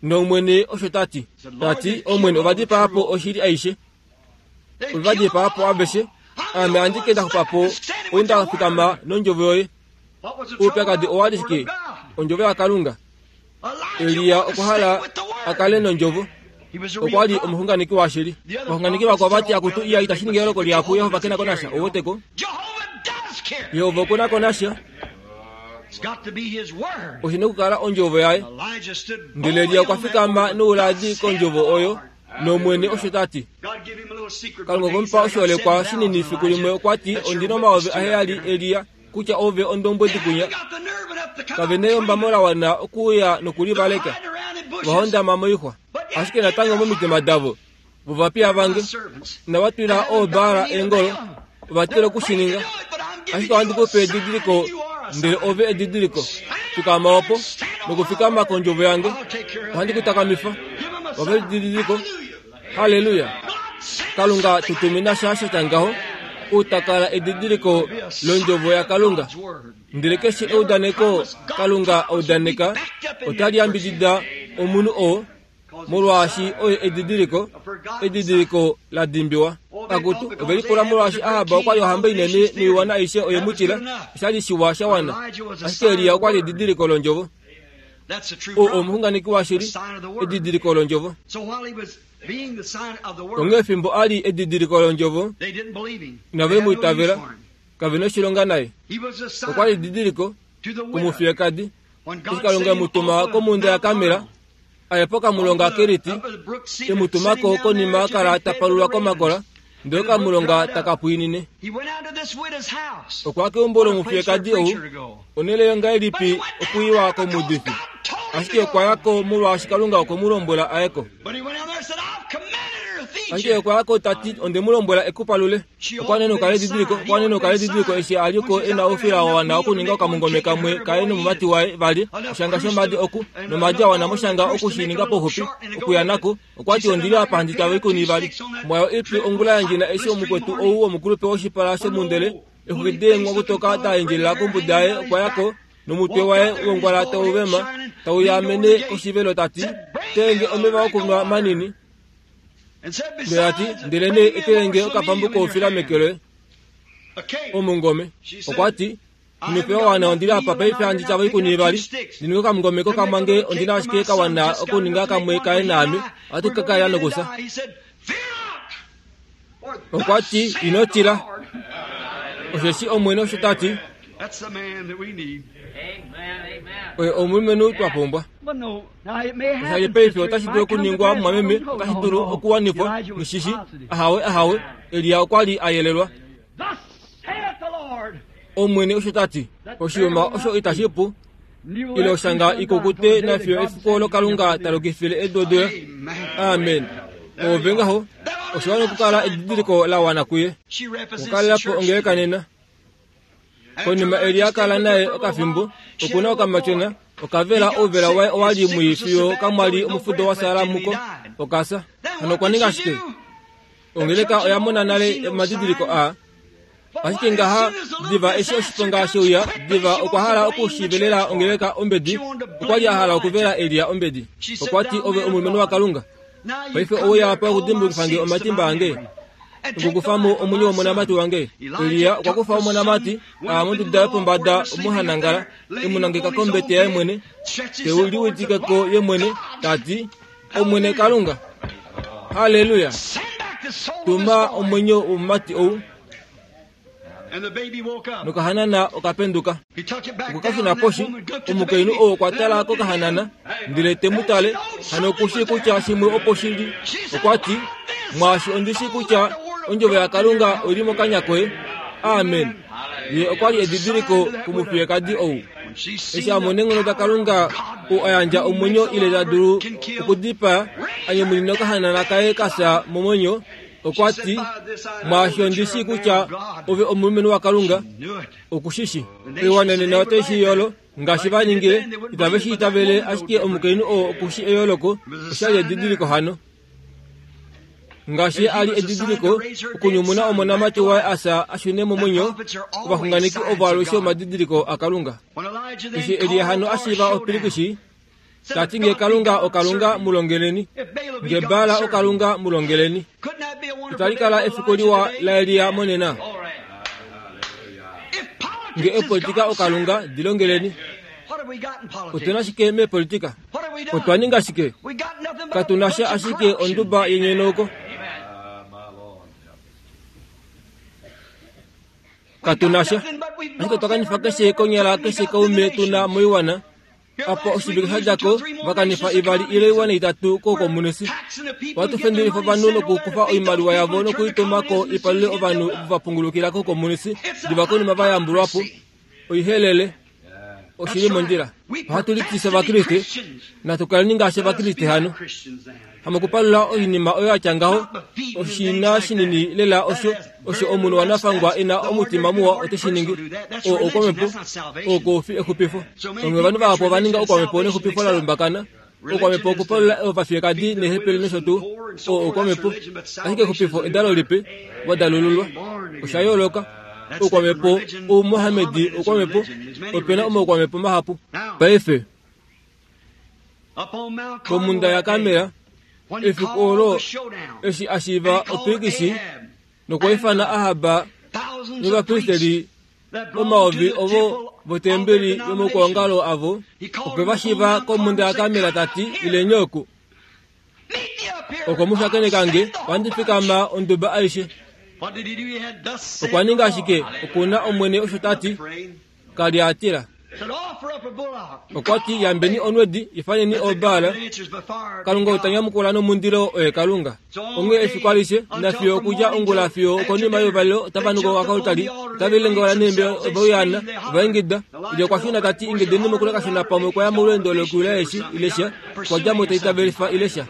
Speaker 1: NOmwene osho ta ti. Ta ti, Omwene, ova dipaa po oshili aishe. Ove va dipaa po aveshe. Ame andike nda xupa po, ou nda fikama nondjovo yoye. Oupyakadi owa li shike? Ondjovo yaKalunga. Elia okwa hala a kale nondjovo. Okwa li omuxunganeki washili. Ovaxunganeki vakwao va ti, Akutu, iya, itashi ningi eyooloko lihapu. Jehova ke na ko nasha. Ou wete ko? Jehova oku na ko nasha. Oshi na okukala ondjovo yaye. Ndele Elia okwa fikama nouladi kondjovo oyo, nOmwene osho ta ti. Kalunga okwe mu pa oshiholekwa shinini fiku limwe okwa ti, Ondi na 7000, Elia, kutya ove ondombwedi kunya. Kave na eyombamo la wana okuuya nokulivaleka. Ova hondama moixwa. Ashike natango momitima davo, vovapiya vange, inava twila ooBaal eengolo, ova tila oku shi ninga. Ashike ohandi ku pe edidiliko, ndele ove edidiliko. Fikama opo, nokufikama kondjovo yange, ohandi ku takamifa. Ove edidiliko. Halleluya! Kalunga tu tumina sha sha tya ngaho, ou ta kala edidiliko londjovo yaKalunga. Ndele keshe eudaneko Kalunga a udaneka, otali yambidida omunhu oo molwaashi oye edidiliko, edidiliko la dimbiwa. Akutu, ove lipula molwaashi Ahab okwa li ohamba inene noiwana aishe oye mu tila, osha li shiwa sha wana. Ashike Elia okwa li edidiliko londjovo. O, omuxunganeki washili, edidiliko londjovo. Onghee fimbo a li edidiliko londjovo, inave mu itavela, kave noshilonga naye. Okwa li edidiliko kumufiyekadi. Eshi Kalunga e mu tuma komhunda yaKarmel, a ye pokamulonga Keriti, e mu tuma ko konima a kala ta palulwa komakola, ndele okamulonga taka pwiinine. Okwa ya keumbo lomufiyekadi ou, onhele yongahelipi okuiwa komuudifi? Ashike okwa ya ko molwaashi Kalunga okwe mu lombwela a ye ko. Ashike okwa ya ko ta ti, Onde mu lombwela e ku palule. Okwa nenoka ledidiliko, okwa nenoka ledidiliko eshi a li ko e na oufila wa wana okuninga okamungome kamwe kaye nomumati waye vali, oshanga shomadi oku, nomadi a wana moshanga oku shi ninga pauxupi, okuya nako. Okwa ti, Ondi li apa handi tava oikuni ivali. Mwayo ipi ongula yandjena eshi omukwetu ou womukulupe woshipala shomundele, exwiki deenghwakutoka da endjelela kombuda yaye, okwa ya ko, nomutwe waye wongwala tau vema, Tauya mene koshivelo ta ti, Tenge omeva okunwa manini. Ndele ta ti, Ndelenee etelenge okapambu koufila meke loye, omungome. Okwa ti, Ino pewa wana ondi li apa paife handi tyava oikuni ivali, ndi ninge okamungome kokamwange ondi na ashike ka wana okuninga kamwe kaye naame, ohatu ka kalela nokufya. Okwa ti, Ino tila, osheshi Omwene osho ta ti. Oye omulumenhu twa pumbwa. Osha li paife otashi dulu okuningwa mumwameme, otashi dulu okuwanifwa, mushishi. Ahawe, ahawe. Elia okwa li a yelelwa. Omwene osho ta ti. Oshiyuma osho itashi pu ile oshanga ikukute nafiyo efiku olo Kalunga ta lokifile edu odula. Amen. Ove ngaho, osho wana okukala edidiliko la wana kuye. Okukalela po ongeleka nena. Konima Elia kala naye okafimbo, oku na okamatyona, okavela ouvela waye owa li mwii fiyo kamwa li omufudo wa sala muko, okasa. Hano okwa ninga shike? Ongeleka oya mona nale omadidiliko aa. Ashike ngaha diva eshi oshiponga she uya, diva okwa hala okushivelela ongeleka ombedi. Okwa li a hala okuvela Elia ombedi. Okwa ti, Ove omulumenhu waKalunga. Paife ouya apa okudimbukifa nge omatimba ange, nokukufa mo omwenyo womonamati wange. Elia okwa kufa omonamati, a monduda yopombada omo ha nangala, e mu nangeka kombete yaye mwene, te u liwitike ko ye mwene, ta ti, Omwene Kalunga, halleluya, tuma omwenyo womumati ou. Nokahanana okapenduka. Okwe ka shuna poshi. Omukainhu ou okwa tala kokahanana, ndele te mu tale, hano oku shii kutya shimwe opo shi li. Okwa ti, Mwaashi ondi shii kutya ondjovo yaKalunga oi li mokanya koye. Amen. Ye okwa li edidiliko kumufiyekadi ou. Eshi a mona eenghono daKalunga ou a yandja omwenyo ile ta dulu okudipaa, a nyumunine okahanana kaye ka fya momwenyo, okwa ti, Mwaashi ondi shii kutya ove omulumenhu waKalunga, oku shi shi. Oiwana nena otai shi yolo, ngaashi va ningile, itave shi itavele, ashike omukainhu oo oku shi eyooloko, osha li edidiliko hano. Ngaashi a li edidiliko okunyumuna omonamati waye Asa a shune momwenyo, ovaxunganeki ovo alushe omadidiliko aKalunga. Eshi Elia hano a shiiva opilikishi, ta ti nge Kalunga oKalunga mu longeleni, nge Baal oKalunga mu longeleni. Itali kala efiku liwa laElia monena? Nge opolitika oKalunga, di longeleni. Otu na shike meepolitika? Otwa ninga shike? Katu na sha ashike onduba yenyonauko. Katu na sha. Ashike otwa kanifa keshe konyala keshe kaume tu na moiwana. Apa oshivike sha dja ko, va kanifa ivali ile oiwana itatu koukomunisi. Ohatu fendelifa ovanhu nokukufa oimaliwa yavo noku i tuma ko i palule ovanhu ovo va pungulukila koukomunisi diva konima va yambulwa po. Oihelele. Oshi li mondjila. Ohatu litise Ovakriste. Natu kaleni ngaashi Ovakriste hano. Hamokupalula oinima oyo ya tya ngaho, oshina shinini lela osho osho omunhu wanafangwa e na omutima muwa ote shi ningi. Oo oukwamhepo, oo kau fi exupifo. Onghee ovanhu vahapu ova ninga oukwamhepo nexupifo la lumbakana. Oukwamhepo okupalula ovafiyekadi neehepele nosho tuu. Oo oukwamhepo. Ashike exupifo edalo lipe, wa dalululwa. Osha yooloka. Oukwamhepo, Oumohamedi oukwamhepo, ope na omaukwamhepo mahapu. Paife, komhunda yaKarmel, efiku olo eshi a shiiva opilikisi nokwa ifana Ahab novapristeli omayovi ovo votembeli yomaukwaongalo avo, okwe va shiiva komhunda yaKarmel ta ti, Ileni oku. Oko mu shakeneka nge, ohandi fikama onduba aishe. Okwa ninga ashike, oku na Omwene osho ta ti. Ka li a tila. Okwa ti, Yambeni onwedi, ifaneni ooBaal. Kalunga ou ta nyamukula nomundilo oye Kalunga. Onghee efiku alishe, nafiyo okudja ongula fiyo okonima youvalelo, otava nuka okakoltali, otave lilengaula neembe, ove uyaana, ova ingida. Elia okwa shuna ta ti, Ingideni mokule kashona pamwe okwa ya molweendo lokuyula eeshi, ile sha. Okwa dja mo ta itavelifa ile sha.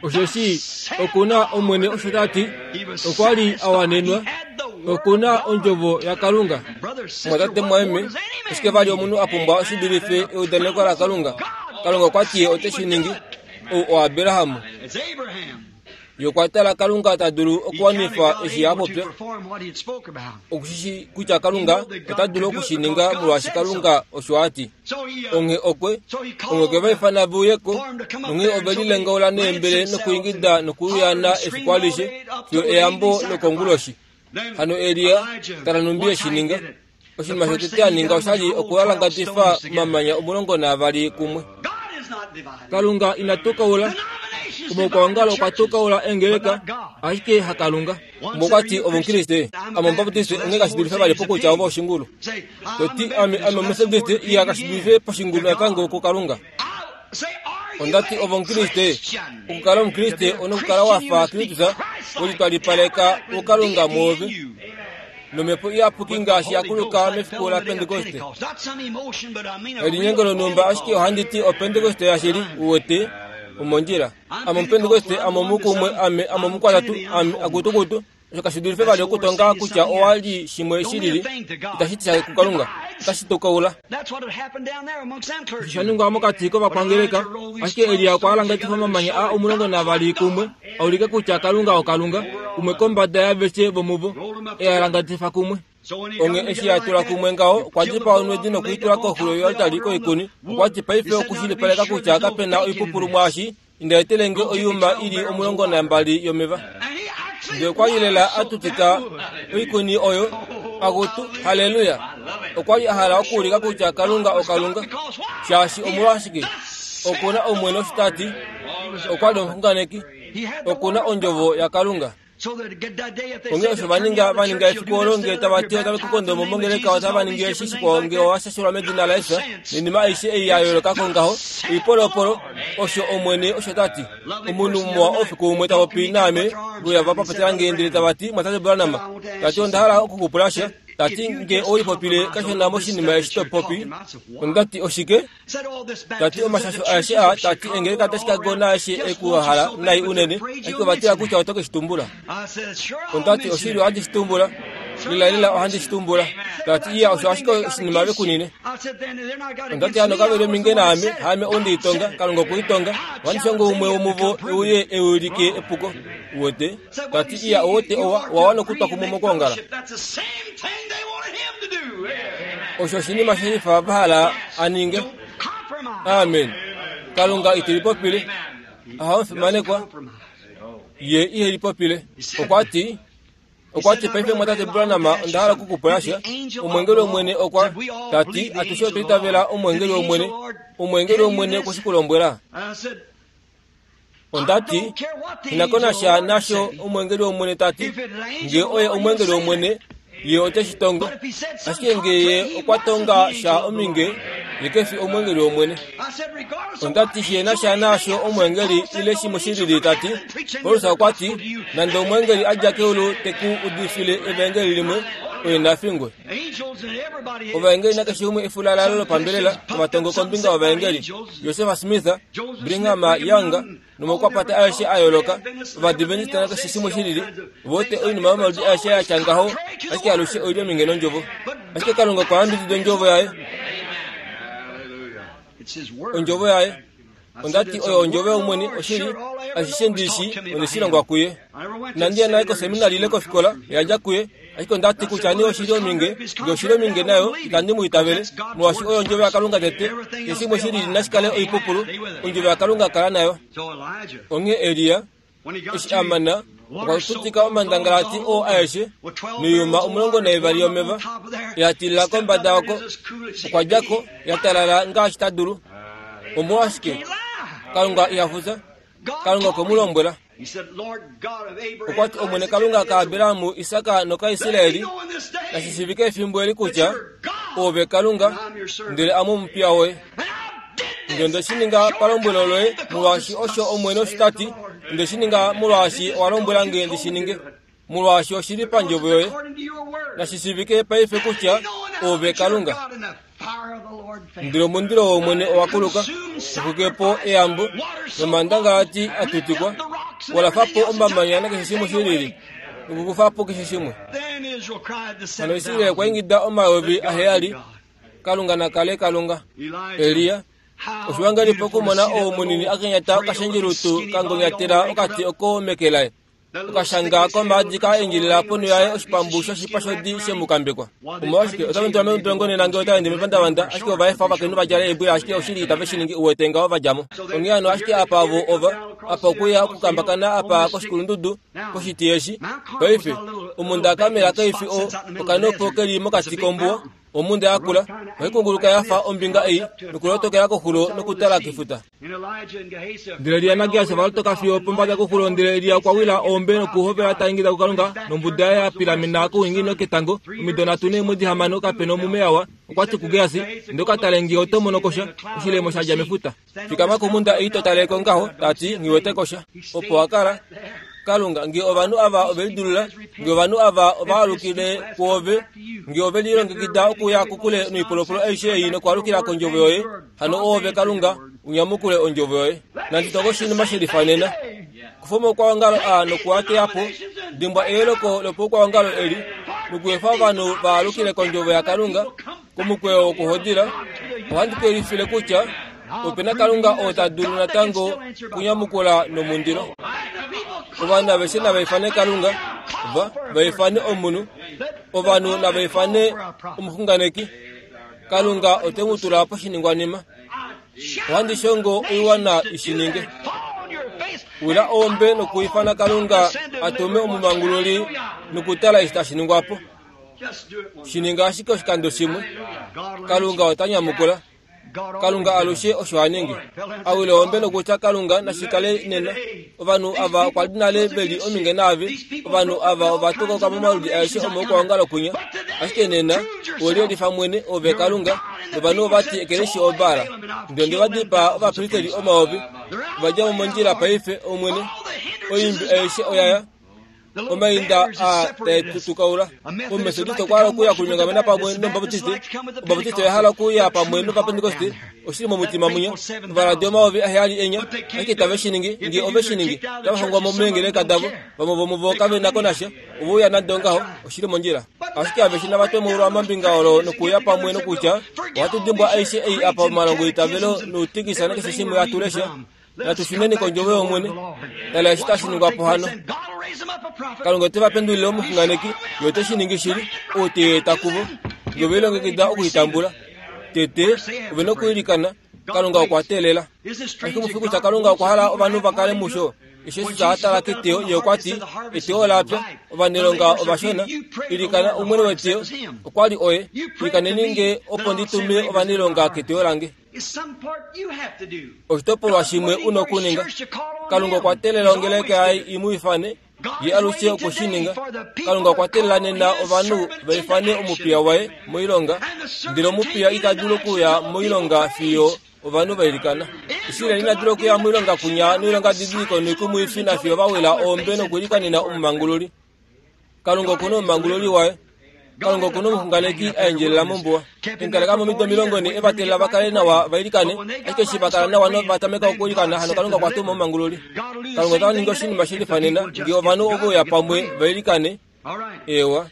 Speaker 1: Osheshi oku na Omwene osho ta ti, okwa li a wanenwa, oku na ondjovo yaKalunga. Mwatate mwaeme, oshike vali omunhu a pumbwa oshidulife eudaneko laKalunga? Kalunga okwa ti ye ote shi ningi. Ou oAbraham. Ye okwa tala Kalunga ta dulu okuwanifa eshi a popya. Oku shi shii kutya Kalunga ota dulu oku shi ninga molwaashi Kalunga osho a ti. Onghee okwe, onghee okwe va ifana ve uye ko, nonghee ove lilengaula neembele nokuingida nokuuyaana efiku alishe fiyo eyambo lokonguloshi. Hano Elia, tala nhumbi e shi ninga. Oshinima shotete a ninga osha li okuhalangadifa omamanya 12 kumwe. Kalunga ina tukaula. Omaukwaongalo okwa tukaula eengeleka, ashike haKalunga. Umwe okwa ti, Ove Omukriste. Ame Omubaptiste, onghee kashi dulife vali pokutya ove oshingulu. To ti, Ame, ame Omumethodiste, iya kashi dulife poshingulu natango kuKalunga. Onda ti, Ove Omukriste. Okukala Omukriste onokukala wa fa Kristus, we litwalipaleka kuKalunga mwoove. nomhepo iyapuki ngaashi ya kuluka mefiku laPentekoste. Elinyengo lonhumba ashike ohandi ti oPentekoste yashili, uwete, omondjila. Ame Omupentekoste, ame omukumwe, ame, ame omukwatatu, ame, akutukutu. Osho kashi dulife vali okutonga kutya owa li shimwe shilili, itashi ti sha kuKalunga. Otashi tukaula. Osho sha ningwa mokati kovakwangeleka, ashike Elia okwa alangatifa omamanya aa 12 kumwe, a ulike kutya Kalunga oKalunga, umwe kombada yaaveshe vomuvo, e a alangatifa kumwe. Onghee eshi a tula kumwe ngaho, okwa dipaa onwedi noku i tula koxulo yoaltari koikuni. Okwa ti, Paife okushilipaleka kutya kape na oipupulu mwaashi, inda etele nge oiyuma i li 12 yomeva. Ndele okwa li lela a tutika oikuni oyo. Akutu, halleluya! Okwa li a hala okuulika kutya Kalunga oKalunga. Shaashi omolwashike? Oku na Omwene osho ta ti. Okwa li omuxunganeki. Oku na Ondjovo yaKalunga. Onghee osho va ninga, va ninga efiku olo nge tava ti otave ku kondo mo mongeleka otava ningi eshi shikwao nge owa shashelwa medina laJesus noinima aishe ei ya yooloka ko ngaho, oipolopolo, osho Omwene osho ta ti. Omunhu muwa oufiku umwe ta popi naame, veuya va papatela nge ndele tava ti, Mwatate Branham, ta ti onda hala oku ku pula sha. Ta ti, Nge ou lipopile kashona moshinima eshi to popi. Onda ti, Oshike? Ta ti omashasho aeshe aa, ta ti engeleka daChicago naaeshe e ku hala nai unene, ashike ova tila kutya oto ke shi tumbula. Onda ti, Oshili ohandi shi tumbula. Lelalela ohandi shi tumbula. Ta ti, Iya, osho ashike oshinima ve ku nine. Onda ti, Hano kave li ominge naame, haame ou nde i tonga, Kalunga okwe i tonga. Ohandi shongo umwe womuvo e uye e ulike epuko. Uwete? Ta ti, Iya, ouwete, owa, owa wana okutwa kumwe mokwoongala. Osho oshinima she lifa va hala a ninge. Amen. Kalunga ite lipopile. Aha omufimanekwa. Ye ihe lipopile. Okwa ti, okwa ti paife mwatate Branham onda hala oku ku pula sha. Omwengeli wOmwene okwa ta ti atushe otwa itavela omwengeli wOmwene. Omwengeli wOmwene okwe shi ku lombwela. Onda ti, Ina ko nasha nasho omwengeli wOmwene ta ti. Nge oye omwengeli wOmwene, ye ote shi tongo. Ashike nge ye okwa tonga sha ominge, ye ke fi omwengeli wOmwene. Onda ti shi na sha naasho omwengeli ile shimwe shi lili ta ti. Paulus okwa ti, nande omwengeli a dja keulu te ku udifile evaengeli limwe, oye na fingwe. Ovaengeli nakeshe umwe efulalalo lopambelela omatongo kombinga yovaengeli. Joseph Smith, Brigham Young nomaukwapata aeshe a yooloka, Ovadventista nakeshe shimwe shi lili, vote oinima yomaludi aeshe ya tya ngaho, ashike alushe oi li ominge nondjovo. Ashike Kalunga okwa yambidida ondjovo yaye. Ondjovo yaye. Onda ti oyo ondjovo yOmwene, oshili, ashishe ndi shi, onde shi longwa kuye. Inandi ya naye koseminari ile kofikola, oya dja kuye. Ashike onda ti kutya nee oshili ominge, nge oshili ominge nayo, itandi mu itavele, molwaashi oyo ondjovo yaKalunga tete. Keshe shimwe shi lili nashi kale oipupulu, ondjovo yaKalunga kala nayo. Onghee Elia, eshi a mana, okwa tutika omandangalati oo aeshe, noiyuma 12 yomeva, ya tilila kombada oko. Okwa dja ko, ya talala ngaashi ta dulu. Omolwashike? Kalunga iha fufya. Kalunga okwe mu lombwela. Okwa ti, Omwene Kalunga kaAbraham, Isak nokaIsraeli, nashi shiivike efimbo eli kutya oove Kalunga, ndele ame omupiya woye. Ndele onde shi ninga palombwelo loye, molwaashi osho Omwene osho ta ti, onde shi ninga molwaashi owa lombwela nge ndi shi ninge, molwaashi oshi li pandjovo yoye. Nashi shiivike paife kutya oove Kalunga. Ndele omundilo wOmwene owa kuluka, u xwike po eyambo, nomandangalati a tutikwa, wa lafa po omamanya nakeshe shimwe shi lili, nokukufa po keshe shimwe. Hano Israel okwa ingida 7,000, Kalunga na kale Kalunga! Elia! Oshiwa ngahelipi okumona ou munini a kenyata okashendjelutu ka ngonyatela okati oko meke laye, okashanga komaadi ka endjelela ponho yaye oshipambu shoshipa shodi she mu kambekwa. Omolwashike, otave mu tula modolongo nena ngee ota ende mepandavanda, ashike ova efa ovakainhu va djale eembwila ashike oshili itave shi ningi uwete ngaho va dja mo. Onghee hano ashike apa vo ova, apa okuya okukambakana apa koshikulundudu, koshiti eshi. Paife, omhunda yaKarmel kai fi o, okanopo ke li mokati kombuwa. Omhunda yakula ohai kunguluka ya fa ombinga ei nokulotokela koxulo nokutala kefuta. Ndele Elia naGehasi ova lotoka fiyo opombada koxulo ndele Elia okwa wila oombe nokuhovela ta ingida kuKalunga nombuda yaye ya pilamena kouninginino ketango omido nhatu neemwedi hamano kape nomume ya wa. Okwa ti kuGehasi, Inda u ka tale nge oto mono ko sha, oshilemo sha dja mefuta. Fikama komhunda ei to tale ko ngaho, ta ti, Nghi wete ko sha. Opo wa kala. Kalunga, nge ovanhu ava ove lidulula, nge ovanhu ava ova alukile kwoove, nge ove lilongekida okuya kokule noipolopolo aishe ei nokwaalukila kondjovo yoye, hano oove Kalunga, u nyamukule ondjovo yoye. Nandi tonge oshinima she lifanena. Kufa omaukwaongalo aa noku a teya po. Dimbwa eyeleko lopaukwaongalo eli, nokuefa ovanhu va alukile kondjovo yaKalunga, Komukweyo wokuhodila, ohandi ku yelifile kutya ope na Kalunga oo ta dulu natango okunyamukula nomundilo. Ovanhu aveshe nava ifane Kalunga, va va ifane omunhu, ovanhu nava ifane omuxunganeki. Kalunga ote mu tula poshiningwanima. Ohandi shongo oiwana i shi ninge. Wila oombe nokuifana Kalunga a tume omumangululi nokutala eshi tashi ningwa po. Shi ninga ashike oshikando shimwe. Kalunga ota nyamukula. Kalunga alushe osho a ningi. A wile ombe nokutya Kalunga nashi kale nena. Ovanhu ava okwa li nale ve li ominge naave. Ovanhu ava ova tokoka momaludi aeshe omaukwaongalo kwinya. Ashike nena, owe liyelifa mwene, ove Kalunga, novanhu ova ti ekeleshi oBaal. Ndele onde va dipaa ovapristeli omayovi. Ova dja mo mondjila paife, Omwene. Oimbi aishe oya ya. Omainda aa tae tu tukaula. Omumetodiste okwa hala okuya okulinyongamena pamwe nOmubaptiste, Ombaptiste oya hala okuya pamwe nOvapentekoste, oshili momutima mwinya. Ovaladi 7000 enya, ashike itave shi ningi. Nge ove shi ningi, otava hongwa mo meengeleka davo. Vamwe vomuvo kave na ko nasha, ove uya nande ongaho, oshili mondjila. Ashike aveshe nava twemulwa mombinga olo nokuuya pamwe nokutya, Ohatu dimbwa aishe ei apa omalongo eitavelo noutikisa nakeshe shimwe hatu lesha. Natu shuneni kondjovo yOmwene. Tala eshi tashi ningwa po hano. Kalunga ote va pendulile omuxunganeki, ye ote shi ningi shili, ou te i eta kuvo. Nge ove lilongekida oku i tambula. Tete, ove na okwiilikana. Kalunga okwa teelela. Kashi mu fi kutya Kalunga okwa hala ovanhu va kale musho? Eshi Jesus a tala keteyo, ye okwa ti, Eteyo ola pya, ovanailonga ovashona. Ilikana Omwene weteyo, okwa li oye, ilikaneni nge opo ndi tume ovanailonga keteyo lange. Oshitopolwa shimwe u na okuninga. Kalunga okwa teelela ongeleka yaye i mu ifane, ye alushe okwe shi ninga. Kalunga okwa teelela nena ovanhu va ifane omupiya waye moilonga, ndele omupiya ita dulu okuya moilonga fiyo ovanhu va ilikana. Israel ina dula okuya moilonga kunya noilongadidiliko noikumwifi nafiyo va wila oombe nokuilikanena omumangululi. Kalunga oku na omumangululi waye. Kalunga oku na omuxunganeki a endjelela mombuwa. Enkaleka momido 40 e va teelela va kale nawa va ilikane, ashike eshi va kala nawa nova tameka okwiilikana, hano Kalunga okwa tuma omumangululi. Kalunga ota ningi oshinima she lifanena ngee ovanhu ove uya pamwe va ilikane. Eewa.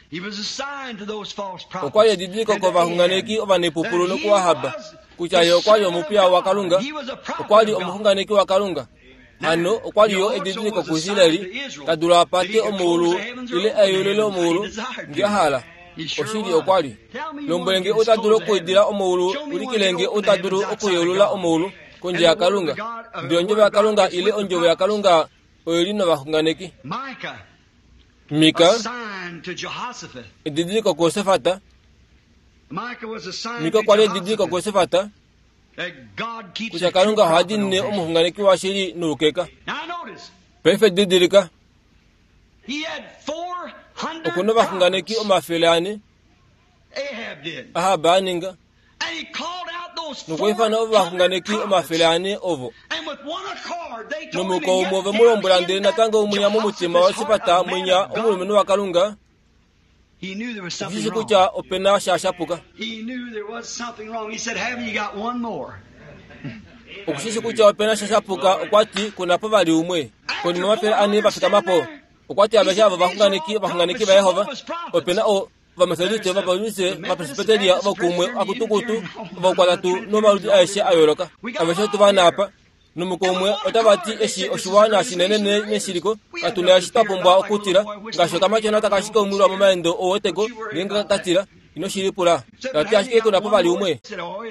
Speaker 1: Okwa li edidiliko kovaxunganeki ovanepupulu nokuAhab kutya ye okwa li omupiya waKalunga, okwa li omuxunganeki waKalunga. Hano okwa li yo edidiliko kuIsraeli ta dulu a pate omaulu ile a yeulule omaulu nge a hala. Oshili okwa li. Lombwele nge ou ta dulu okuidila omaulu, ulikile nge ou ta dulu okuyeulula omaulu kondje yaKalunga. Ndele ondjovo yaKalunga ile ondjovo yaKalunga oyo li novaxunganeki. Mika, edidiliko kuJosafat. Mika okwa li edidiliko kuJosafat. kutya Kalunga oha diinine omuxunganeki washili noukeka. Paife didilika, oku na ovaxunganeki 400, Ahab a ninga, nokwa ifana ovaxunganeki 400 ovo. Nomuko umwe ove mu lombwela ndele natango mwinya momutima waSifata mwinya omulumenhu waKalunga, Oku shi kutya ope na sha sha puka. Oku shi shi kutya ope na sha sha puka. Okwa ti, Ku na po vali umwe. Konima 400 va fikama po, okwa ti aveshe ava ovaxunganeki, ovaxunganeki vaJehova. Ope na o. Ovametodiste, Ovapauliste, Ovapresbiteria, ovakumwe, ovakutukutu, ovaukwatatu nomaludi aeshe a yooloka. Aveshe otu va na apa. Nomuko umwe otava ti eshi oshiwana shinene neshiliko, katu na eshi twa pumbwa okutila, ngaashi okamatyona taka ashike umwilwa momaendo ouweteko ngeenge ka tila. Ino shi lipula. Ta ti ashike ku na po vali umwe.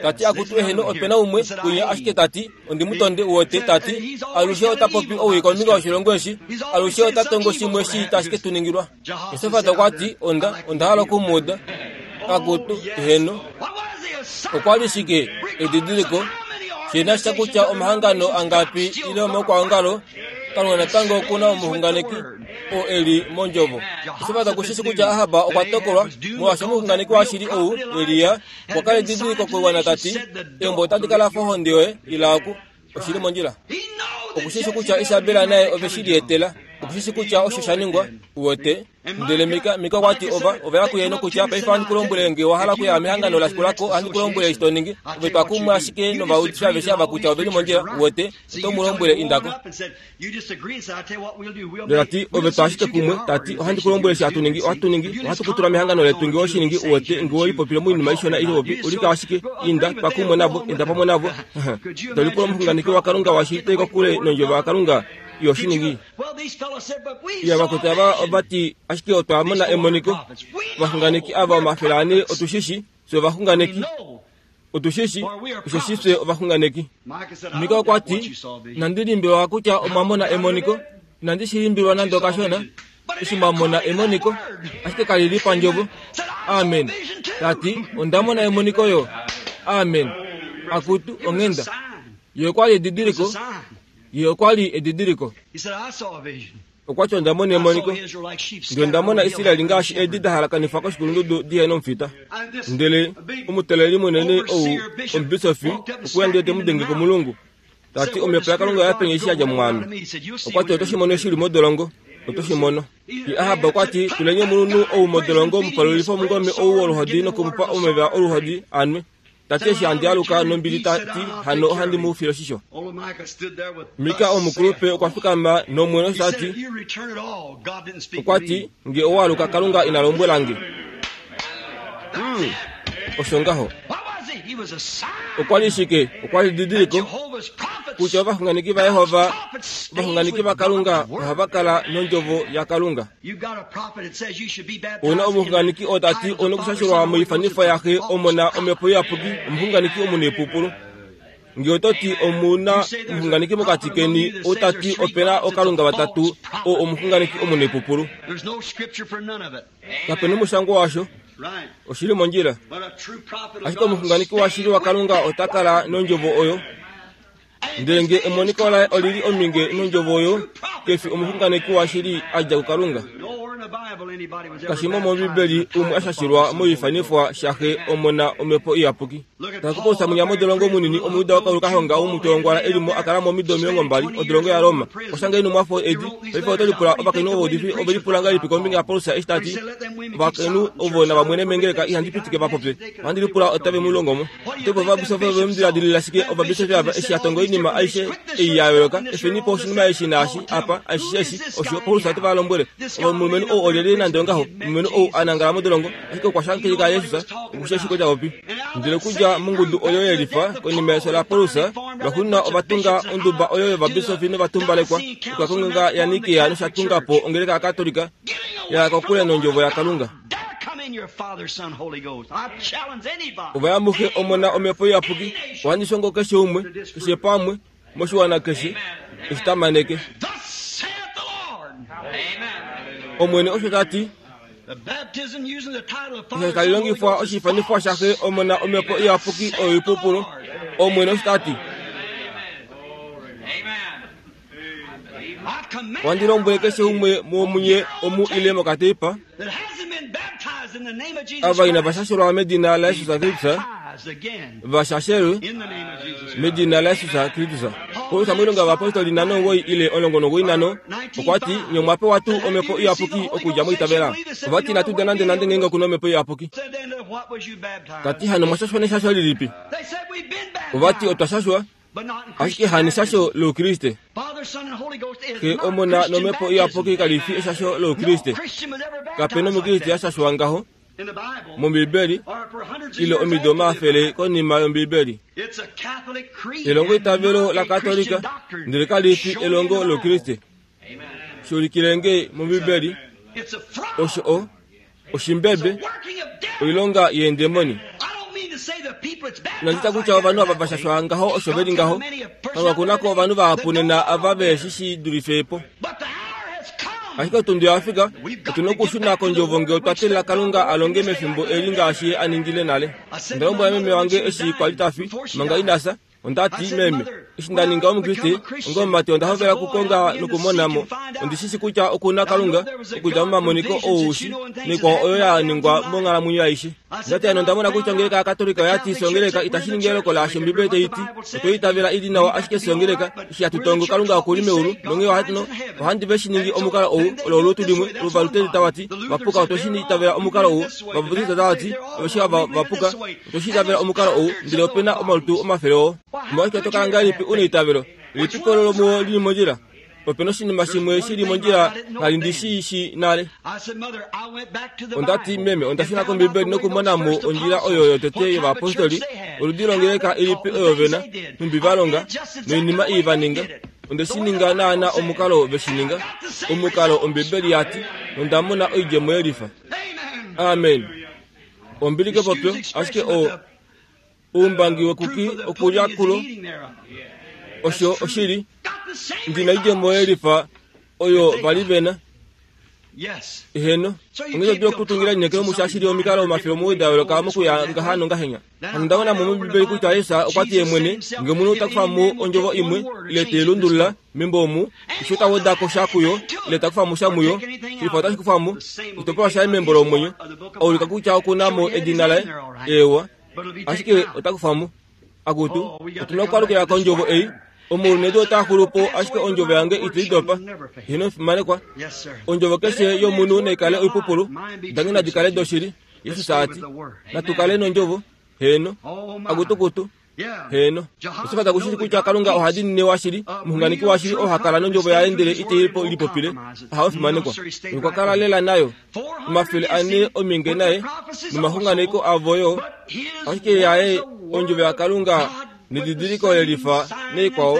Speaker 1: Ta ti akutu eheno ope na umwe kwinya ashike ta ti ondi mu tonde uwete ta ti alushe ota popi owii kombinga yoshilongo eshi alushe ota tongo shimwe shii tashi ke tu ningilwa. Josafat okwa ti onda onda hala oku mu uda. Akutu eheno. Okwa li shike edidiliko shi na sha kutya omahangano angapi ile omaukwaongalo Kalunga natango oku na omuxunganeki oo e li mondjovo. Josafat oku shi shi kutya Ahab okwa tokolwa, molwaashi omuxunganeki washili ou, Elia, okwa kala edidiliko koiwana ta ti, Eumbo otali kala fa ohonde yoye, ila oku. Oshi li mondjila. Oku shi shi kutya Isabel naye ove shi lietela. Oku shi shi kutya osho sha ningwa. Uwete? Ndele Mika, Mika okwa ti ova, ova ya kuye nokutya, Paife ohandi ku lombwele nge owa hala okuya mehangano la shikula ko, ohandi ku lombwele eshi to ningi. Ove twa kumwe ashike novaudifi aveshe ava kutya ove li mondjila, uwete, oto mu lombwele inda ko. Ndele ta ti, Ove twa ashike kumwe, ta ti, ohandi ku lombwele eshi hatu ningi, ohatu ningi, ohatu ku tula mehangano letu nge owe shi ningi, uwete, nge we lipopile moinima ishona ile popi, ulika ashike, inda, twa kumwe navo, enda pamwe navo. To lipula omuxunganeki waKalunga washili to i kokule nondjovo yaKalunga, iho shi ningi. Iya vakwetu ava ova ti, Ashike otwa mona emoniko. Ovaxunganeki ava omafele ane otu shi shi, fye ovaxunganeki. Otu shi shi, osheshi fye ovaxunganeki. Mika okwa ti, Inandi limbilwa kutya omwa mona emoniko. Inandi shi limbilwa nande okashona, eshi mwa mona emoniko, ashike kali li pandjovo. Amen. Ta ti, Onda mona emoniko yo. Amen. Akutu, onghenda. Ye okwa li edidiliko. Ye okwa li edidiliko. Okwa ti, Onda mona emoniko, ndele onda mona Israel ngaashi eedi da halakanifwa koshikulundudu di he nomufita. Ndele omuteleli munene ou, omubisofi, okwe ya ndele te mu denge komulungu, ta ti, Omhepo yaKalunga oya penya eshi ya dja mwaame. Okwa ti, Oto shi mono eshi u li modolongo. Oto shi mono. Ye Ahab okwa ti, Tuleni omulunhu ou modolongo, mu palulife omungome ou woluhodi noku mu pa omeva oluhodi a nwe. Ta ti eshi handi aluka nombili ta ti hano ohandi mu file oshisho. Mika omukulupe okwa fikama nomwene osho ta ti, okwa ti, nge owa aluka Kalunga ina lombwela nge. Hmm, osho ngaho. Okwa li shike? Okwa li didiliko kutya ovaxunganeki vaJehova, ovaxunganeki vaKalunga ohava kala nondjovo yaKalunga. Ouna omuxunganeki oo ta ti ouna okushashelwa moifanifo yaxe Omona Omhepo Iyapuki, omuxunganeki omunaipupulu. Nge oto ti omu na omuxunganeki mokati keni ou ta ti ope na okalunga vatatu, oo omuxunganeki omunaipupulu. Kape na omushangwa washo. Oshi li mondjila. Ashike omuxunganeki washili waKalunga ota kala nondjovo oyo. Ndele nge emoniko laye oli li ominge nondjovo oyo, ke fi omuxunganeki washili a dja kuKalunga. Kashi mo mOmbibeli umwe a shashilwa moifanifwa shaXe, Omona, Omhepo Iyapuki. Tala kuPaulus mwinya modolongo munini, Omujuda wakauluka honga womutolongwala e li mo a kala mo omido 20, odolongo yaRoma. Okwa shanga eenhumwafo edi. Paife oto lipula, ovakainhu ovaudifi ove lipula ngahelipi kombinga yaPaulus eshi ta ti, Ovakainhu ovo nava mwene mengeleka ihandi pitike va popye. Ohandi lipula otave mu longo mo. Opo ovabisofi ove mu diladilila shike ovabisofi ava eshi a tonga oinima aishe ei ya yooloka, efeni po oshinima eshi naashi apa, aishe eshi, osho Paulus ote va lombwele. Omulumenhu ou olyelye nande ongaho, omulumenhu ou a nangala modolongo, ashike okwa shakeneka Jesus, oku shi ashike ta popi. Ndele okudja mongudu oyo ye lifa, konima yefyo laPaulus, lwaxuuninwa ova tunga onduba oyo yovabisofi novatumbalekwa, okuya kongenga yaNikea nosha tunga po ongeleka yaKatolika, ya ya kokule nOndjovo yaKalunga. Ova ya muXe, Omona, Omhepo Iyapuki. Ohandi shongo keshe umwe, keshe pamwe, moshiwana keshe, eshi tamaneke. Omwene osho ta ti. Osho tali longifwa oshiifanifwa shaXe, Omona, Omhepo Iyapuki oyo oipupulu. Omwene osho ta ti. Ohandi lombwele keshe umwe womunye omu ile mokateipa ava inava shashelwa medina laJesus Kristus va shashelwe medina laJesus Kristus. Paulus moilonga yovapostoli 59 ile 95 okwa ti, Nye omwa pewa tuu Omhepo Iyapuki okudja mwaitavela? Ova ti, Inatu uda nandenande ngeenge oku na Omhepo Iyapuki. Ta ti, Hano omwa shashwa neshasho lilipi? Ova ti, Otwa shashwa Ashike hani eshasho lOukriste. Xe, Omona nOmhepo Iyapuki kali fi eshasho lOukriste. Kape na Omukriste a shashwa ngaho. mOmbiibeli ile omido omafele konima yOmbiibeli. Elongo itavelo laKatolika ndele kali fi elongo lOukriste. Shuulikile nge mOmbiibeli osho o oshimbebe oilonga yeendemoni. Inandi ta kutya ovanhu ava va shashwa ngaho osho ve li ngaho. Kalunga oku na ko ovanhu vahapu nena ava ve shi shi dulife po. Ashike otundi oya fika, otu na okushuna kOndjovo nge otwa teelela Kalunga a longe mefimbo eli ngaashi Ye a ningile nale. Onda lombwela meme wange eshi kwa li ta fi, manga ina fya, Onda ti, Meme, eshi nda ninga Omukriste, onga omumati onda hovela okukonga nokumona mo. Ondi shi shi kutya oku na Kalunga, okudja momamoniko oushi naikwao oyo ya ningwa monghalamwenyo aishe. Onda ti, Hano onda mona kutya ongeleka yaKatolika oya ti songeleka itashi ningi eloko laasho Ombibeli tai ti. Otwe itavela i li nawa ashike songeleka, eshi hatu tongo Kalunga oku li meulu, nonghee ohandi, ohandi ve shi ningi omukalo ou, olo olutu limwe, Ovaluteri tava ti, va puka otwe shi itavela omukalo ou, Ovabaptista tava ti, aveshe ava va puka, Otwe shi itavela omukalo ou, ndele ope na omalutu omafele oo. Omolwashike to kala ngahelipi u na eitavelo? Lelipi olo lomuo li li mondjila? Ope na oshinima shimwe shi li mondjila ngha ndi shi shii nale. Onda ti, Meme, onda shuna kOmbibeli nokumona mo ondjila oyo yotete yovayapostoli, oludi longeleka ilipi oyo ve na, nhumbi va longa, noinima ii va ninga. Onde shi ninga naana omukalo ve shi ninga, omukalo Ombibeli ya ti, nonda mona oidjemo yelifa. Amen. Ombili kepopyo, ashike o oumbangi wekuki okulya kulo osho oshili. Ndi na oidjemo yelifa oyo va li ve na. Eheno, onghee to dulu okutungila elineekelo musha shili omikalo omafele omuwoi da yooloka mokuya ngaha nongahenya. Hano onda mona mo mOmbibeli kutya Jesus okwa ti ye mwene, Nge omunhu ta kufa mo ondjovo imwe, ile te i lundulula, membo omu, osho ta weda ko sha kuyo, ile ta kufa mo sha muyo, shilifa otashi kufa mo oshitopolwa shaye membo lomwenyo, a ulika kutya oku na mo edina laye. Eewa, ashike ota kufa mo. Akutu, otu na okwaalukila kondjovo ei. Omaulu nedu otaa xulu po, ashike ondjovo yange itai dopa. Heeno, omufimanekwa. Ondjovo keshe yomunhu nai kale oipupulu, dange nadi kale doshili. Jesus a ti, Natu kale nondjovo. Heeno. Akutukutu. Heeno. Osha fa kushili kutya Kalunga oha diinine washili, omuxunganeki washili oo ha kala nondjovo yaye ndele ite i lipopile. Ahawe fimanekwa. Okwa kala lela nayo. 400 ominge naye nomaxunganeko avo yo. Ashike yaye ondjovo yaKalunga nedidiliko lelifa naikwao.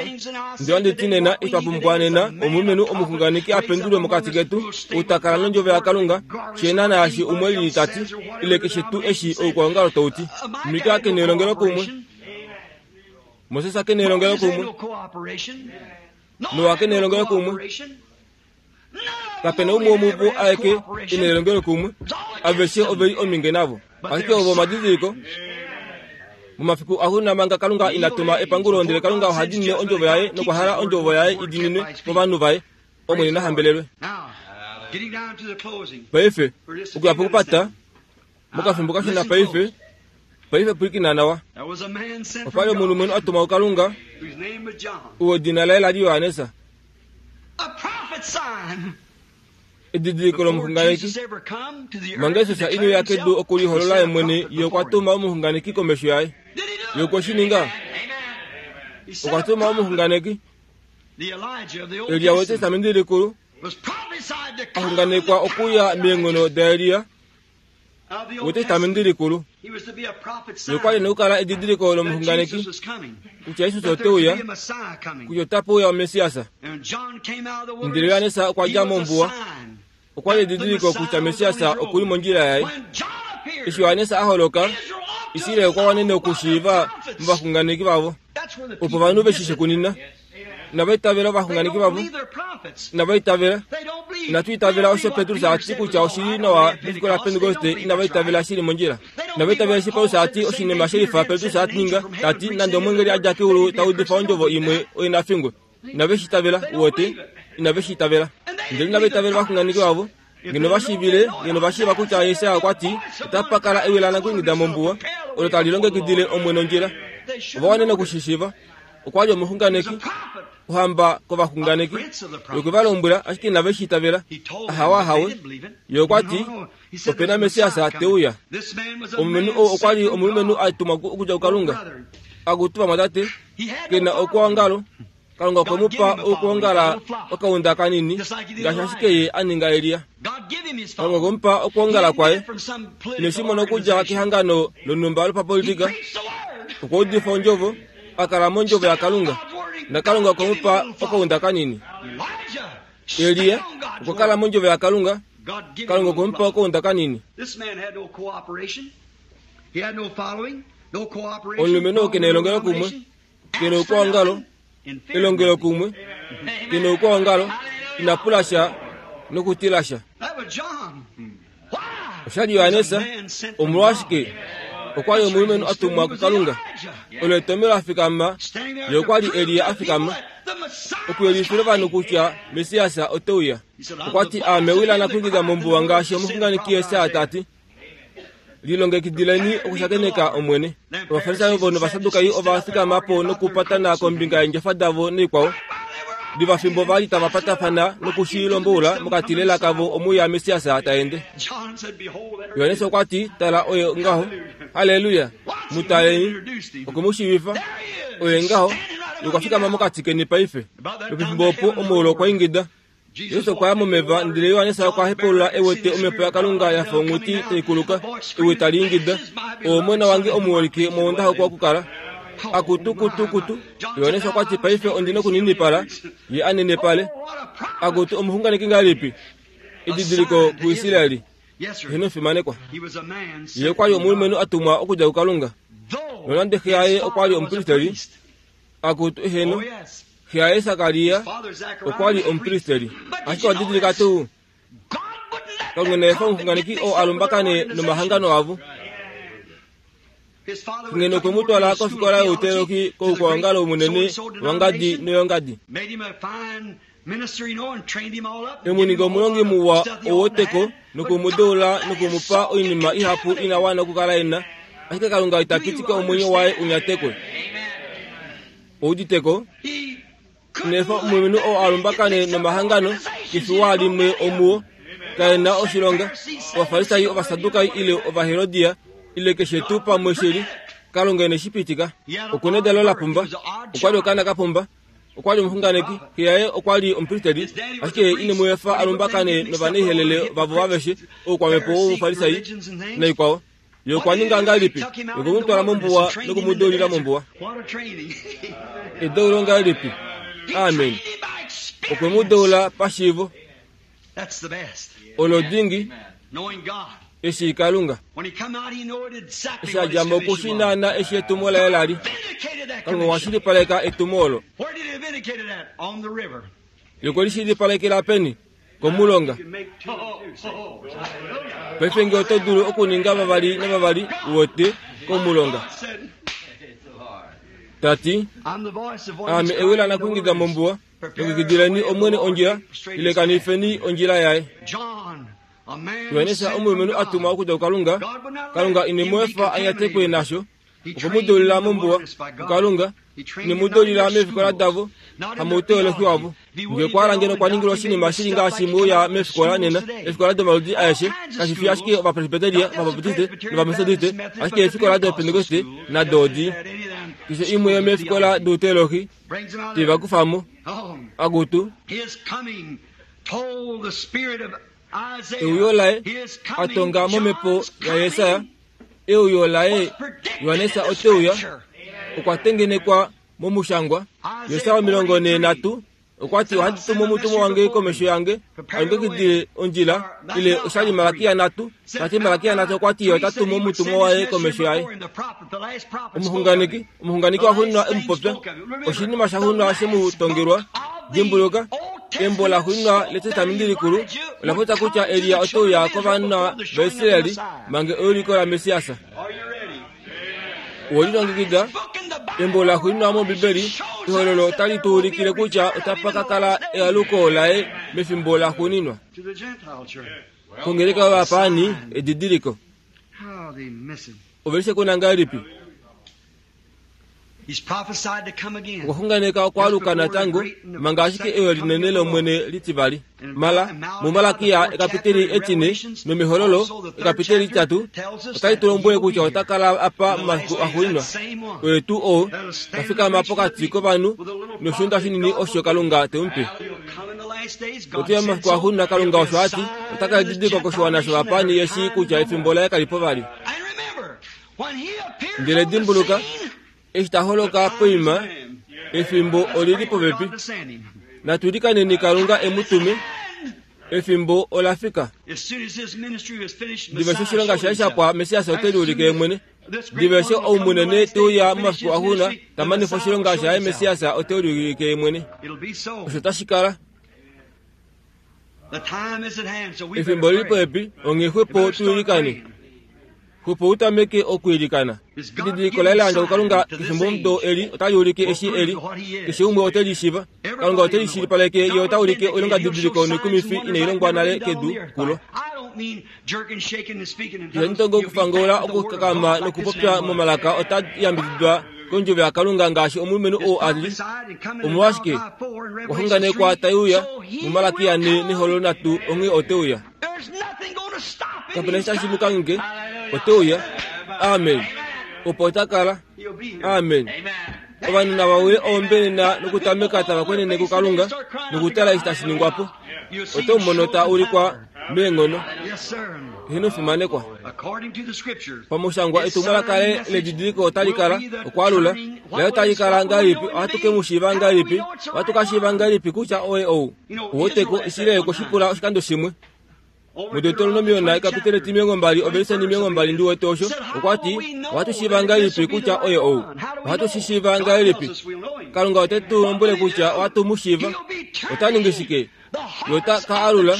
Speaker 1: Ndele ohandi ti nena itwa pumbwa nena omulumenhu omuxunganeki a pendulwe mokati ketu, ou ta kala nondjovo yaKalunga, she naana yashi umwe lili ta ti, ile keshe tuu eshi oukwaongalo tau ti. Mika ke nelongelokumwe. Moses ke nelongelokumwe. Noa ke nelongelokumwe. Kape na umwe womuvo aeke e na elongelokumwe. Aveshe ove li ominge navo. Ashike ovo omadidiliko. Momafiku axuuninwa manga Kalunga ina tuma epangulo ndele Kalunga oha diinine ondjovo yaye nokwa hala ondjovo yaye i diininwe kovanhu vaye. Omwene na hambelelwe. Paife, okuya pokupata, mokafimbo kashona paife, paife pwilikina nawa. Opa li omulumenhu a tumwa kuKalunga, oo edina laye la li Johannes. Edidiliko lomuxunganeki. Manga Jesus ine uya kedu okuliholola ye mwene, ye okwa tuma omuxunganeki komesho yaye. Ye okwe shi ninga. Okwa tuma omuxunganeki. Elia wEtestamenti Likulu a xunganekwa okuya meenghono daElia wEtestamenti Likulu. Ye okwa li e na okukala edidiliko lomuxunganeki kutya Jesus ote uya, kutya otape uya oMessias. Ndele Johannes okwa dja mombuwa. Okwa li edidiliko kutya Messias oku li mondjila yaye. Eshi Johannes a holoka, Israel okwa wanene okushiiva movaxunganeki vavo. Opo ovanhu ve shi shekunina. Inava itavela ovaxunganeki vavo. Inava itavela. Inatu itavela osho Petrus a ti kutya oshi li nawa mefiku laPentekoste. Inava itavela shi li mondjila. Inava itavela eshi Paulus a ti oshinima she lifa Petrus a ninga, ta ti, Nande omweengeli a dja keulu ta udifa ondjovo imwe, oye na fingwe. Inave shi itavela, uwete. Inave shi itavela. Ndele inava itavela ovaxunganeki vavo. Ngeno va shiivile, ngeno va shiiva kutya Jesaja okwa ti, Otapa kala ewi lanakwiingida mombuwa, olo tali longekidile Omwene ondjila. Ova wanene oku shi shiiva. Okwa li omuxunganeki, ohamba kovaxunganeki. Ye okwe va lombwela, ashike inave shi itavela. Ahawe, ahawe. Ye okwa ti, Ope na Messias te uya. Omulumenhu ou okwa li omulumenhu a tumwa okudja kuKalunga. Akutu vamwatate, ke na okwoongalo. Kalunga okwe mu pa okwoongala okaunda kanini, ngaashi ashike ye a ninga Elia. Kalunga okwe mu pa okwoongala kwaye. Ine shi mona okudja kehangano lonhumba lopapolitika. Okwa udifa ondjovo, a kala mondjovo yaKalunga, naKalunga okwe mu pa okaunda kanini. Elia okwa kala mondjovo yaKalunga, Kalunga okwe mu pa okaunda kanini. Omulumenhu oo ke na elongelokumwe, ke na oukwaongalo, elongelokumwe, ke na oukwaongalo, ina pula sha nokutila sha. Osha li Johannes, omolwashike? Okwa li omulumenhu a tumwa kuKalunga. Olo etomhelo a fikama, ye okwa li Elia a fikama, okuyelifila ovanhu kutya Messias ote uya. Okwa ti, Aame wila nakwingida mombuwa ngaashi omuxunganeki Jesaja ta ti. Lilongekidileni okushakeneka Omwene. Ovafarisai ovo nOvasadukai ova fikama po nokupatana kombinga yeendjofa davo noikwao. Diva fimbo va li tava patafana noku shi lomboula mokati lela kavo omuya Messias ta ende. Johannes okwa ti, Tala, oye ngaho. Halleluya! Mu taleni. Okwe mu shiivifa. Oye ngaho. Ye okwa fikama mokati keni paife. Lwopefimbo opo omuulu okwa ingida. Jesus okwa ya momeva, ndele Johannes okwa hepaulula e wete omhepo yaKalunga ya fa onghuti tai kuluka, ewi tali ingida, Owe Omona wange omuholike, muo nda hokwa okukala. Akutu, kutu, kutu! Johannes okwa ti, Paife ondi nokuninipala, ye a nenepale. Akutu, omuxunganeki ngahelipi! Edidiliko kuIsraeli. Heeno, fimanekwa. Ye okwa li omulumenhu a tumwa okudja kuKalunga. Nonande xe yaye okwa li omupristeli, Akutu, heeno, xe yaye Sakaria okwa li omupristeli. Ashike owa didilika tuu? Kalunga ina efa omuxunganeki oo a lumbakane nomahangano avo. Ngeno okwe mu twala kofikola youteologi koukwaongalo munene wangadi noyongadi. E mu ninga omulongi muwa owoteko noku mu deula noku mu pa oinima ihapu ina wana okukala e na, ashike Kalunga ita pitika omwenyo waye u nyatekwe. Ouditeko? Ina efa omulumenhu oo a lumbakane nomahangano kefiwa limwe omuo kae na oshilonga, Ovafarisai, Ovasadukai ile Ovaherodia ile keshe tuu pamwe shi li. Kalunga ine shi pitika. Oku na edalo la pumba. Okwa li okaana ka pumba. Okwa li omuxunganeki, xe yaye okwa li omupristeli, ashike ye ine mu efa a lumbakane novanaihelele vavo aveshe, oukwamhepo wOufarisai naikwao. Ye okwa ninga ngahelipi? Okwe mu twala mombuwa noku mu deulila mombuwa. Edeulo ngahelipi! Amen. Okwe mu deula pashiivo. Olo dingi eshi Kalunga. Eshi a dja mo oku shi naana eshi etumo laye la li. Kalunga okwa shilipaleka etumo olo. Ye okwe li shilipalekela peni? Komulonga. Paife nge oto dulu okuninga vavali navavali, uwete, komulonga. Ta ti, Aame ewi lanakwingida mombuwa, Longekidileni Omwene ondjila, ilekanifeni ondjila yaye. Johannes omulumenhu a tumwa okudja kuKalunga, Kalunga ine mu efa a nyatekwe nasho. Okwe mu deulila mombuwa kuKalunga, ine mu deulila meefikola davo, hamouteolohi wavo. Nge okwa hala ngeno okwa ningilwa oshinima shi li ngaashi mwe uya meefikola nena, eefikola domaludi aeshe, kashi fi ashike Ovapresbyteria, Ovabaptiste nOvametodiste, ashike eefikola dOpentekoste nado odi. Keshe imwe yomeefikola douteolohi te va kufa mo. Akutu! Euyo laye a tonga momhepo yaJesaja, euyo laye Johannes ote uya, okwa tengenekwa momushangwa. Jesaja 43 okwa ti, Ohandi tumu omutumwa wange komesho yange, a longekidile ondjila, ile osha li Malakia 3, ta ti Malakia 3 okwa ti ye ota tumu omutumwa waye komesho yaye. Omuxunganeki, omuxunganeki waxuuninwa e mu popya, oshinima shaxuuninwa she mu tongelwa. Dimbuluka, embo laxuuninwa lEtestamenti Likulu ola popya kutya Elia ote uya kovana vaIsraeli mange euliko laMessias. Owe lilongekida? Embo laxuuninwa mOmbibeli, Ehololo, otali tu ulikile kutya otapa ka kala ealuko laye mefimbo laxuuninwa. Kongeleka yovapaani, edidiliko. Ove li shekuna ngahelipi? Okwa xunganeka okwaaluka natango manga ashike eyo linene lOmwene litivali. Mala, muMalakia ekapiteli etine nomEhololo ekapiteli litatu otali tu lombwele kutya ota kala apa momafiku axuuninwa. Oye tuu oo ta fikama pokati kovanhu noshiunda shinini osho Kalunga te mu pe. Ote ya momafiku axuuninwa Kalunga osho a ti ota kala edidiliko koshiwana shovapaani ye shii kutya efimbo laye kali po vali. Ndele dimbuluka, eshi ta holoka poima, efimbo oli li popepi. Natu ilikaneni Kalunga e mu tume. Efimbo ola fika. Diva eshi oshilonga shaye sha pwa, Messias ote liulike ye mwene. Diva eshi ou munene te uya momafiku axuuninwa ta manifa oshilonga shaye, Messias ote liulike ye mwene. Osho tashi kala. Efimbo oli li popepi, onghee xwepo tu ilikane. Xwepo u tameke okwiilikana. Edidiliko laye la yandjwa kuKalunga kefimbomudo eli otali ulike eshi e li. Keshe umwe ote li shiiva. Kalunga ote li shilipaleke ye ota ulike oilongadidiliko noikumifi inai longwa nale kedu kulo. Ihandi tongo okufangoula, okukakama nokupopya momalaka ota yambididwa kondjovo yaKalunga ngaashi omulumenhu oo a li. Omolwashike? Okwa xunganekwa tai uya muMalakia ne nEhololo nhatu onghee ote uya. Kape na eshi tashi mu kangheke. Ote uya. Amen. Opo ota kala. Amen. Ovanhu nava wile oombenena nokutameka tava kwenene kuKalunga nokutala eshi tashi ningwa po. Oto mu mono ta ulikwa meenghono. Heeno fimanekwa. Pamushangwa etumwalaka laye ledidiliko otali kala okwaalula laye otali kala ngahelipi? Ohatu ke mu shiiva ngahelipi? Ohatu ka shiiva ngahelipi kutya oye ou? Uweteko, Israel okwe shi pula oshikando shimwe. MuDeuteronomiona ekapitele 20 ovelise 20 ndi wete osho, okwa ti, Ohatu shiiva ngahelipi kutya oye ou? Ohatu shi shiiva ngahelipi? Kalunga ote tu lombwele kutya ohatu mu shiiva. Ota ningi shike? Ye ota ka alula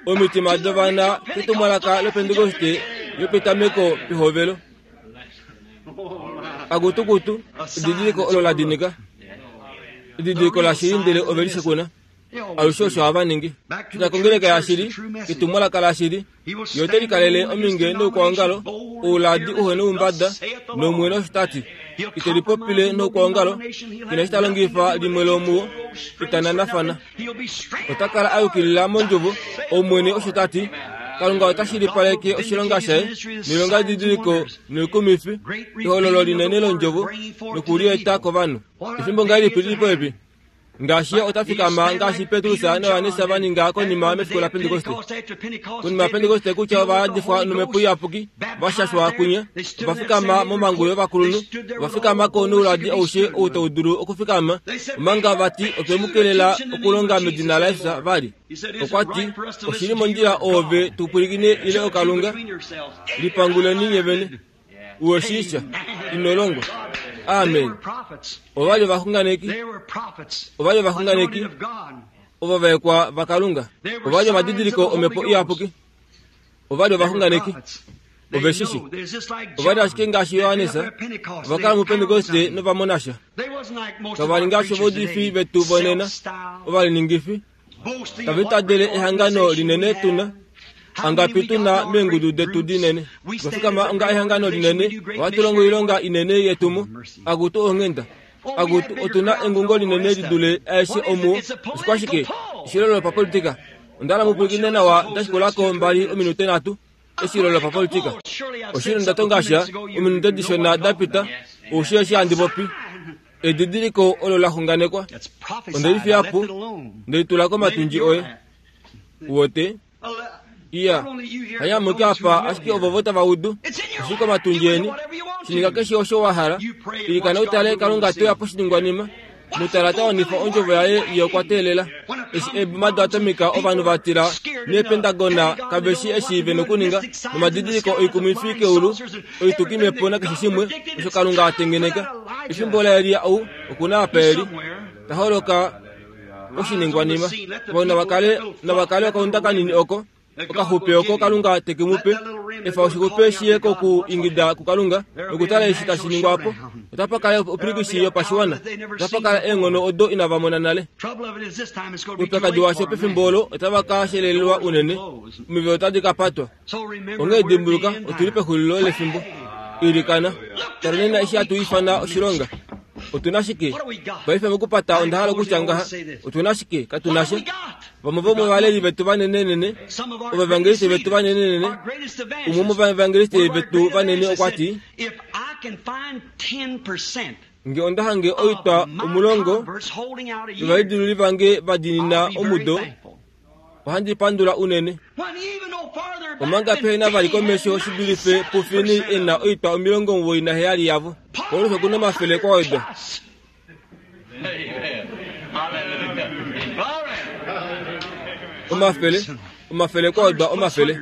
Speaker 1: omitima dovana ketumwalaka lOpentekoste yopetameko pehovelo. Akutukutu, edidiliko olo la dinika. Edidiliko lashili ndele ove li shekuna. Alushe osho hava ningi. Shuna kongeleka yashili, ketumwalaka lashili. Ye ote likalele ominge noukwaongalo, ouladi uhe noumbada, nOmwene osho ta ti. Ite lipopile noukwaongalo, ke na eshi ta longifa limwe lomuwo, ita nanafana. Ota kala a yukilila mondjovo, Omwene osho ta ti. Kalunga ota shilipaleke oshilonga shaye noilongadidiliko noikumifi, ehololo linene londjovo, noku li eta kovanhu. Efimbo ngahelipi li li popepi? Ngaashi ye ota fikama ngaashi Petrus naJohannes va ninga konima mefiku laPentekoste. Konima yaPentekoste kutya ova yadifwa nomhepo iyapuki, va shashwa kwinya, ova fikama momhangu yovakulunhu, ova fikama ko nouladi aushe ou tau dulu okufikama, omanga va ti otwe mu kelela okulonga medina laJesus vali. Okwa ti, Oshi li mondjila oove tu pwilikine ile oKalunga? Lipanguleni nye vene. Uweshiisha, ino longwa. Amen. Ova li ovaxunganeki. Ova li ovaxunganeki ovavaekwa vaKalunga. Ova li omadidiliko omhepo iyapuki. Ova li ovaxunganeki. Ove shi shi. Ova li ashike ngaashi Johannes. Ova kala muPentekoste nova mona sha. Kava li ngaashi ovaudifi vetu vonena, ovaliningifi. Tava itadele ehangano linene tu na. Angapi tu na meengudu detu dinene. Twa fikama onga ehangano linene, ohatu longo oilonga inene yetumo. Akutu onghenda. Akutu, otu na engungo linene li dule aeshe omuo. Oshikwashike? Eshilo lopapolitika. Onda hala mu pwilikine nawa nda shikula ko mbali ominute nhatu. Eshilo lopapolitika. Oshili nda tonga sha ominute dishona da pita. Ou shii eshi handi popi. Edidiliko olo la xunganekwa. Onde li fiya po, nde li tula komatundji oye. Uwete? Iya, hanyamuke apa ashike ovovo tava udu. Oshi komatundji eni. Shininga keshe osho wa hala. Ilikana utale Kalunga te uya poshiningwanima. Mutala ta wanifa ondjovo yaye ye okwa teelela. Eshi eeboma doatomika ovanhu va tila neepentagona kave shi eshi ve nokuninga nomadidiliko oikumifi keulu oitukimhepo nakeshe shimwe osho Kalunga a tengeneka. Efimbo laElia ou oku na apa e li. Ta holoka oshiningwanima. Vo nava kale, nava kale okaunda kanini oko, okaxupe oko Kalunga te ke mu pe. Efa oshixupe shi ye koku ingida kuKalunga nokutala eshi tashi ningwa po. Otapa kala opilikisi yopashiwana. Otapa kala eenghono odo inava mona nale. Oupyakadi washo pefimbo olo otava ka shelelelwa unene. Omivelo otadi ka patwa. Onghee dimbuluka, otu li pexulilo lefimbo. Ilikana. Tala nena eshi hatu ifana oshilonga. Otu na shike? Paife mokupata onda hala okutya ngaha, otu na shike? Katu na sha. Vamwe vomovaleli vetu vanenenene, ovaevangeliste vetu vanenenene, umwe womovaevangeliste vetu vanene okwa ti, Nge onda hange oitwa 10 yovalidiluli vange va diinina omudo, ohandi pandula unene. Omanga pehe na vali komesho shi dulife puFinney e na oitwa 97 yavo. Paulus oku na 100 kwa wedwa. Omafele, omafele kwa wedwa omafele.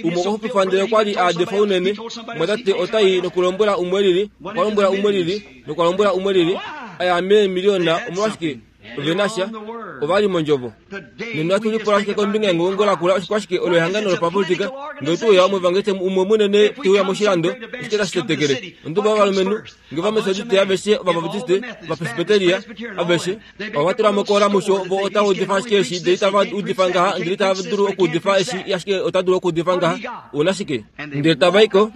Speaker 1: Umwe okwa xupifa ndele okwa li a defa unene. Mwatate ota i nokulombwela umwe lili, okwa lombwela umwe lili, nokwa lombwela umwe lili, a ya meemiliona. Omolwashike? Ove na sha. Ova li mondjovo. Nena ohatu lipula ashike kombinga yengongo lakula oshikwashike olo ehangano lopapolitika. Nge ote uya omuevangeliste umwe munene te uya moshilando, oshike tashi tetekele? Onduba yovalumenhu, nge Ovametodiste aveshe, Ovabaptiste, Ovapresbyteria aveshe, ova tula mo kola musho, vo otava udifa ashike eshi, ndele itava udifa ngaha, ndele itava dulu okuudifa eshi, ashike ota dulu okuudifa ngaha. Ou na shike? Ndele tava i ko.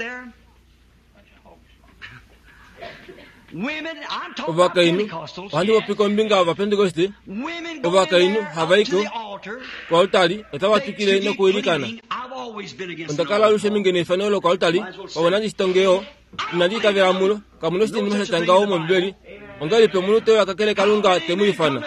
Speaker 1: Ovakainhu, ohandi popi kombinga yOvapentekoste, ovakainhu hava i ko koaltari otava twikile nokuilikana. Onda kala alushe minge neifano lokoaltari, pamwe nandi shitonge yo, inandi itavela mulo, kamu na oshinima sha tya ngaho mOmbibeli. Ongahelipi omunhu te uya kakele Kalunga te mu ifana?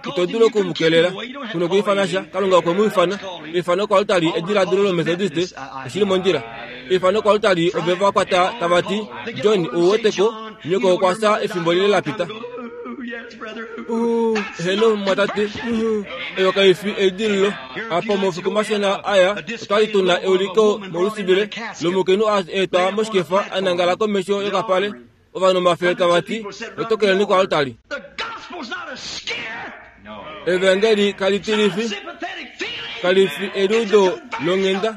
Speaker 1: Ito dulu oku mu kelela. Ku nokuifana sha, Kalunga okwe mu ifana. Eifano koaltari ediladilo lOmetodiste, oshi li mondjila. Eifano koaltari ove va kwata tava ti, John, ou wete ko, nyoko okwa fya efimbo lile la pita. Uh, heeno, mumwatate, uh, eyo kai fi eidililo. Apa moufiku mashona aya, otwa li tu na euliko molusibile lomukainhu a etwa moshikefa a nangala komesho yokapale. Ovanhu omafele tava ti, Lotokeleni koaltari. Evangeli kali tilifi, kali fi eliudo longhenda,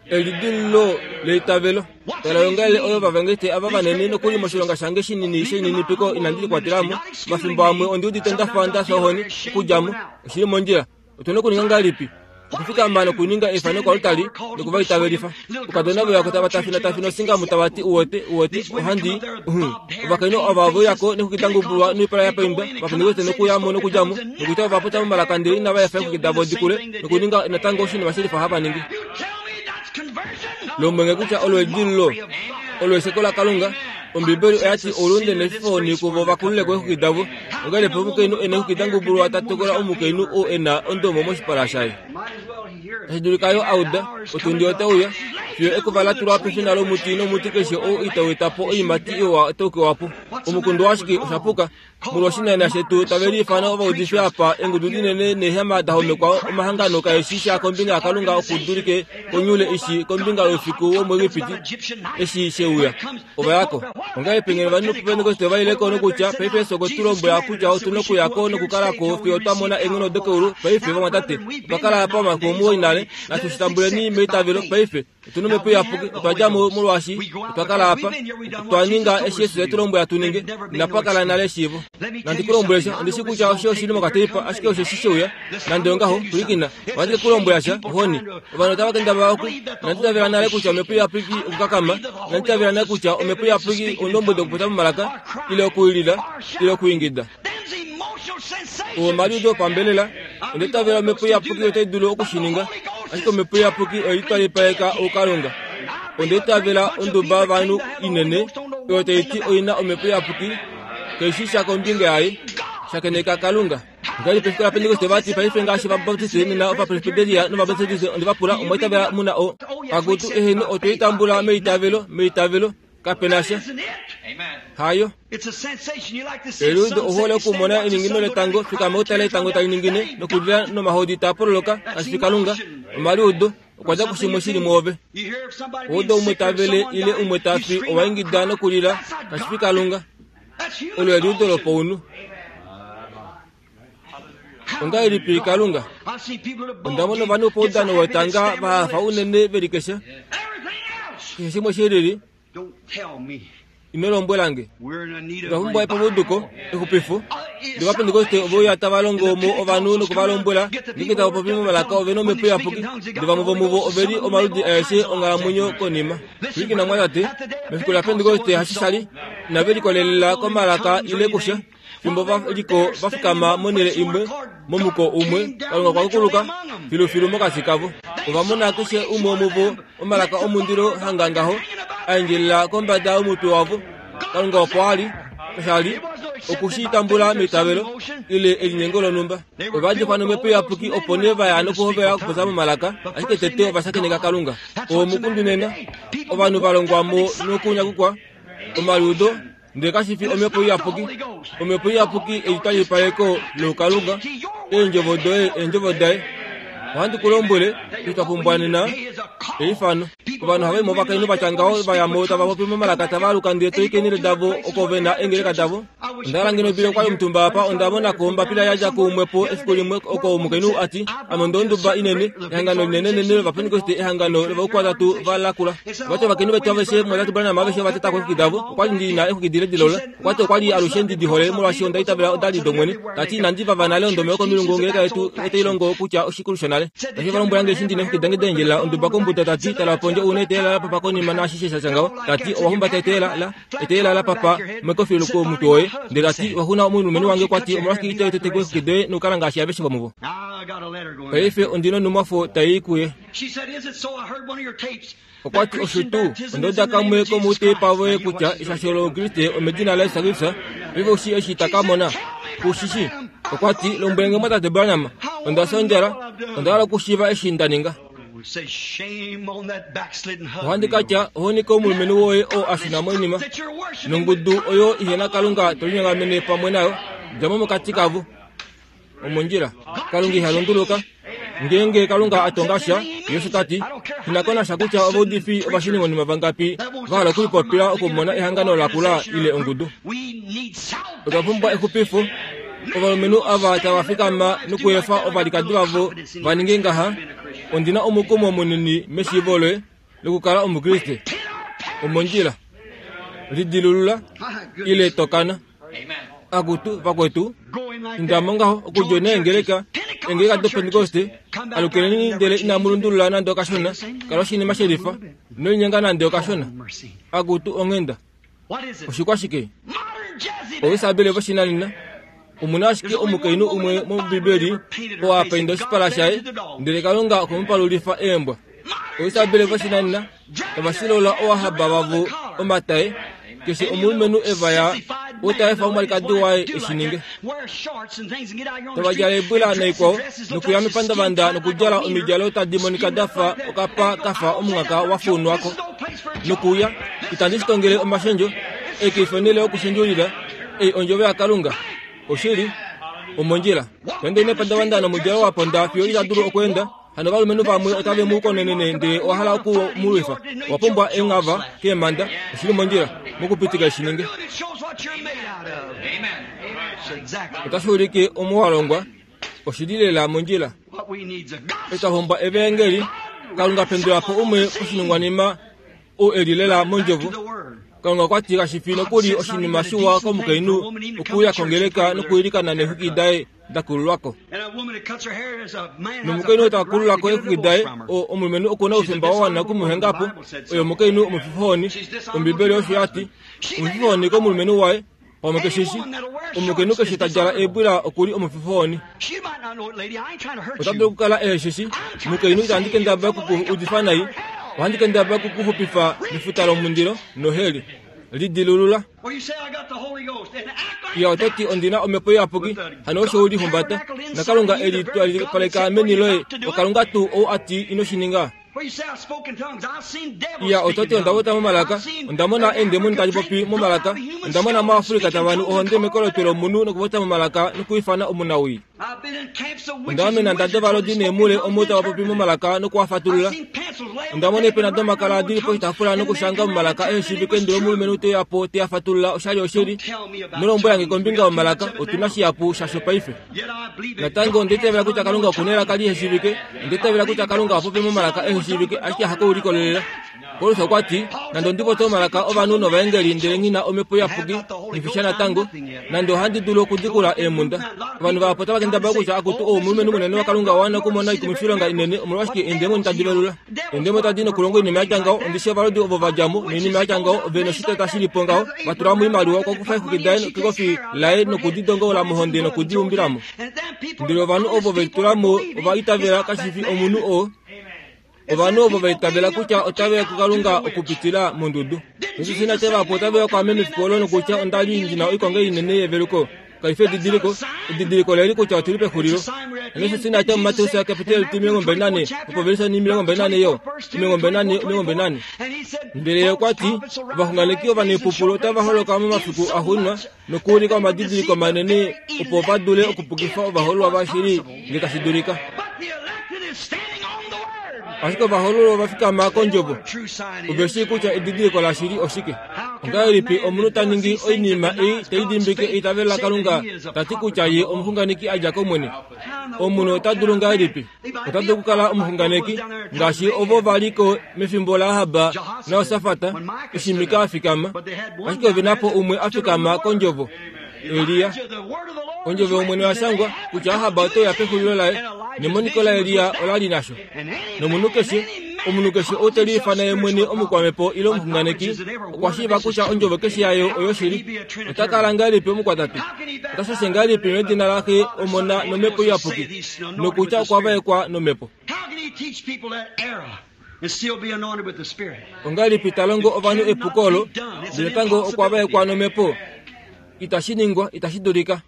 Speaker 1: elidililo leitavelo. Tala yongaele oyo ovavangeliste ava vanene nokuli moshilonga shange shinini shelininipiko inandi likwatela mo. Omafimbo amwe ondi udite nda fa nda fya ohoni okudja mo. Oshi li mondjila. Otu na okuninga ngahelipi? Okufikama nokuninga eifano koaltari noku va itavelifa. Oukadona ve uya ko tava tafinatafina osingamu tava ti, Uwete, uwete, ohandi. Uhum. Ovakainhu ava ove uya ko nexwiki da ngubulwa noipala ya paindwa, Ovapentekoste nokuya mo nokudja mo, nokutya ova popya momalaka ndele inava efa eexwiki davo di kule, nokuninga natango oshinima shelifa hava ningi. Lombwenge kutya olo edililo, olo esheko laKalunga. Ombibeli oya ti oulunde nefifo kuvo va kulule ko eexwiki davo. Ongahelipi omukainhu e na eexwiki da ngubulwa ta tokola omukainhu oo e na ondomo moshipala shaye? Tashi dulika yo a uda, otundi ote uya, fiyo ekuva la tulwa pefina lomuti nomuti keshe oo itau eta po oiimati iwa otau kewa po. Omukundu washike osha puka? Molwoshinana shetu tave liifana ovaudifi apa, eengudu dinene neehema da homekwa omahangano kae shi sha kombinga yaKalunga oku dulike konyule ishi kombinga youfiku womuEgipiti eshi she uya. Ova ya ko. Ongahelipi ngeno ovanhu voPentekoste ova ile ko nokutya, Paife Yesu okwe tu lombwela kutya otu nokuya ko nokukala ko fiyo twa mona eenghono dokeulu. Paife, vamwatate, otwa kala apa omafiku omuwoi nale, natu shi tambuleni meitavelo paife. Otu na Omhepo Iyapuki. Otwa dja mo molwaashi otwa kala apa. Otwa ninga eshi Jesus e tu lombwela tu ninge. Inapa kala nale eshiivo. Nandi ku lombwele sha. Ondi shii kutya osho oshi li mokateipa, ashike osho eshi she uya. Nande ongaho, pwilikina. Ohandi ke ku lombwela sha, ohoni. Ovanhu otava kendabala oku. Inandi itavela nale kutya Omhepo Iyapuki okukakama. Inandi itavela nale kutya Omhepo Iyapuki oundombwedi okupopya momalaka, ile okuilila, ile okuingida. Oo omaliudo opambelela. Onda itavela Omhepo Iyapuki otai dulu oku shi ninga, ashike Omhepo Iyapuki oye litwalipaleka oukalunga. Onda itavela onduba yovanhu inene oyo tai ti oi na Omhepo Iyapuki, kai shii sha kombinga yaye. Shakeneka Kalunga. Ngahelipi efiku laPentekoste vati paife ngaashi Ovabaptiste nena Ovapresbyteria nOvametodiste onde va pula omwa itavela mu na o. Akutu eheno otwe i tambula meitavelo, meitavelo. Kape na sha. Hayo. Eliudo ohole okumona eningino letango, fikama u tale etango tali ningine nokulila nomahodi taa pololoka, kashi fi Kalunga. Omaliudo okwa dja kushimwe shi li mwoove. Oudo umwe ta vele ile umwe ta fi owa ingida nokulila, kashi fi Kalunga. Olo eliudo lopaunhu. Ongahelipi Kalunga? Onda mona ovanhu poudano wetanga va hafa unene ve li keshe. Keshe shimwe shi lili. Ino lombwela nge. Otwa pumbwa epambuduko, exupifo. Ndele Ovapentekoste ove uya tava longo mo ovanhu noku va lombwela ngeenge tava popi momalaka ove na omhepo iyapuki, ndele vamwe vomuvo ove li omaludi aeshe onghalamwenyo konima. Pwilikina mwatate, mefiku laPentekoste hashi sha li, inave likolelela komalaka ile kusha. Fimbo va li ko va fikama monhele imwe, momuko umwe, Kalunga okwa kukuluka filufilu mokati kavo. Ova mona keshe umwe womuvo omalaka omundilo hanga ngaho a endjelela kombada yomutwe wavo. Kalunga opo a li, kasha li oku shi tambula meitavelo ile elinyengo lonhumba. Ova difwa nomhepo iyapuki opo nee va ya nokuhovela okupopya momalaka, ashike tete ova shakeneka Kalunga. Oo omukundu nena. Ovanhu va longwa mo nokunyakukwa omaliudo ndele kashi fi omhepo iyapuki. Omhepo iyapuki elitalipaleko loukalunga, eendjovo doye eendjovo daye. Ohandi ku lombwele, itwa pumbwa nena eifano. Ovanhu ohava i movakainhu va tya ngaho va ya mo tava popi momalaka tava aluka ndele to i keenhele davo oko ve na eengeleka davo. Onda hala ngeno bile okwali omutumba apa onda mona ko ombapila ya dja kuumwe po efiku limwe oko omukainhu a ti ame onda onduba inene ehangano linenenene lOvapentekoste ehangano lovaukwatatu va lakula. Vati ovakainhu vetu aveshe mwatatu Branham aveshe ova teta ko eexwiki davo. Okwali ndi na eexwiki dile dilola. Okwa ti okwali alushe ndi di hole molwaashi onda itavela oda li dOmwene. Ta ti inandi vava nale ondome yokomilungu ongeleka yetu otai longo kutya oshikulu shonale. Tashi va lombwela nge eshi ndi na eexwiki dange da endjelela onduba kombuda ta ti tala pondje u na eteela la papa konima naashishe sha tya ngaho. Ta ti owa humbata eteela la eteela la papa mekofilu komutwe woye. Ndele ta ti wa xuna omulumenhu wange okwa ti omolwashike ito tete ko eexwiki doye nokukala ngaashi aveshe vomuvo. Paife ondi nonhumwafo tai i kuye. Okwa ti, Osho tuu, onda uda kamwe komouteipa voye kutya eshasho lOukriste omedina laJesus Kristus. Paife ou shii eshi ta ka mona? Ku shi shii? Okwa ti, Lombwele nge mwatate Branham, onda fya ondjala, onda hala okushiiva eshi nda ninga. Ohandi ka tya, Ohoni komulumenhu woye oo a shuna moinima, nongudu oyo ihe na Kalunga to linyongamene pamwe nayo, dja mo mokati kavo. Omondjila. Kalunga iha lunduluka. Ngeenge Kalunga a tonga sha, ye ta ti, Shina ko nasha kutya ovaudifi ovashunimonima vangapi va hala okulipopila okumona ehangano la kula ile ongudu. Otwa pumbwa exupifo. Ovalumenhu ava tava fikama nokuefa ovalikadi vavo va ninge ngaha, ondi na omukumo munini meshiivo loye lokukala Omukriste. Omondjila. Lidilulula ile tokana. Akutu, vakwetu, indamo ngaho okudja eengeleka, eengeleka doPentekoste, alukeleni ndele inamu lundulula nande okashona, kala oshinima shelifa, ino linyenga nande okashona. Akutu, onghenda. Oshikwashike? Oisabele voshinanena. Omu na ashike omukainhu umwe mOmbibeli oo a painda oshipala shaye, ndele Kalunga okwe mu palulifa eembwa. Oisabele voshinanena tava shilola owahaba vavo omatae, keshe omulumenhu e va ya ou ta efa omwalikadi waye e shi ninge. Tava djala eebwila naikwao, nokuya mepandavanda nokudjala omidjalo tadi monika da fa okapa ka fa omungaka wa fuunwa ko. Nokuuya, itandi shi tongele omashendjo, ei kai fi onhele yokushendjulila, ei ondjovo yaKalunga. Oshili, omondjila. Nande nepandavanda nomudjalo wa ponda fiyo ita dulu okweenda, hano ovalumenhu vamwe otave mu konenene ndele owa hala oku mu lwifa. Owa pumbwa enghava keemhanda, oshili mondjila, mokupitika eshi ninge. Otashi ulike omo wa longwa, oshili lela mondjila. Etwa pumbwa evaengeli, Kalunga pendula po umwe oshiningwanima ou e li lela mondjovo. Kalunga okwa ti kashi fi nokuli oshinima shiwa komukainhu okuuya kongeleka nokuilikana neexwiki daye da kululwa ko. Nomukainhu ta kulula ko eexwiki daye, omulumenhu oku na oufemba wa wana oku mu henga po. Oye omukainhu omufifohoni. Ombibeli osho ya ti. Omufifohoni komulumenhu waye. Pamwe keshe shi omukainhu keshe ta djala eebwila oku li omufifohoni. Ota dulu okukala ehe shi shi. Mukainhu itandi kendabala oku ku udifa nai. Ohandi kendabala oku ku xupifa mefuta lomundilo noheli. Lidilulula. Ya oto ti ondi na omhepo iyapuki, hano osho u lihumbata. NaKalunga e li twalipaleka meni loye, oKalunga tuu ou a ti ino shi ninga. Iya, oto ti onda vota momalaka, onda mona eendemoni tadi popi momalaka, onda mona moAfrika tava nu ohonde mekolotwe lomunhu nokuvota momalaka nokwiifana omunawii. Onda amena nda dovalodi neemule omo tava popi momalaka noku a fatulula. Onda mona eepena domakala di li poshitaafula nokushanga momalaka ehe shiivike ndele omulumenhu te uya po te a fatulula oshali oshili. Ino lombwela nge kombinga yomalaka, otu na shihapu shasho paife. Natango onda itavela kutya Kalunga oku na elaka lihe shiivike. Onda itavela kutya Kalunga oha popi momalaka ehe shiivike, ashike hakoulikolelela. Paulus okwa ti, Nande ondi popye omalaka ovanhu novaengeli ndele nghi na omhepo iyapuki, nghi fi sha natango, nande ohandi dulu okudikula eemhunda. Ovanhu vahapu otava kendabala kutya akutu ou omulumenhu munene waKalunga owa wana okumona oikumwifilonga inene, omolwashike eendemoni tadi velula? Eendemoni tadi nokulonga oinima ya tya ngaho, ondi shii ovalodi ovo va dja mo, noinima ya tya ngaho, ove noshiteta shi li po ngaho, va tula mo oimaliwa, okwa kufa eexwiki daye kekofi laye noku di dongola mohonde noku di umbila mo. Ndele ovanhu ovo ve litula mo ova itavela kashi fi omunhu oo. Ovanhu ovo va itavela kutya otave ya kuKalunga okupitila mondudu. Jesus ina tya vahapu otave ya kwaame mefiku olo nokutya onda li ndi na oikonga inene yeveluko. Kai fi edidiliko. Edidiliko oleli kutya otu li pexulilo. Jesus ina tya muMateus kapiteli 24 opovelisa 24 yo 24 24. Ndele ye okwa ti, ovaxunganeki ovanaipupulu otava holoka momafiku axuuninwa nokuulika omadidiliko manene opo va dule okupukifa ovahoololwa vashili nge tashi dulika. Ashike ovahoololwa ova fikama kondjovo. Ove shii kutya edidiliko lashili oshike. Ongahelipi omunhu ta ningi oinima ei tai dimbike eitavelo laKalunga ta ti kutya ye omuxunganeki a dja kOmwene? Omunhu ota dulu ngahelipi? Ota dulu okukala omuxunganeki ngaashi ovo va li ko mefimbo laAhab naJosafat eshi Mika a fikama, ashike ove na po umwe a fikama kondjovo, Elia. Ondjovo yOmwene oya shangwa kutya Ahab ote uya pexulilo laye, nemoniko laElia ola li nasho. Nomunhu keshe, omunhu keshe ou te liifana ye mwene omukwamhepo ile omuxunganeki, okwa shiiva kutya ondjovo keshe yayo oyoshili. Ota kala ngahelipi omukwatatu? Ota shashe ngahelipi medina laXe, Omona nOmhepo Iyapuki, nokutya okwa vaekwa nOmhepo? Ongahelipi ta longo ovanhu epuko olo, ndele natango okwa vaekwa nomhepo? Itashi ningwa, itashi dulika.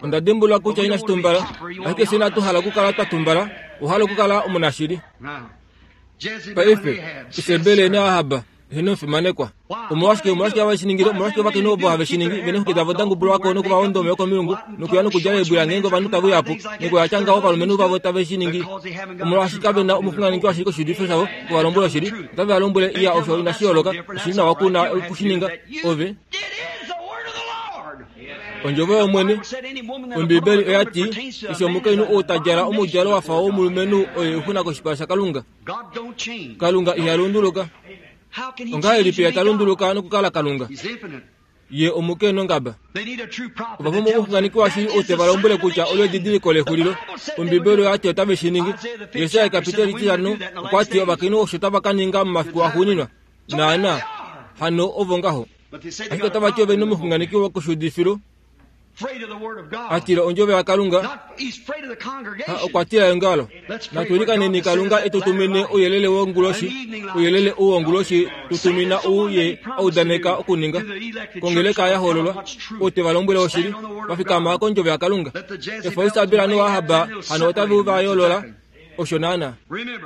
Speaker 1: Onda dimbulula kutya inashi tumbala, ashike fye inatu hala okukala twa tumbala, owa hala okukala omunashili. Paife, Isebel naAhab Heno omufimanekwa. Omolwashike, omolwashike have shi ningile? Omolwashike ovakainhu ovo have shi ningi? Ve neexwiki davo da ngubulwa ko noku va onda omeya komilungu, nokuya nokudjala eebwila ngeenge ovanhu tave uya po, nokuya tya ngaho ovalumenhu vavo tave shi ningi. Omolwaashi kave na omuxunganeki washili koshiudifo shavo oku va lombwela oshili. Otave va lombwele, Iya, osho inashi yooloka. Oshi li nawa ku na oku shi ninga. Ove. Ondjovo yOmwene. Ombibeli oya ti, Keshe omukainhu ou ta djala omudjalo wa fa womulumenhu oye oixuna koshipala shaKalunga. Kalunga iha lunduluka. Ongahelipi ye ta lunduluka nokukala Kalunga? Ye omuke nongaba. Ova pumbwa omuxunganeki washili ou te va lombwele kutya olo edidiliko lexulilo. Ombibeli oya ti otave shi ningi. Jesaja kapiteli 5 okwa ti ovakainhu osho tava ka ninga momafiku axuuninwa. Naana, hano ovo ngaho. Ashike otava ti ove nomuxunganeki wokoshuudifilo a tila ondjovo yaKalunga, ha okwa tila eongalo. Natu ilikaneni Kalunga e tu tumine ouyelele wonguloshi, ouyelele ou wonguloshi tu tumina ou ye a udaneka okuninga. Kongeleka ya hoololwa, ou te va lombwele oshili, va fikama kondjovo yaKalunga. Efa Isabel noAhab hano otave va yoolola Osho naanaa.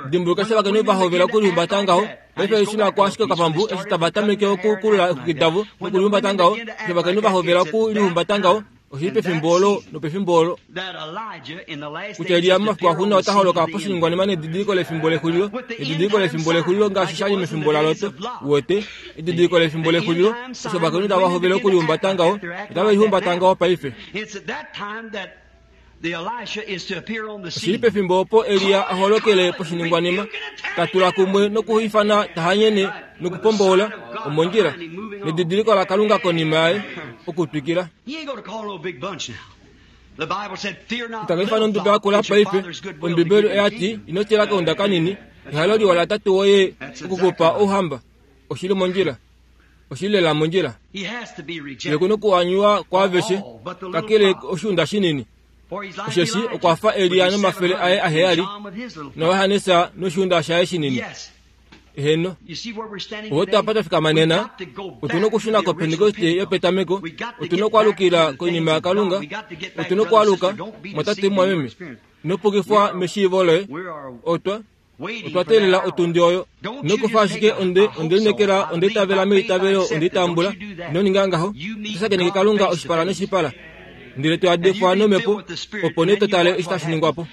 Speaker 1: Dimbuluka eshi ovakainhu va hovela okulihumbata ngaho, paife eshi la ko ashike okapambu eshi tava tameke okukulula eexwiki davo nokulihumbata ngaho, eshi ovakainhu va hovela okulihumbata ngaho, oshi li pefimbo olo nopefimbo olo kutya Elia momafiku axuuninwa ota holoka poshiningwanima nedidiliko lefimbo lexulilo, edidiliko lefimbo lexulilo ngaashi sha li mefimbo laLot. Uwete? Edidiliko lefimbo lexulilo, eshi ovakainhu tava hovele okulihumbata ngaho, otave lihumbata ngaho paife. Oshi li pefimbo opo Elia a holokele poshiningwanima, ta tula kumwe nokuifana ta hanyene nokupomboola omondjila, nedidiliko laKalunga konima yaye, okutwikila. Ita ka ifana onduda yakula paife. Ombibeli oya ti, Ino tila kaunda kanini, ehalo liwa laTate woye oku ku pa ouhamba. Oshi li mondjila. Oshi li lela mondjila. Ye ku nokuanywa kwaaveshe, kakele oshiunda shinini. Osheshi okwa fa Elia nomafele aye aheyali, naJohannes noshiunda shaye shinini. Eheno. Oto apa twa fikama nena, otu na okushuna koPentekoste yopetameko, otu na okwaalukila koinima yaKalunga, otu na okwaaluka, mwatate mumwameme. Ino pukifwa meshiivo loye. Otwa Otwa teelela otundi oyo. Ino kufa ashike onde, onde lineekela, onde itavela meitavelo, onde itambula. Ino ninga ngaho. Oto shakeneke Kalunga oshipala noshipala. Ndele to yadekwa nomhepo, opo nee to tale eshi tashi ningwa po.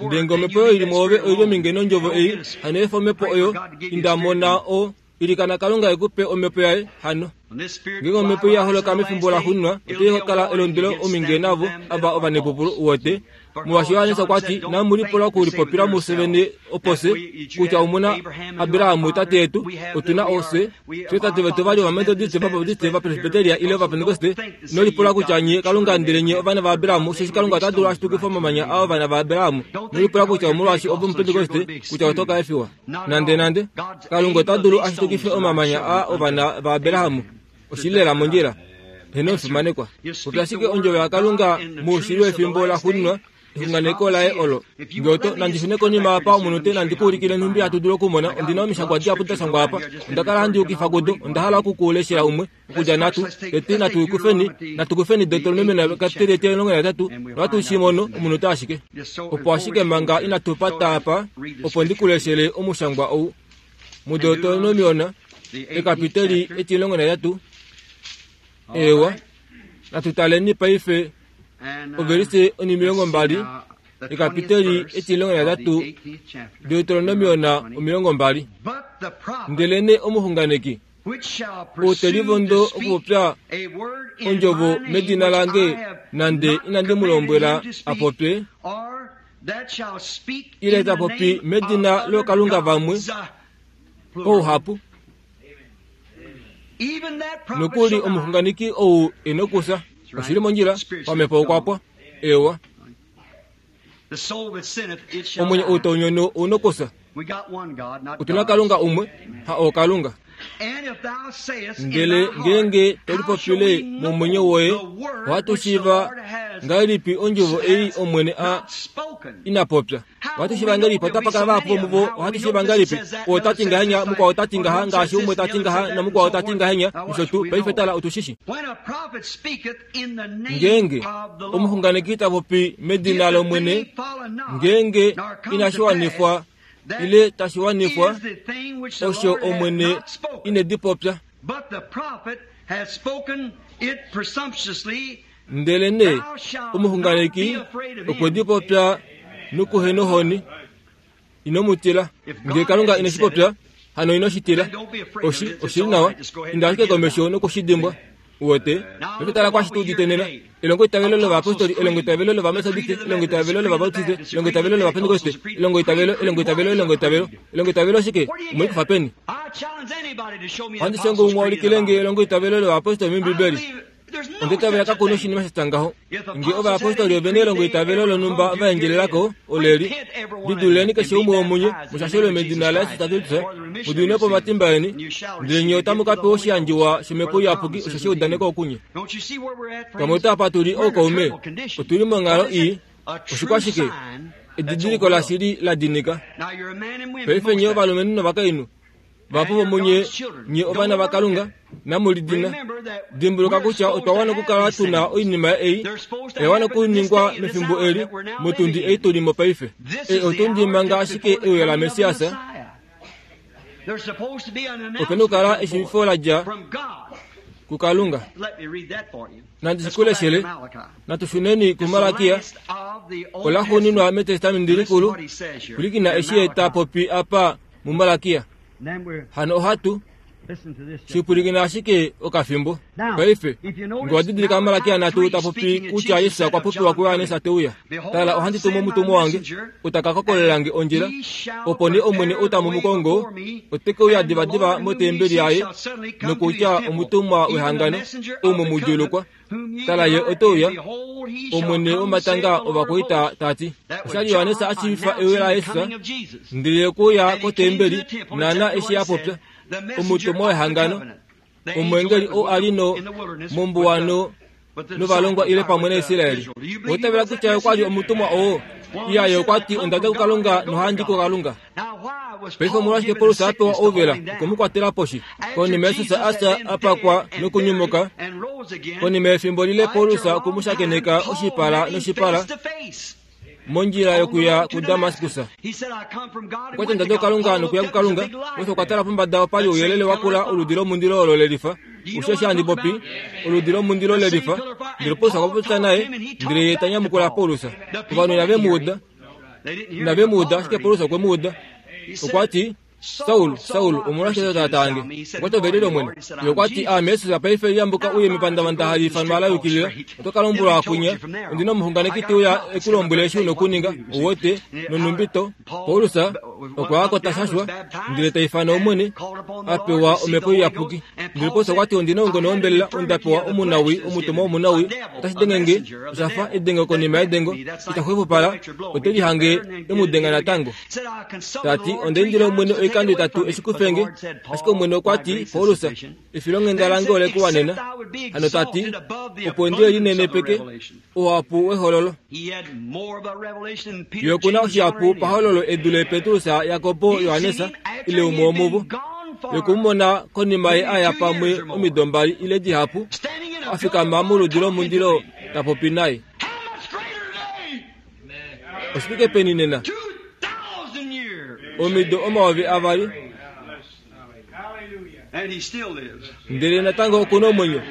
Speaker 1: Ndele nge omhepo oyo i li mwoove oi li ominge nondjovo ei, hano efa omhepo oyo, inda mona o, ilikana Kalunga e ku pe omhepo yaye, hano. Ngeenge omhepo ya holoka mefimbo laxuuninwa, otai ka kala elondwelo ominge navo ava ovanepupulu, uwete. Molwaashi Johannes okwa ti, Inamu lipula okulipopila mufye vene opo fye, kutya omu na Abraham tate yetu, otu na oofye, fye tate vetu ova li Ovametodiste, Ovabaptiste, Ovapresbiteria ile Ovapentekoste. Ino lipula kutya nye Kalunga ndele nye ovana vaAbraham, osheshi Kalunga ota dulu a shitukife omamanya aa ovana vaAbraham. Ino lipula kutya omolwaashi ove Omupentekoste kutya oto ka efiwa. Nandenande! Kalunga ota dulu a shitukife omamanya aa ovana vaAbraham. Oshi li lela mondjila. Heeno omufimanekwa. Popya ashike ondjovo yaKalunga moushili wefimbo laxuuninwa, exunganeko laye olo. Nge oto, nandi shune konima apa omunute nandi ku ulikile nhumbi hatu dulu okumona. Ondi na omishangwa dihapu da shangwa apa. Onda kala handi yukifa kudo. Onda hala oku ku leshela umwe. Okudja nhatu, tete natu kufeni, natu kufeni Deuteronomion ekapiteli etimulongo nahetatu, nohatu shi mono, omunute ashike. Opo ashike manga inatu pata apa, opo ndi ku leshele omushangwa ou. MuDeuteronomion, ekapiteli 18, eewa, natu taleni paife ovelise onimilongo mbali, ekapiteli 18, Deuteronomion 20. Ndelenee omuxunganeki ou te livondo okupopya ondjovo medina lange nande inandi mu lombwela a popye, ile ta popi medina lookalunga vamwe pauhapu, nokuli omuxunganeki ou e nokufya. Oshi li mondjila, pamhepo okwa pwa. Eewa. Omwenyo ou tau nyono ou nokufya. Otu na Kalunga umwe, ha ookalunga. Ndele ngeenge to lipopile momwenyo woye, ohatu shiiva ngahelipi ondjovo ei Omwene a ina popya? Ohatu shiiva ngahelipi otapa kala vahapu vomuvo? Ohatu shiiva ngahelipi oo ta ti ngahenya, mukwao ta ti ngaha, ngaashi umwe ta ti ngaha namukwao ta ti ngahenya, nosho tuu? Paife tala, otu shi shi. Ngeenge omuxunganeki ta popi medina lOmwene, ngeenge inashi wanifwa ile tashi wanifwa osho Omwene ine di popya. Ndelenee omuxunganeki okwe di popya nokuhenohoni. Ino mu tila. Ngee Kalunga ine shi popya, hano ino shi tila. Oshi, oshi li nawa. Inda ashike komesho noku shi dimbwa. Uwete? Noku tala kwashi tu udite nena. Elongoitavelo lovayapostoli, elongoitavelo lOvametodiste, elongoitavelo lOvabautiste, elongoitavelo lOvapentekoste, elongoitavelo, elongoitavelo, elongoitavelo. Elongoitavelo oshike? Omwe li kufa peni? Ohandi shongo umwe a ulikile nge elongoitavelo lovayapostoli mOmbibeli. Onda itavela kaku na oshinima sha tya ngaho. Nge ovayapostoli ove na elongoitavelo lonhumba va endjelela ko, oleli, Lidululeni keshe umwe womunye, mu shashelwe medina laJesus Kristus, mu diminwe po omatimba eni, ndele nye otamu ka pewa oshiyandjiwa shOmhepo Iyapuki osho sha udanekwa okunye. Pamwe ota apa tu li ookaume, otu li monghalo ii. Oshikwashike? Edidiliko lashili la dinika. Paife nye ovalumenhu novakainhu, Vahapu vomunye nye ovana vaKalunga, namu lidina. Dimbuluka kutya otwa wana okukala tu na oinima ei oya wana okuningwa mefimbo eli, motundi ei tu li mo paife. Ei otundi manga ashike euyo laMessias. Ope na okukala eshiivifo la dja kuKalunga. Nandi shi ku leshele. Natu shuneni kuMalakia, olaxuuninwa mEtestamenti Likulu, pwilikina eshi ye ta popi apa. muMalakia. Hano ohatu shi pwilikina ashike okafimbo. Paife, nge wa didilika Malakia nhatu ta popi kutya Jesus okwa popiwa kuJohannes te uya. Tala, ohandi tumu omutumwa wange, ou ta ka kokolela nge ondjila. Opo nee Omwene ou tamu mu kongo, ote ke uya divadiva motembeli yaye, nokutya omutumwa wehangano, ou mwe mu djuulukwa. Tala, ye ote uya, Omwene womatanga ovakwaita ta ti. Osha li Johannes a shiivifa euyo laJesus, ndele ye okwe uya kotembeli naanaa eshi a popya, omutumwa wehangano, omweengeli ou a li no mombuwa no novalongwa ile pamwe naIsrael. Owa itavela kutya ye okwa li omutumwa oo? Iya, ye okwa ti, Onda dja kuKalunga nohandi kuKalunga. Paife omolwashike Paulus a pewa ouvela okwe mu kwatela poshi? Konima Jesus a fya, a pakwa nokunyumuka, konima yefimbo lile Paulus okwe mu shakeneka oshipala noshipala mondjila yokuya kuDamaskus. Okwa ti, Onda dja kuKalunga nokuya kuKalunga. Paulus okwa tala pombada opa li ouyelele wa kula, oludi lomundilo olo le lifa. Osho eshi handi popi, oludi lomundilo le lifa. Ndele Paulus okwa popya naye, ndele ye ta nyamukula Paulus. Ovanhu inave mu uda. Inave mu uda, ashike Paulus okwe mu uda. Okwa ti. Saul, Saul, omolwashike to taataa nge? Okwa ti, Ove lyelye, Omwene? Ye okwa ti, Aame Jesus, paife liyambuka u ye mepandavanda hali ifanwa la yukilila, oto ka lombwelwa kwinya, Ondi na omuxunganeki te uya e ku lombwele eshi u na okuninga. Ou wete? Nonhumbi to. Paulus okwa ya ko ta shashwa, ndele ta ifana Omwene, a pewa Omhepo Iyapuki. Ndele Paulus okwa ti, Ondi na oungone wombelela, onda pewa omunawii, omutumwa womunawii, otashi denge nge, osha fa edengo konima yedengo, ita xwepopala, ote lihange e mu denga natango. Ta ti, Onda indila Omwene oikando itatu e shi kufe nge. Ashike Omwene okwa ti, Paulus, efilonghenda lange ole ku wanena. Hano ta ti, Opo ndi linenepeke ouhapu wehololo. Ye oku na oshihapu pahololo e dule Petrus, Jakob, Johannes ile umwe womuvo. Ye okwe mu mona konima ye a ya pamwe omido mbali ile dihapu, a fikama moludi lomundilo ta popi naye. Oshifike peni nena? Omido 2000. Ndele natango oku na omwenyo.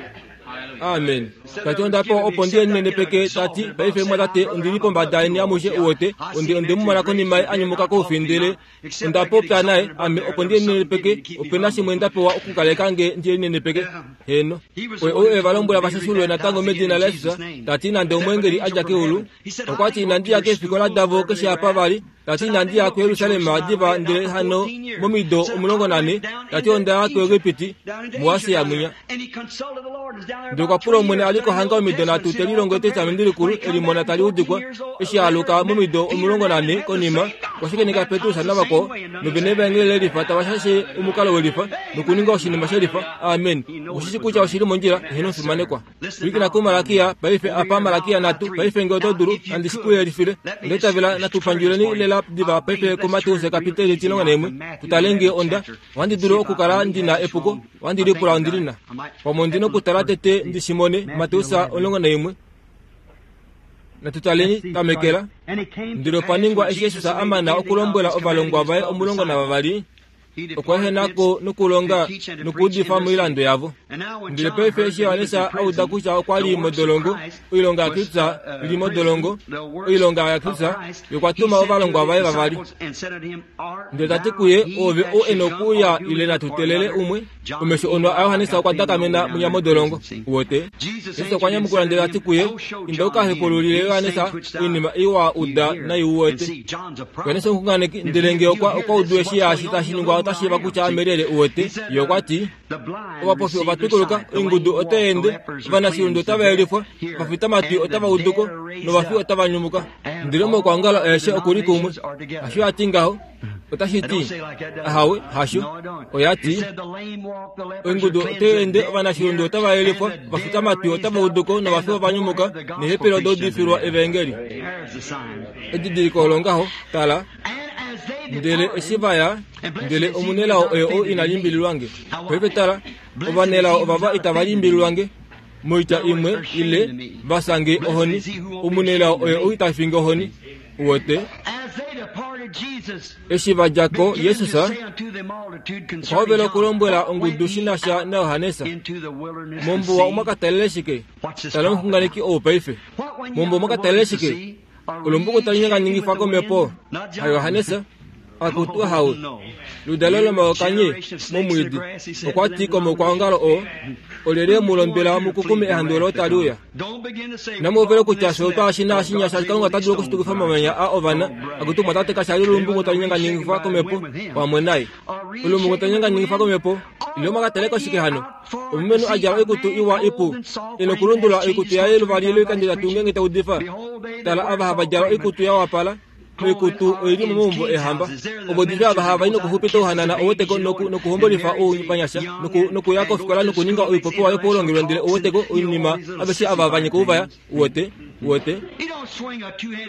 Speaker 1: Amen. Ta ti onda pewa opo ndi linenepeke, ta ti, Paife mwatate, ondi li pombada yeni amushe, uwete, ondi, onde mu mona konima ye a nyumuka koufi, ndele onda popya naye, ame opo ndi linenepeke, ope na shimwe nda pewa okukaleka nge ndi linenepeke. Heeno. Oye ou e va lombwela va shashulwe natango medina laJesus, ta ti nande omweengeli a dja keulu, okwa ti inandi ya keefikola davo keshe apa va li, ta ti inandi ya kuJerusalem diva ndele hano momido 14, ta ti onda ya kuEgipiti, muAsia mwinya. Ndele okwa pula Omwene a li ko hanga omido nhatu te lilongo Etestamenti Likulu e li mona tali udikwa. Eshi a aluka momido 14 konima, okwa shakeneka Petrus navakwao, novene vaengeli lelifa tava shashe omukalo welifa nokuninga oshinima shelifa. Amen. Oku shi shi kutya oshi li mondjila, eheno omufimanekwa. Pwilikina kuMalakia, paife, apa Malakia nhatu. Paife nge oto dulu, nandi shi ku yelifile. Onda itavela, natu pandjuleni lela diva paife kuMateus ekapiteli 11, tu tale nge onda, ohandi dulu okukala ndi na epuko, ohandi lipula ondi li na. Pamwe ondi na okutala tete ndi shi mone, Mateus 11. Natu taleni, tamekela. Ndele opa ningwa eshi Jesus a mana okulombwela ovalongwa vaye 12, okwa ehena ko nokulonga nokuudifa moilando yavo. Ndele paife eshi Johannes a uda kutya okwa li modolongo, oilonga yaKristus li modolongo, oilonga yaKristus, ye okwa tuma ovalongwa vaye vavali. Ndele ta ti kuye, Oove ou e nokuuya ile natu teelele umwe? Omesho onwa aJohannes okwa dakamena mwinya modolongo. Uwete? Jesus okwa nyamukula ndele ta ti kuye, Inda u ka hepaululile Johannes oinima ei wa uda nai u wete. Johannes omuxunganeki, ndele nge okwa, okwa udu eshi yaashi tashi ningwa ota shiiva kutya ame lyelye, uwete. Ye okwa ti, Ovapofi ova twikuluka, oingudu otai ende, ovanashilundu otava yelifwa, ovafitamatwi otava udu ko, novafi otava nyumuka. Ndele omaukwaongalo aeshe oku li kumwe. Hasho a ti ngaho? Otashi ti, Ahawe, hasho. Oya ti, Oingudu otai ende, ovanashilundu otava yelifwa, ovafitamatwi otava udu ko, novafi ova nyumuka, neehepele oda udifilwa evaengeli. Edidiliko olo ngaho, tala. Ndele eshi va ya, ndele omunelao oye ou ina limbililwa nge. Paife tala, ovanelao ovava itava limbililwa nge. Moitya imwe, ile, va sange ohoni. Omunelao oye ou ita fingi ohoni. Uwete? Eshi va dja ko, Jesus okwa hovela okulombwela ongudu shi na sha naJohannes. Mombuwa omwa ka talele shike? Tala omuxunganeki ou paife. Mombuwa omwa ka talele shike? Olumbuku tali nyanganingifwa komhepo? HaJohannes? Akutu ahawe, ludalo lomaokanye momwiidi, okwa ti komukwaongalo oo, Olyelye mu londwela mu kukume ehandu olo tali uya? Inamu hovela okutya fye otwa shi naashinya shaashi Kalunga ota dulu okushitukifa omamanya a ovana. Akutu mwatate kasha li olumbungu tali nyanganingifwa komhepo pamwe naye. Olumbungu tali nyanganingifwa komhepo, ile omwa ka taleko shike hano? Omulumenhu a djala oikutu iwa ipu, e nokulundulula oikutu yaye luvali lwoikando itatu ngeenge ta udifa. Tala ava hava djala oikutu ya wapala, Oikutu oi li momaumbo eehamba. Ovo diva ava hava i nokuxupita ouhanana oweteko noku, nokuhombolifa ouvanyasha noku, nokuya kofikola nokuninga oipopiwa yopaulongelwe ndele oweteko oinima aveshe ava va nyika ouvaya. Uwete? Uwete?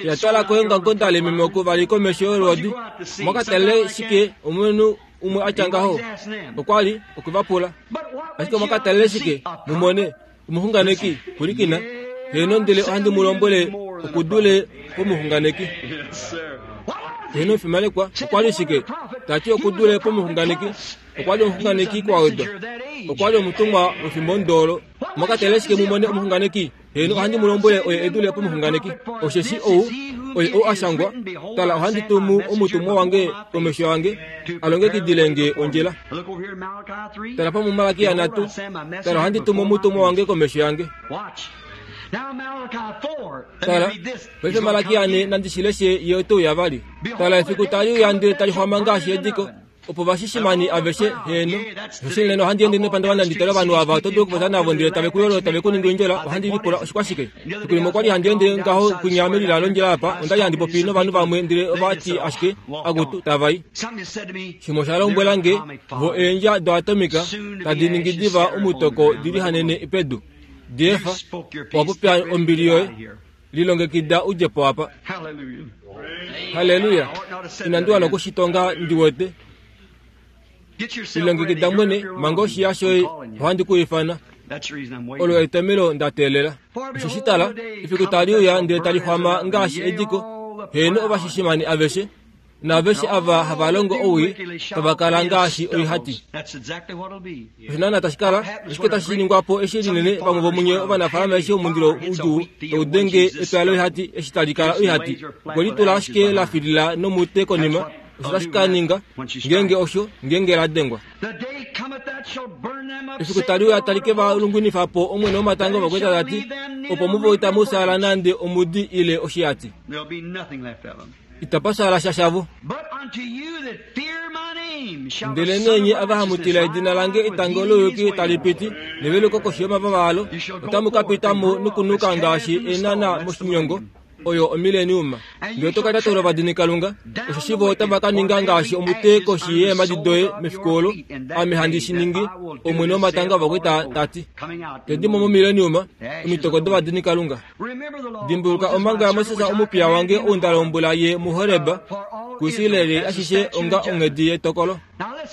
Speaker 1: Ya twala koengangonda lememeko vali komesho yolwoodi. Omwa ka talele shike omulumenhu umwe a tya ngaho? Okwa li okwe va pula. Ashike omwa ka talele shike mu mone? Omuxunganeki, pwilikina, heeno ndele ohandi mu lombwele oku dule pomuxunganeki. Heeno omufimanekwa, okwa li shike? Ta ti oku dule pomuxunganeki. Okwa li omuxunganeki kwa wedwa. Okwa li omutumwa wefimbo ndoolo. Omwa ka tale shike mu mone omuxunganeki? Heeno ohandi mu lombwele oye e dule pomuxunganeki. Osheshi ou. Oye ou a shangwa, Tala, ohandi tumu omutumwa wange komesho yange, a longekidile nge ondjila. Tala pa muMalakia 3, Tala, ohandi tumu omutumwa wange komesho yange. Tala, paife Malakia 4, nandi shi leshe ye ote uya vali. Tala, efiku tali uya ndele tali xwama ngaashi ediko. opo vashishimani aveshe heeno oshoshili nena ohandi ende nepandavanda ndi tale ovanhu ava oto dulu okupopya navo ndele tave ku yolo tave ku ningi ondjela ohandi lipula oshikwashike fiku limwe okwali handi ende ngaho kwinya melila londjila apa onda li handi popi novanhu vamwe ndele ova ti ashike akutu tava i shimwe osha lombwela nge vo eendja doatomika tadi ningi diva omutoko di lihanene pedu diefa owa popya ombili yoye Lilongekida u dje po apa. Halleluya! Inandi wana oku shi tonga ndi wete. Lilongekida mwene, manga oshiya shoye, ohandi ku ifana. Olo etomelo nda teelela. Osheshi tala, efiku tali uya ndele tali xwama ngaashi ediko, heeno ovashishimani aveshe, naaveshe ava hava longo owii tava kala ngaashi oihati. Osho naana tashi kala, oshike tashi ningwa po eshi linene vamwe vomunye ovanafaalama eshi omundilo udjuu tau denge epya loihati eshi tali kala oihati okwe litula ashike la filila nomute konima osho tashi ka ninga ngeenge osho ngeenge la dengwa. Efiku tali uya tali ke va lungwinifa po Omwene womatanga ovakwaita ta ti, opo muvo itamu fyaala nande omudi ile oshihati. Itapa fyaala sha shavo. Ndelenee nye ava hamu tila edina lange etango louyuki tali piti, neveluko koshi yomavava alo, otamu ka pita mo nokunuka ngaashi eenhana moshinyongo, oyo omileniuma. Ndele oto ka tatula ovadinikalunga, osheshi vo otava ka ninga ngaashi omute koshi yeemhadi doye mefiku olo Ame handi shi ningi, Omwene womatanga ovakwaita ta ti. Tedi mo momileniuma omitoko dovadinikalunga. Dimbuluka omhango yaMoses omupiya wange ou nda lombwela ye muHoreb kuIsrael ashishe onga onghedi yetokolo.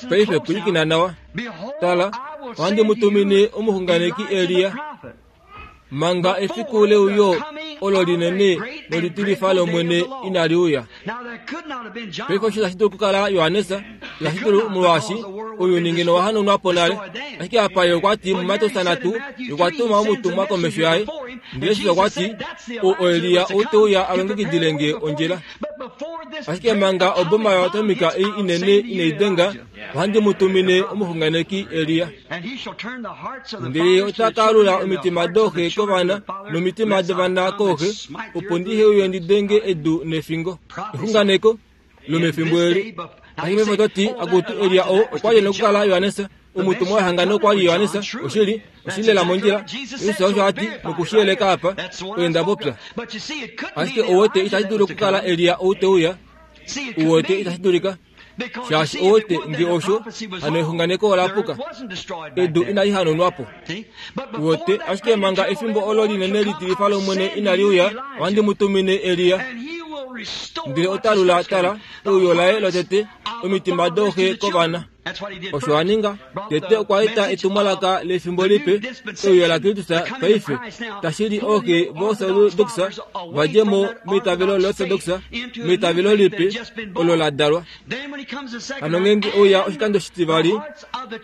Speaker 1: Paife pwilikina nawa. Tala, ohandi mu tumine omuxunganeki Elia manga efiku leuyo olo linene nolitilifa lOmwene inali uya. Paife osho itashi dulu okukala Johannes, itashi dulu molwaashi ounyuni ngeno owa hanaunwa po nale. Ashike apa ye okwa ti muMateus 3, okwa tuma omutumwa komesho yaye. Ndele Jesus okwa ti, Ou oElia ou te uya a longekidile nge ondjila. Ashike manga oboma yoatomika ei inene inai denga, ohandi mu tumine omuxunganeki Elia. Ndele ye ota ka alula omitima dooxe kovana nomitima dovana kooxe, opo ndihe uye ndi denge edu nefingo. Exunganeko lomefimbo eli. Ashike paife oto ti, Akutu, Elia oo okwa li e na okukala Johannes, omutumwa wehangano okwa li Johannes. Oshili, oshili lela mondjila. Jesus osho a ti, noku shi yeleka apa, oye nda popya. Ashike ou wete itashi dulu okukala Elia ou te uya. U wete itashi dulika. Shaashi ou wete nge osho, hano exunganeko ola puka. Edu inali hanaunwa po. U wete, ashike manga efimbo olo linene litilifa lOmwene inali uya, ohandi mu tumine Elia. Ndele ota lula, tala, euyo laye lotete, omitima dooxe kovana. Osho a ninga, tete okwa eta etumwalaka lefimbo lipe, euyo laKristus paife, tashi li ooxe voOrtodoksa va dje mo meitavelo lOrtodoksa, meitavelo lipe olo la dalwa. Hano ngeenge ouya oshikando shitivali,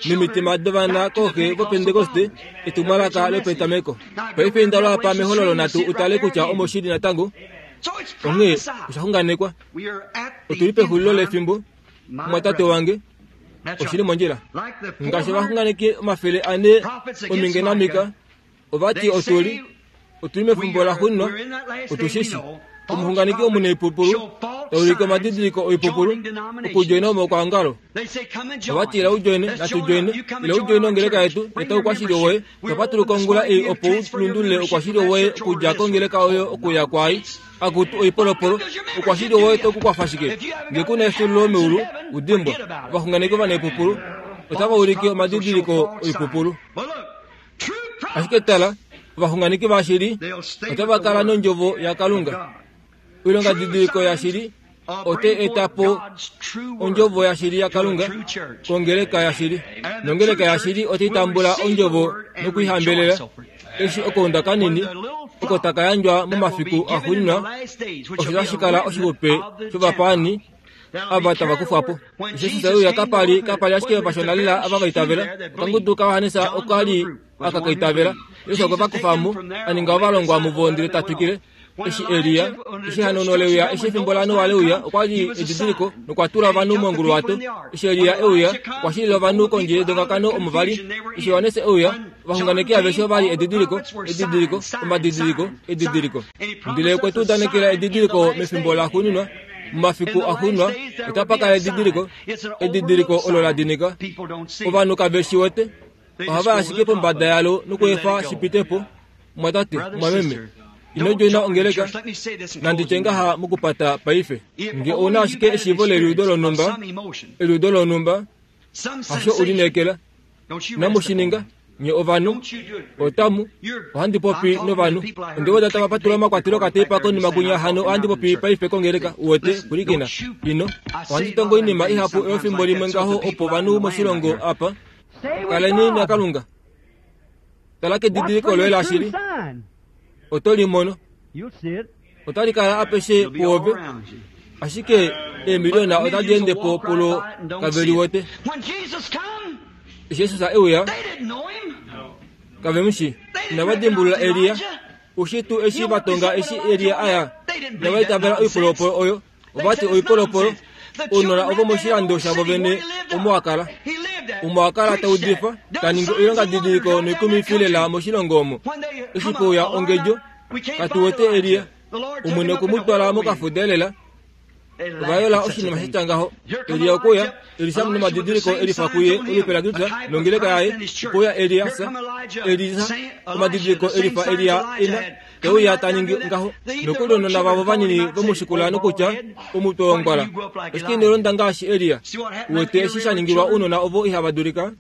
Speaker 1: nomitima dovana kooxe vOpentekoste, etumwalaka lopetameko. Paife inda lwaapa mEhololo natu utale kutya omo shi li natango. Onghee osha xunganekwa. Otu li pexulilo lefimbo, mumwatate wange. Oshi li mondjila. Ngaashi ovaxunganeki 400 ominge naMika, ova ti otu li, otu li mefimbo laxuuninwa, otu shi shi. Omuxunganeki omunaipupulu ta ulike omadidiliko oipupulu okudjoina omaukwaongalo. Ova ti ila u djoine, natu djoine, ila u djoine ongeleka yetu, eta oukwashili woye. Otwa patuluka ongula ei opo u lundulule oukwashili woye okudja kongeleka oyo okuya kwaai. Akutu oipolopolo, oukwashili woye to ku kwafa shike? Nge ku na efyuululo meulu, u dimbwa. Ovaxunganeki ovanaipupulu otava ulike omadidiliko oipupulu. Ashike tala, ovaxunganeki vashili otava kala nOndjovo yaKalunga. Oilongadidiliko yashili otai eta po Ondjovo yashili yaKalunga kongeleka yashili. Nongeleka yashili otai tambula Ondjovo noku i hambelela. Eshi okaunda kanini oko taka yandjwa momafiku axuuninwa, osho tashi kala oshixupe shovapaani ava tava kufwa po. Eshi Jesus e uya kapa li kapa li ashike ovashona lela ava va itavela. Okangudu kaJohannes oka li aka ka itavela. Jesus okwe va kufa mo, a ninga ovalongwa muvo ndele ta twikile. Eshi Elia, eshi ehanaunho le uya, eshi efimbo laNoa le uya, okwa li edidiliko nokwa tula ovanhu monguluwato. Eshi Elia e uya, okwa shilila ovanhu kondje yedongakano omo va li. Eshi Johannes e uya, ovaxunganeki aveshe ova li edidiliko, edidiliko, omadidiliko, edidiliko. Ndele okwe tu udanekela edidiliko mefimbo laxuuninwa, momafiku axuuninwa otapa kala edidiliko, edidiliko olo la dinika. Ovanhu kave shi wete. Ohava i ashike pombada yalo nokuefa shi pite po. Mwatate, mwameme, ino djoina ongeleka, nandi tye ngaha mokupata paife. Nge ou na ashike eshiivo leliudo lonhumba, eliudo lonhumba, hasho u lineekela. Inamu shi ninga, nye ovanhu. Otamu, ohandi popi novanhu. Onde weda tava patula omakwatelo okateipa konima kwinya hano ohandi popi paife kongeleka, uwete, pwilikina. Ino. Ohandi tongo oinima ihapu efimbo limwe ngaho opo ovanhu moshilongo apa Kaleni naKalunga. Tala kedidiliko loye lashili, oto li mono. Otali kala apeshe puove, ashike eemiliona otadi ende po pulo kave li wete. Eshi Jesus e uya, kave mu shii. Inava dimbulula Elia. Ushi tuu eshi va tonga eshi Elia a ya? Inava itavela oipolopolo oyo. Ova ti oipolopolo, ounona ovo moshilando shavo vene omo a kala. Omo a kala ta udifa, ta ningi oilongadidiliko noikumifi lela moshilongo omo. Eshi pouya ongedjo, katu wete Elia. Omwene okwe mu twala mokafuda elela. Ova yola oshinima sha tya ngaho. Elia okwe uya, Elisa nomadidiliko elifa kuye olupe laKristus nongeleka yaye. Okwe uya Eliasa, Elisa, omadidiliko elifa Elia ina. Te uya ta ningi ngaho. Nokuli ounona vavo vanini ve mu shikula nokutya, Omutwe wongwala! Ashike ino londa ngaashi Elia. Uwete eshi sha ningilwa ounona ovo ihava dulika?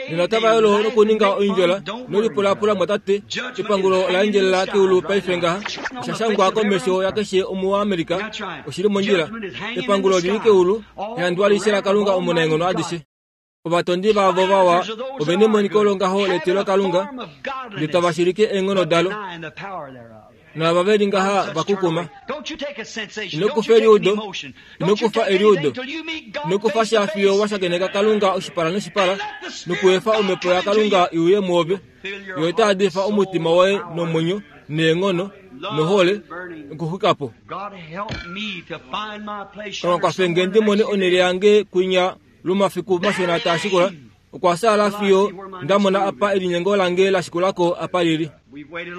Speaker 1: Nena otava yolo nokuninga oindjola nolipulaapula mwatate. Epangulo ola endjelela keulu paife ngaha. Osha shangwa komesho yakeshe Omuamerica. Oshi li mondjila. Epangulo oli li keulu, ehandu alishe laKalunga Omunaenghono adishe. Ovatondi vavo vawa ove nemoniko longaho letilokalunga, ndele tava shilike eenghono dalo, naava ve li ngaha va kukuma. Ino kufa eliudo, ino kufa eliudo, ino kufa sha fiyo wa shakeneka Kalunga oshipala noshipala, nokuefa omhepo yaKalunga i uye mwoove. Yo otai hadifa omutima woye nomwenyo neenghono nohole nokuxwika po. Kalunga kwafe nge ndi mone onhele yange kwinya Lomafiku mashona taa shikula, okwa saala fiyo nda mona apa elinyengo lange la shikula ko apa lili.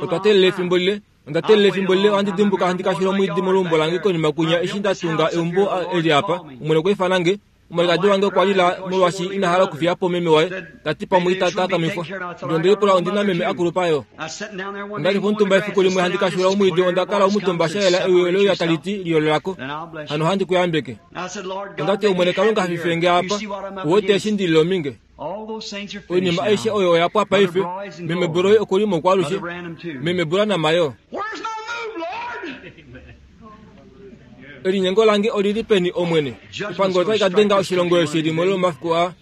Speaker 1: Otwa teelela efimbo lile. Onda teelela efimbo lile. Ohandi dimbuka handi kashula omwiidi moluumbo lange konima kwinya eshi nda tunga eumbo eli apa. Omwene okwa ifana nge. Omwalikadi wange okwa lila molwaashi ina hala okufiya po meme waye, ta ti pamwe ita takamifwa. Ndele onde lipula ondi na meme a kulupa yo. Onda li pomutumba efiku limwe handi kashula omwiidi onda kala omutumba sha yela ewi ole uya tali ti, Liyolola ko. Hano ohandi ku yambeke. Onda ti, Omwene Kalunga hafife nge apa, uwete eshi ndi li ominge. Oinima aishe oyo oya pwa paife. Meme Broy oku li moukwalushe, Meme Branham yo. Elinyengo lange oli li peni, Omwene? Epango otali ka denga oshilongo eshi limwe lomomafiku aa.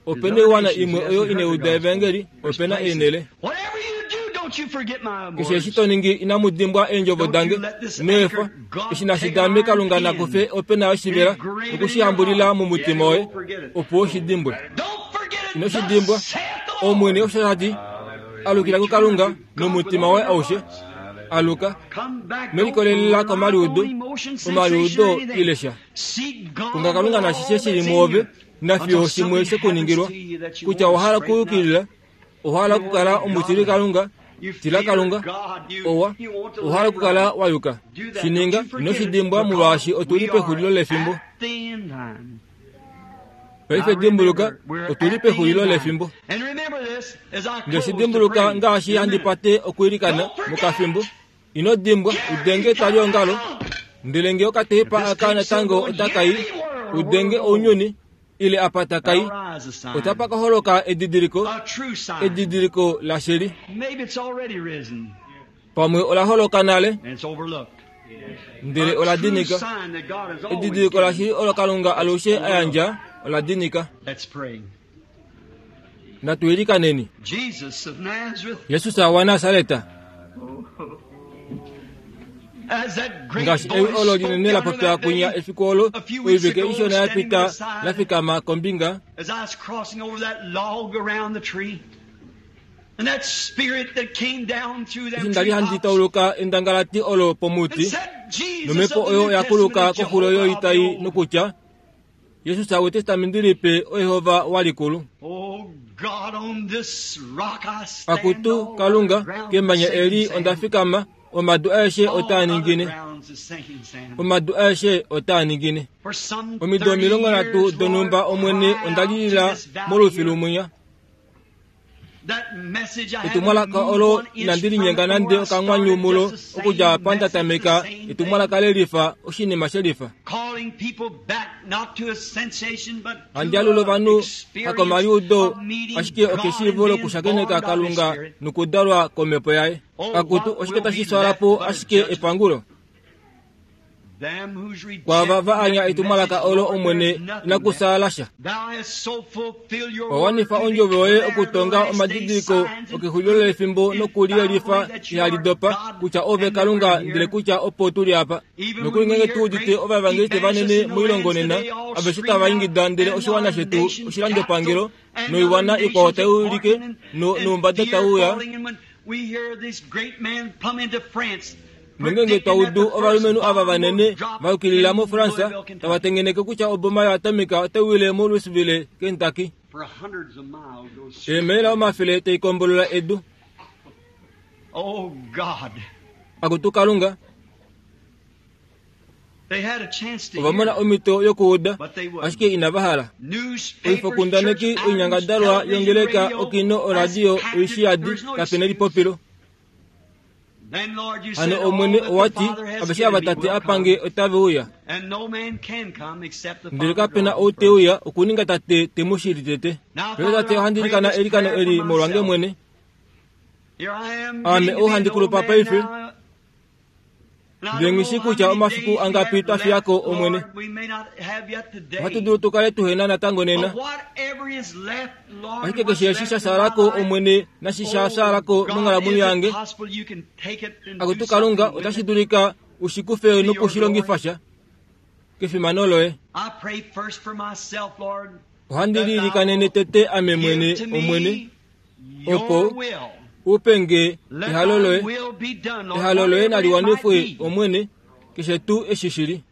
Speaker 1: Ope na oiwana imwe oyo inai uda evangeli, ope na eenhele. Keshe eshi to ningi inamu dimbwa eendjovo dange. Ino efa. Eshi nashi dame Kalunga na kufe ope na oshivela noku shi hambulila momutima woye, opo u shi dimbwe. Ino shi dimbwa. Omwene osho ta ti, Alukila kuKalunga nomutima woye aushe. Aluka. Ino likolelela komaliudo, omaliudo ile sha. Konga Kalunga nashishe shi li mwoove. Nafiyo shimwe she ku ningilwa kutya owa hala okuyukilila, owa hala okukala omutili Kalunga, tila Kalunga, owa, owa hala okukala wa yuka. Shi ninga, ino shi dimbwa molwaashi otu li pexulilo lefimbo. Paife dimbuluka, otu li pexulilo lefimbo. Nde shi dimbuluka ngaashi handi pate okwiilikana mokafimbo. Ino dimbwa, udenge etwaliongalo, ndele nge okateipa aka natango otaka i, udenge ounyuni, ile apa taka i, otapa ka holoka edidiliko, edidiliko lashili. Pamwe ola holoka nale, ndele ola dinika. Edidiliko lashili olo Kalunga alushe a yandja, ola dinika. Natu ilikaneni. Jesus waNasareta, ngaashi ewi olo linene la popya kwinya efiku olo oivike ishona ya pita la fikama kombinga. Eshi nda li handi tauluka endangalati olo pomuti, nomhepo oyo ya kuluka koxulo yoitai nokutya, Jesus wEtestamenti Lipe oYehova walikulu. Akutu Kalunga, kemanya eli onda fikama, omadu aeshe otaa ningine. Omadu aeshe otaa ningine. Omido 30 donhumba Omwene onda lilila molufilu mwinya. Etumwalaka olo inandi linyenga nande okanghwanyu mulo okudja apa nda tameka etumwalaka lelifa oshinima shelifa. Handi alula ovanhu hakomaliudo ashike okeshiivo lokushakeneka Kalunga nokudalwa komhepo yaye. Akutu oshike tashi twala po ashike epangulo? Kwaava va anya etumwalaka olo Omwene inaku saala sha. Owa wanifa ondjovo yoye okutonga omadidiliko okexulilo lefimbo nokuliyelifa ihali dopa kutya ove Kalunga ndele kutya opo tu li apa. Nokuli ngeenge tu udite ovaevangeliste vanene moilongo nena, aveshe tava ingida ndele oshiwana shetu oshilandopangelo noiwana ikwao tai ulike noumbada tau uya, Nongeenge twa udu ovalumenhu ava vanene va yukilila moFransa tava tengeneke kutya oboma yoatomika otai wile moLouisville, Kentucky, eemaila omafele tai kombolola edu. Akutu Kalunga, ova mona omhito yokuuda, ashike inava hala. Oifokundaneki, oinyangadalwa yongeleka, okino, oradio, oishiyadi, kape nelipopilo. Hano Omwene owa ti, Aveshe ava Tate a pa nge otave uya. Ndele kape na ou te uya okuninga Tate te mu shili tete. Paife Tate ohandi ilikana eilikano eli molwange mwene. Aame ou handi kulupa paife. Ndele nghi shii kutya omafiku angapi twa fiya ko, Omwene. Ohatu dulu tu kale tuhe na natango nena. Ashike keshe eshi sha shaala ko, Omwene, nashi sha shaala ko monghalamwenyo yange, Akutu Kalunga, otashi dulika u shi kufe noku shi longifa sha kefimano loye. Ohandi liilikanene tete ame mwene, Omwene, opo u pe nge ehalo loye. Ehalo loye nali wanifwe, Omwene, keshe tuu eshi shi li.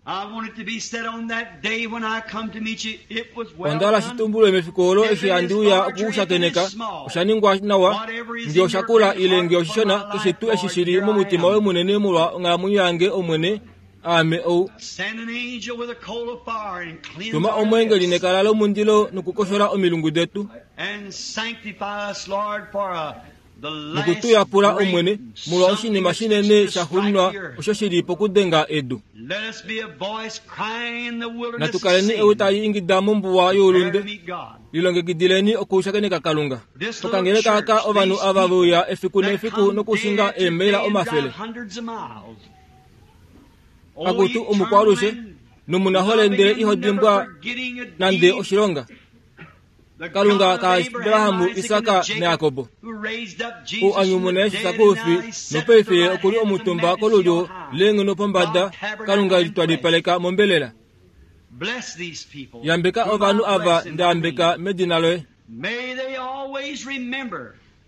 Speaker 1: Onda hala shi tumbulwe mefiku olo eshi handi uya oku ku shakeneka, osha ningwa nawa, nge osha kula ile nge oshishona, keshe tuu eshi shi li momutima woye munene molwa onghalamwenyo yange, Omwene, Aame ou. Tuma omweengeli nekala lomundilo nokukoshola omilungu detu noku tu yapula, Omwene, molwa oshinima shinene sha xuninwa osho shi li pokudenga edu. Natu kaleni ewi tali ingida mombuwa youlunde, Lilongekidileni okushakeneka Kalunga. Okangeleka aka ovanhu ava ve uya efiku nefiku nokushinga eemaila omafele. Akutu omukwaalushe nomunahole ndele iho dimbwa nande oshilonga. Kalunga kaAbraham, Isak naJakob, ou a nyumuna Jesus koufi, nopaife ye oku li omutumba kolulyo leenghono pombada, Kalunga litwalipaleka mombelela. Yambeka ovanhu ava nda yambeka medina loye.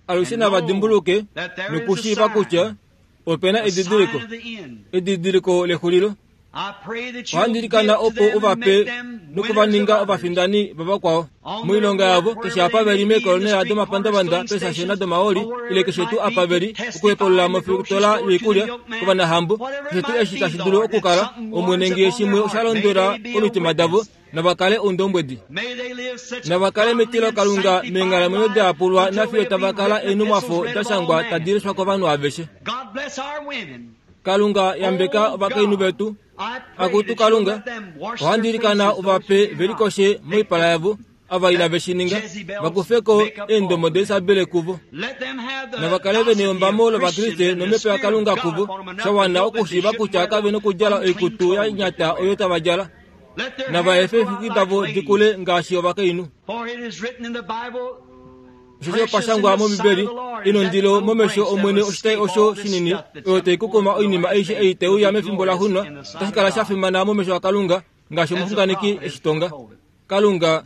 Speaker 1: Alushe nava dimbuluke nokushiiva kutya Ope na edidiliko, edidiliko lexulilo. Ohandi ilikana opo u va pe noku va ninga ovafindani vavakwao moilonga yavo keshe apa ve li meekolonela domapandavanda, peesashena domahooli ile keshe tuu apa ve li, okuhepulula mofitola yoikulya, kovanahambo, keshe tuu eshi tashi dulu okukala, Omwene nge shimwe osha londwela komitima davo, nava kale oundombwedi. Nava kale metilokalunga meenghalamwenyo da yapulwa nafiyo tava kala eenhumwafo da shangwa tadi leshwa kovanhu aveshe. Kalunga yambeka ovakainhu vetu. Akutu Kalunga, ohandi ilikana u va pe ve likoshe moipala yavo, ava inave shi ninga, va kufe ko eendomo daIsabele kuvo. Nava kale ve neyombamo lOvakriste nOmhepo yaKalunga kuvo, sha wana okushiiva kutya kave nokudjala oikutu ya nyata oyo tava djala. Nava efe eexwiki davo di kule ngaashi ovakainhu. Osheshi opa shangwa mOmbibeli, Inondilo momesho Omwene oshitai osho shinini, oyo tai kukuma oinima aishe ei tai uya mefimbo la xunwa, otashi kala sha fimana momesho aKalunga, ngaashi omuxunganeki e shi tonga. Kalunga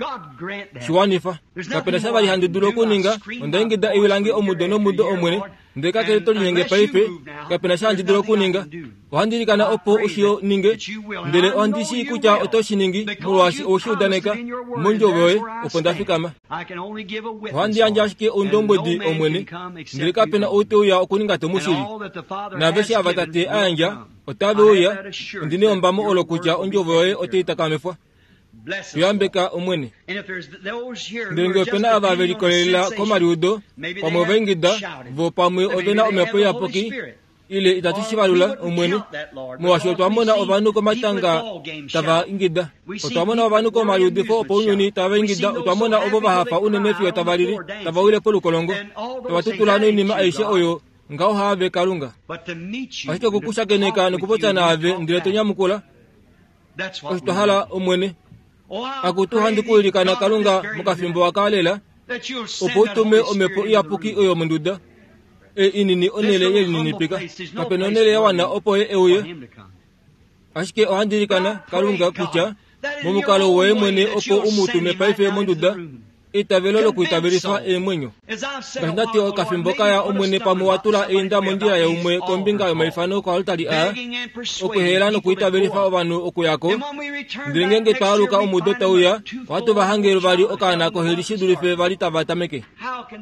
Speaker 1: shi wanifa. Kape na sha vali handi dulu okuninga. Onda ingida ewi lange omudo nomudo, Omwene, ndele kakele to linyenge paife, kape na sha handi dulu okuninga. Ohandi ilikana opo u shi ninge, ndele ohandi shii kutya oto shi ningi molwaashi owe shi udaneka mondjovo yoye opo nda fikama. Ohandi yandje ashike oundombwedi, Omwene, ndele kape na ou te uya okuninga to mu shili. Naaveshe ava Tate a yandja, otave uya. Ondi neyombamo olo kutya ondjovo yoye otai takamifwa. Tu yambeka, Omwene. Ndele nge ope na ava ve likolelela komaliudo, pamwe ova ingida, vo pamwe ove na Omhepo Iyapuki, ile itatu shi valula, Omwene, molwaashi otwa mona ovanhu komatanga tava ingida. Otwa mona ovanhu komaliudifo opounyuni tava ingida. Otwa mona ovo va hafa unene fiyo tava lili, tava wile polukolongo, tava tutula noinima aishe oyo ngaho haave Kalunga. Ashike oku ku shakeneka nokupopya naave ndele to nyamukula, osho twa hala, Omwene. Akutu handi ku ilikana Kalunga mokafimbo aka lela, opo u tume Omhepo Iyapuki oyo monduda ei inini onhele yelininipika. Kape na onhele ya wana opo Ye e uye. Ashike ohandi ilikana, Kalunga, kutya momukalo woye mwene opo u mu tume paife monduda eitavelo lokuitavelifa eemwenyo. Ngaashi nda ti okafimbo ka ya, Omwene pamwe wa tula einda mondjila yaumwe kombinga yomaifano koaltari aa, okuhela nokuitavelifa ovanhu okuya ko. Ndele ngeenge twa aluka omudo tau ya, ohatu va hange vali okaana koheli shi dulife va li tava tameke.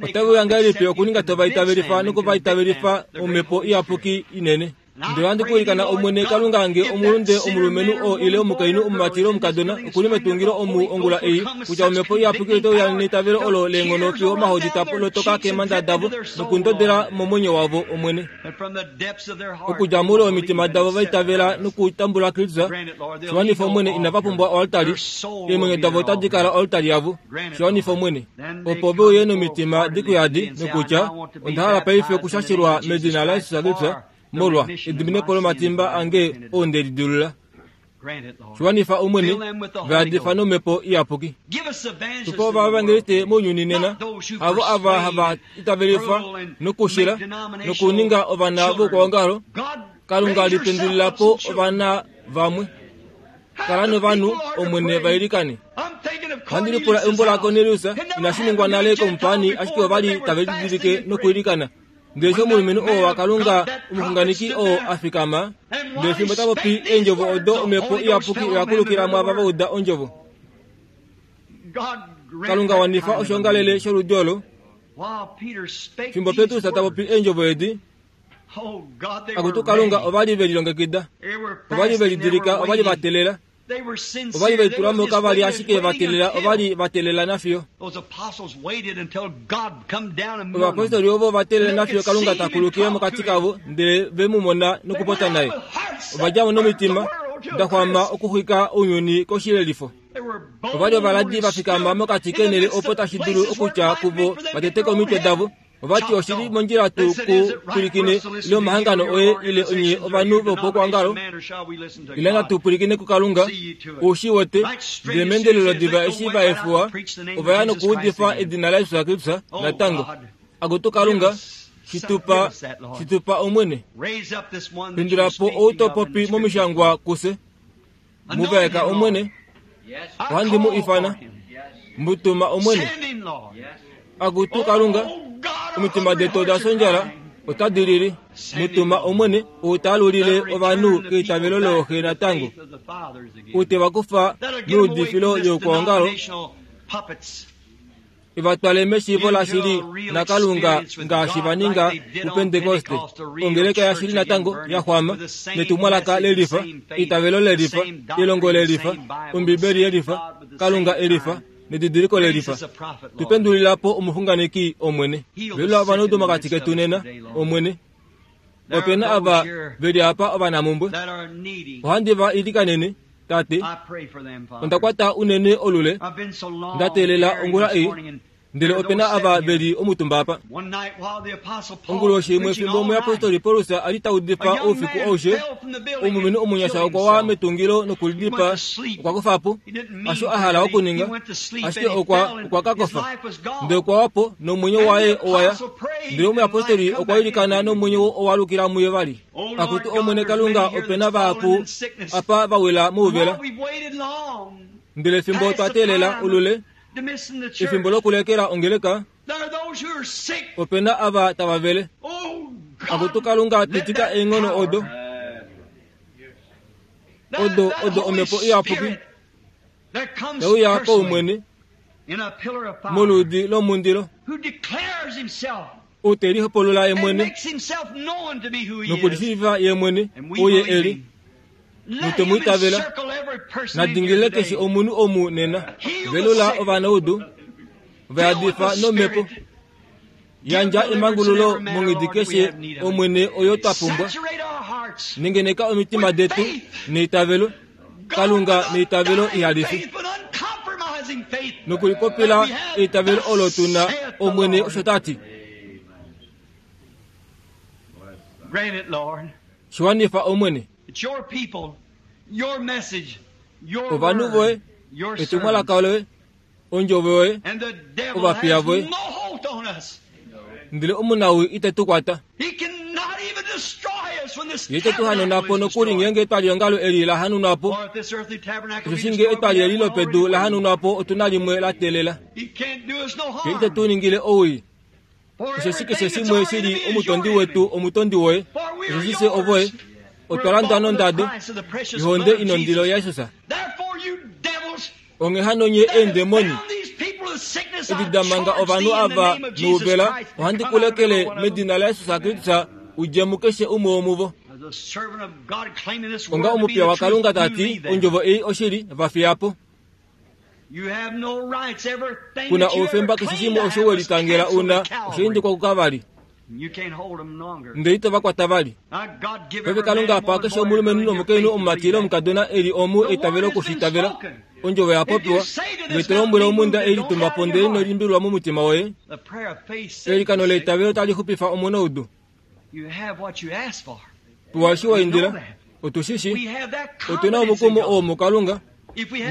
Speaker 1: Otave uya ngahelipi okuninga tova itavelifa noku va itavelifa Omhepo Iyapuki inene? Ndele ohandi ku ilikana Omwene Kalunga nge omulunde omulumenhu oo ile omukainhu omumati ile omukadona oku li metungilo omu ongula ei, kutya Omhepo Iyapuki ote uya neitavelo olo leenghono fiyo omahodi ta lotoka keemhanda davo nokundodela momwenyo wavo, Omwene. Okudja moule womitima davo va itavela nokutambula Kristus, shi wanifa Omwene, inava pumbwa oaltari, eemwenyo davo otadi kala oaltari yavo. Shi wanifa Omwene. Opo ve uye nomitima dikuyadi nokutya, Onda hala paife okushashilwa medina laJesus Kristus molwa ediminepo lomatimba ange oo nde lidilula. Shi wanifa Omwene, va yadifa nOmhepo Iyapuki. Tupa ovaevangeliste mounyuni nena, havo ava hava itavelifa nokushila nokuninga ovana voukwaongalo. Kalunga lipendulila po ovana vamwe. Kala novanhu, Omwene, va ilikane. Ohandi lipula eumbo laKornelius inashi ningwa nale komupaani, ashike ova li tave lididilike nokuilikana. Ndele eshi omulumenhu oo waKalunga, omuxunganeki oo a fikama, ndele fimbo ta popi eendjovo odo, Omhepo Iyapuki oya kulukila mwaava va uda ondjovo. Kalunga wanifa oshoongalele sholudi olo. Fimbo Petrus ta popi eendjovo edi, Akutu Kalunga, ova li ve lilongekida, ova li ve lidilika, ova li va teelela, ova li ve litula mo, kava li ashike va teelela, ova li va teelela nafiyo. Ovapostoli ovo va teelela nafiyo Kalunga ta kulukile mokati kavo, ndele ve mu mona nokupopya naye. Ova dja mo nomitima da xwama okuxwika ounyuni koshilelifo. Ova li ovaladi va fikama mokati keenhele opo tashi dulu okutya kuvo va teteke omitwe davo. Ova ti oshi li mondjila tu ku pwilikine ile omahangano oye ile onye ovanhu vopokwoongalo ile natu pwilikine kuKalunga. U shi wete? Ndele meendelelo diva eshi va efuwa, ova ya nokuudifa edina laJesus Kristus natango. Akutu Kalunga, shi tu pa, shi tu pa Omwene. Pendula po ou to popi momishangwa kufye. Mu vaeka Omwene. Ohandi mu ifana. Mu tuma Omwene. Akutu Kalunga, omitima detu oda sondjala, otadi lili. Mu tuma Omwene, ou ta alulile ovanhu keitavelo looxe natango, ou te va kufa meudifilo youkwaongalo, e va twale meshiivo lashili naKalunga ngaashi va ninga puPentekoste, ongeleka yashili natango ya xwama netumwalaka lelifa, eitavelo lelifa, elongo lelifa, Ombibeli yelifa, Kalunga elifa, nedidiliko lelifa. Tu pendulila po omuxunganeki, Omwene. Velula ovanaudu mokati ketu nena, Omwene. Ope na ava ve li apa ovanamumbwe. Ohandi va ilikanene, Tate. Onda kwata unene olule, nda teelela ongula ei, ndele ope na ava ve li omutumba apa. Onguloshi imwe fimbo omuyapostoli Paulus a li ta udifa oufiku aushe, omulumenhu omunyasha okwa wa metungilo nokulidipaa. Okwa kofa po, hasho a hala okuninga, ashike okwa, okwa ka kofa. Ndele okwa wa po, nomwenyo waye owa ya. Ndele omuyapostoli okwa ilikana nomwenyo owa alukila muye vali. Akutu Omwene Kalunga, ope na vahapu apa va wila mouvela. Ndele fimbo twa teelela olule efimbo lokulekela ongeleka, ope na ava tava vele. Akutu Kalunga, pitika eenghono odo, odo, odo Omhepo Iyapuki te uya paumwene moludi lomundilo, ou te lihopolola ye mwene nokulishiivifa ye mwene ou ye e li, note mu itavela. Na dingilile keshe omunhu omu nena. Velula ovanaudu, va yadifa nomhepo. Yandja emangululo monghedi keshe, Omwene, oyo twa pumbwa. Nengeneka omitima detu neitavelo, Kalunga, neitavelo ihali fi. Nokulipopila eitavelo olo tu na, Omwene osho ta ti. Shi wanifa, Omwene. Ovanhu voye, etumwalaka loye, ondjovo yoye, ovapiya voye. Ndele omunawii ite tu kwata. Ye ite tu hanuna po nokuli ngeenge etwaliongalo eli la hanunwa po. Osheshi ngee etwali eli lopedu la hanunwa po otu na limwe la teelela. Ye ite tu ningile owii. Osheshi keshe shimwe shi li omutondi wetu omutondi woye. Osheshi fye ovoye, otwa landwa nondado yohonde inondilo yaJesus. Onghee hano nye eendemoni edi da manga ovanhu ava nouvela, ohandi ku lekele medina laJesus Kristus u dje mukeshe umwe womuvo. Onga omupiya waKalunga ta ti, ondjovo ei oshili, va fiya po. Ku na oufemba keshe shimwe osho we litangela u na, osha indikwa kukavali. Ndele ito va kwata vali. Paife Kalunga pa keshe omulumenhu nomukainhu omumati ile omukadona e li omu eitavelo oku shi itavela. Ondjovo ya popiwa, Ove to lombwele omhunda ei litumba po ndele ino limbililwa momutima woye. Eilikano leitavelo otali xupifa omunaudu. Pewa eshi wa indila. Otu shi shi. Otu na omukumo oo muKalunga.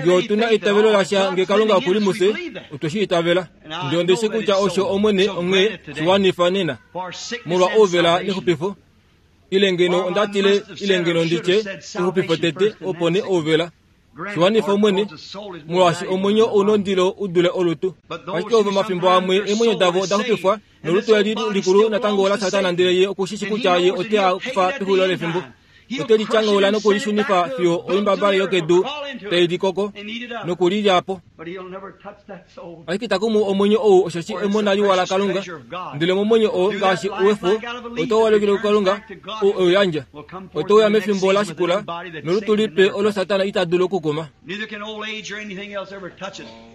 Speaker 1: Nge otu na eitavelo lasha nge Kalunga oku li mufye, otwe shi itavela. Ndele onde shi kutya osho Omwene onghee shi wanifa nena, molwa ouvela nexupifo. Ile ngeno onda tile, ile ngeno ndi tye, exupifo tete, opo nee ouvela. Shi wanifa Omwene, molwaashi omwenyo ou na ondilo u dule olutu. Ashike ovo omafimbo amwe eemwenyo davo oda xupifwa, nolutu eli likulu natango olaSatana ndele ye oku shi shi kutya ye ote a kufa pexulilo lefimbo. Ote li tyanghaula noku li shunifa fiyo oimbabale yokedu tai li koko noku li lya po. Ashike ita kumu omwenyo ou osheshi emona liwa laKalunga, ndele momwenyo oo ngaashi wefu otau alukile kuKalunga ou e u yandja. Ote uya mefimbo la shikula nolutu lipe olo Satana ita dulu okukuma.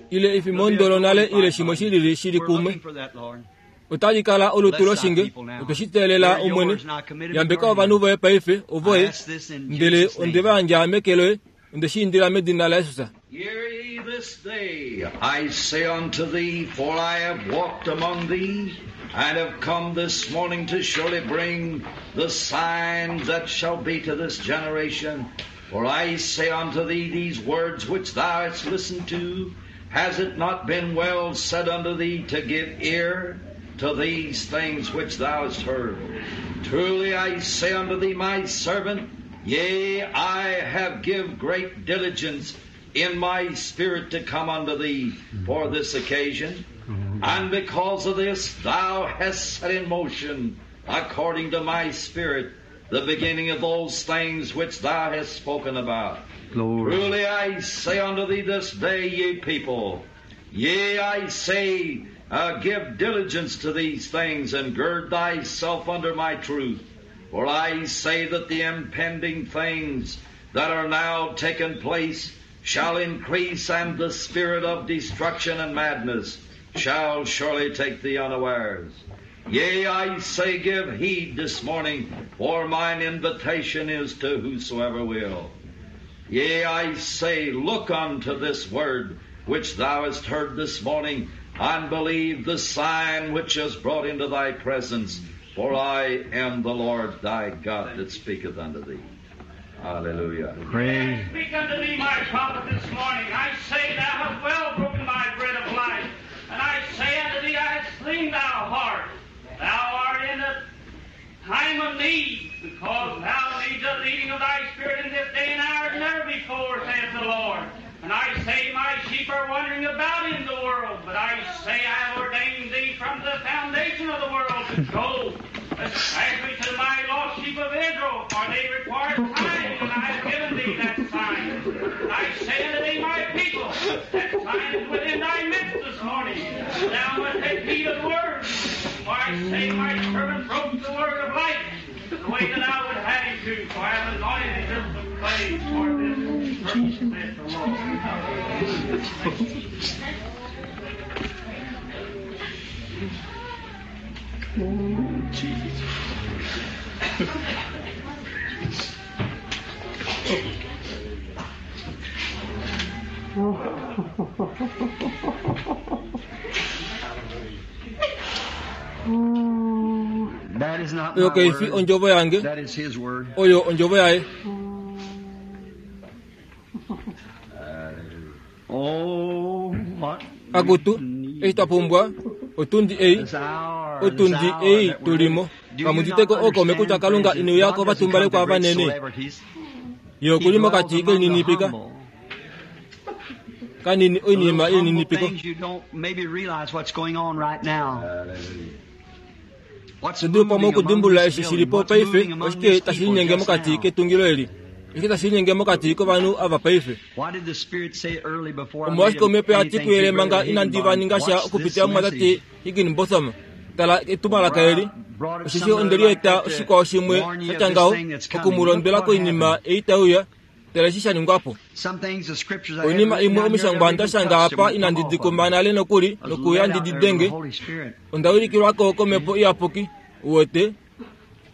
Speaker 1: Ile efimbo lonale ile shimwe shi lili shi li kumwe. Otali kala olutu loshinge. Otwe shi teelela, Omwene. Yambeka ovanhu voye paife, ovoye. Ndele onde va yandja meke loye. Onde shi indila medina laJesus.
Speaker 2: Hear ye this day, I say unto thee, for I have walked among thee, and have come this morning to surely bring the signs that shall be to this generation. For I say unto thee, these words which thou hast listened to, has it not been well said unto thee to give ear to these things which thou hast heard? Truly I say unto thee, my servant, yea, I have give great diligence in my spirit to come unto thee for this occasion. And because of this, thou hast set in motion, according to my spirit, the beginning of those things which thou hast spoken about.
Speaker 3: Glory.
Speaker 2: Truly I say unto thee this day, ye people, yea, I say, give diligence to these things, and gird thyself under my truth. For I say that the impending things that are now taken place shall increase, and the spirit of destruction and madness shall surely take thee unawares. Yea, I say, give heed this morning, for mine invitation is to whosoever will. Yea, I say, look unto this word which thou hast heard this morning, and believe the sign which is brought into thy presence, for I am the Lord thy God that speaketh unto thee. Hallelujah.
Speaker 3: Praise.
Speaker 4: I speak unto thee, my prophet, this morning. I say, thou hast well broken my bread of life. And I say unto thee, I have slain thy heart. Thou art in the time of need, because thou needs the leading of thy spirit in this day and hour as never before, saith the Lord. And I say my sheep are wandering about in the world, but I say I have ordained thee from the foundation of the world to go, especially to my lost sheep of Israel, for they require signs, and I have given thee that sign. And I say unto thee, my people, that sign is within thy midst this morning. Thou must take heed of the word. For I say my servant broke the word of life the way that I would have him to, for I have anointed him to play for this purpose, saith the Lord.
Speaker 3: Oh, Jesus.
Speaker 2: That is not my
Speaker 1: Oyo kaifi
Speaker 2: word.
Speaker 1: ondjovo yange,
Speaker 2: That is his word.
Speaker 1: oyo ondjovo yaye.
Speaker 2: Oh, what
Speaker 1: Akutu, eshi twa pumbwa, otundi ei,
Speaker 2: this hour, this
Speaker 1: otundi
Speaker 2: hour
Speaker 1: ei
Speaker 2: that we're
Speaker 1: tulimo.
Speaker 2: in. Do you
Speaker 1: Kamuditeko
Speaker 2: not
Speaker 1: okaume
Speaker 2: understand,
Speaker 1: kutya Kalunga
Speaker 2: friends,
Speaker 1: ine
Speaker 2: that
Speaker 1: uyako
Speaker 2: God doesn't
Speaker 1: vatumbale
Speaker 2: come to
Speaker 1: kwa
Speaker 2: great
Speaker 1: vanene.
Speaker 2: celebrities.
Speaker 1: Ye
Speaker 2: He
Speaker 1: okuli
Speaker 2: dwells
Speaker 1: mokati
Speaker 2: among the
Speaker 1: kelininipika,
Speaker 2: humble.
Speaker 1: kanini
Speaker 2: The
Speaker 1: oinima
Speaker 2: little humble
Speaker 1: ilininipiko.
Speaker 2: things you don't maybe realize what's going on right now. What's
Speaker 1: Tudulu pamwe
Speaker 2: moving among
Speaker 1: okudimbulula
Speaker 2: this
Speaker 1: eshi
Speaker 2: building,
Speaker 1: shilipo
Speaker 2: what's
Speaker 1: paife,
Speaker 2: moving among
Speaker 1: oshike
Speaker 2: these
Speaker 1: tashi
Speaker 2: people
Speaker 1: linyenge
Speaker 2: just
Speaker 1: mokati
Speaker 2: now.
Speaker 1: ketungilo eli. Oshike tashi linyenge mokati kovanhu ava paife.
Speaker 2: Why did the Spirit say early before I made
Speaker 1: Omolwashike omhepo ya ti
Speaker 2: anything
Speaker 1: kuyele
Speaker 2: to
Speaker 1: manga
Speaker 2: Brother
Speaker 1: inandi va
Speaker 2: Higginbottom,
Speaker 1: ninga sha
Speaker 2: watch this
Speaker 1: okupitila mumwatate
Speaker 2: message.
Speaker 1: Higginbotham. Tala etumwalaka eli. Osheshi onde li eta oshikwao shimwe sha tya ngaho okumulondwela koinima ei tai uya, tala eshi sha ningwa po.
Speaker 2: Some things the scriptures I had
Speaker 1: Oinima
Speaker 2: written
Speaker 1: imwe
Speaker 2: down here
Speaker 1: omishangwa
Speaker 2: never
Speaker 1: nda
Speaker 2: even
Speaker 1: shanga
Speaker 2: touched
Speaker 1: apa
Speaker 2: them, come
Speaker 1: inandi
Speaker 2: off
Speaker 1: di
Speaker 2: of them.
Speaker 1: kumba nale nokuli
Speaker 2: I was
Speaker 1: nokuya
Speaker 2: led
Speaker 1: ndi
Speaker 2: out
Speaker 1: di
Speaker 2: there by the
Speaker 1: denge,
Speaker 2: Holy Spirit.
Speaker 1: onda ulikilwako komhepo iyapuki, uwete.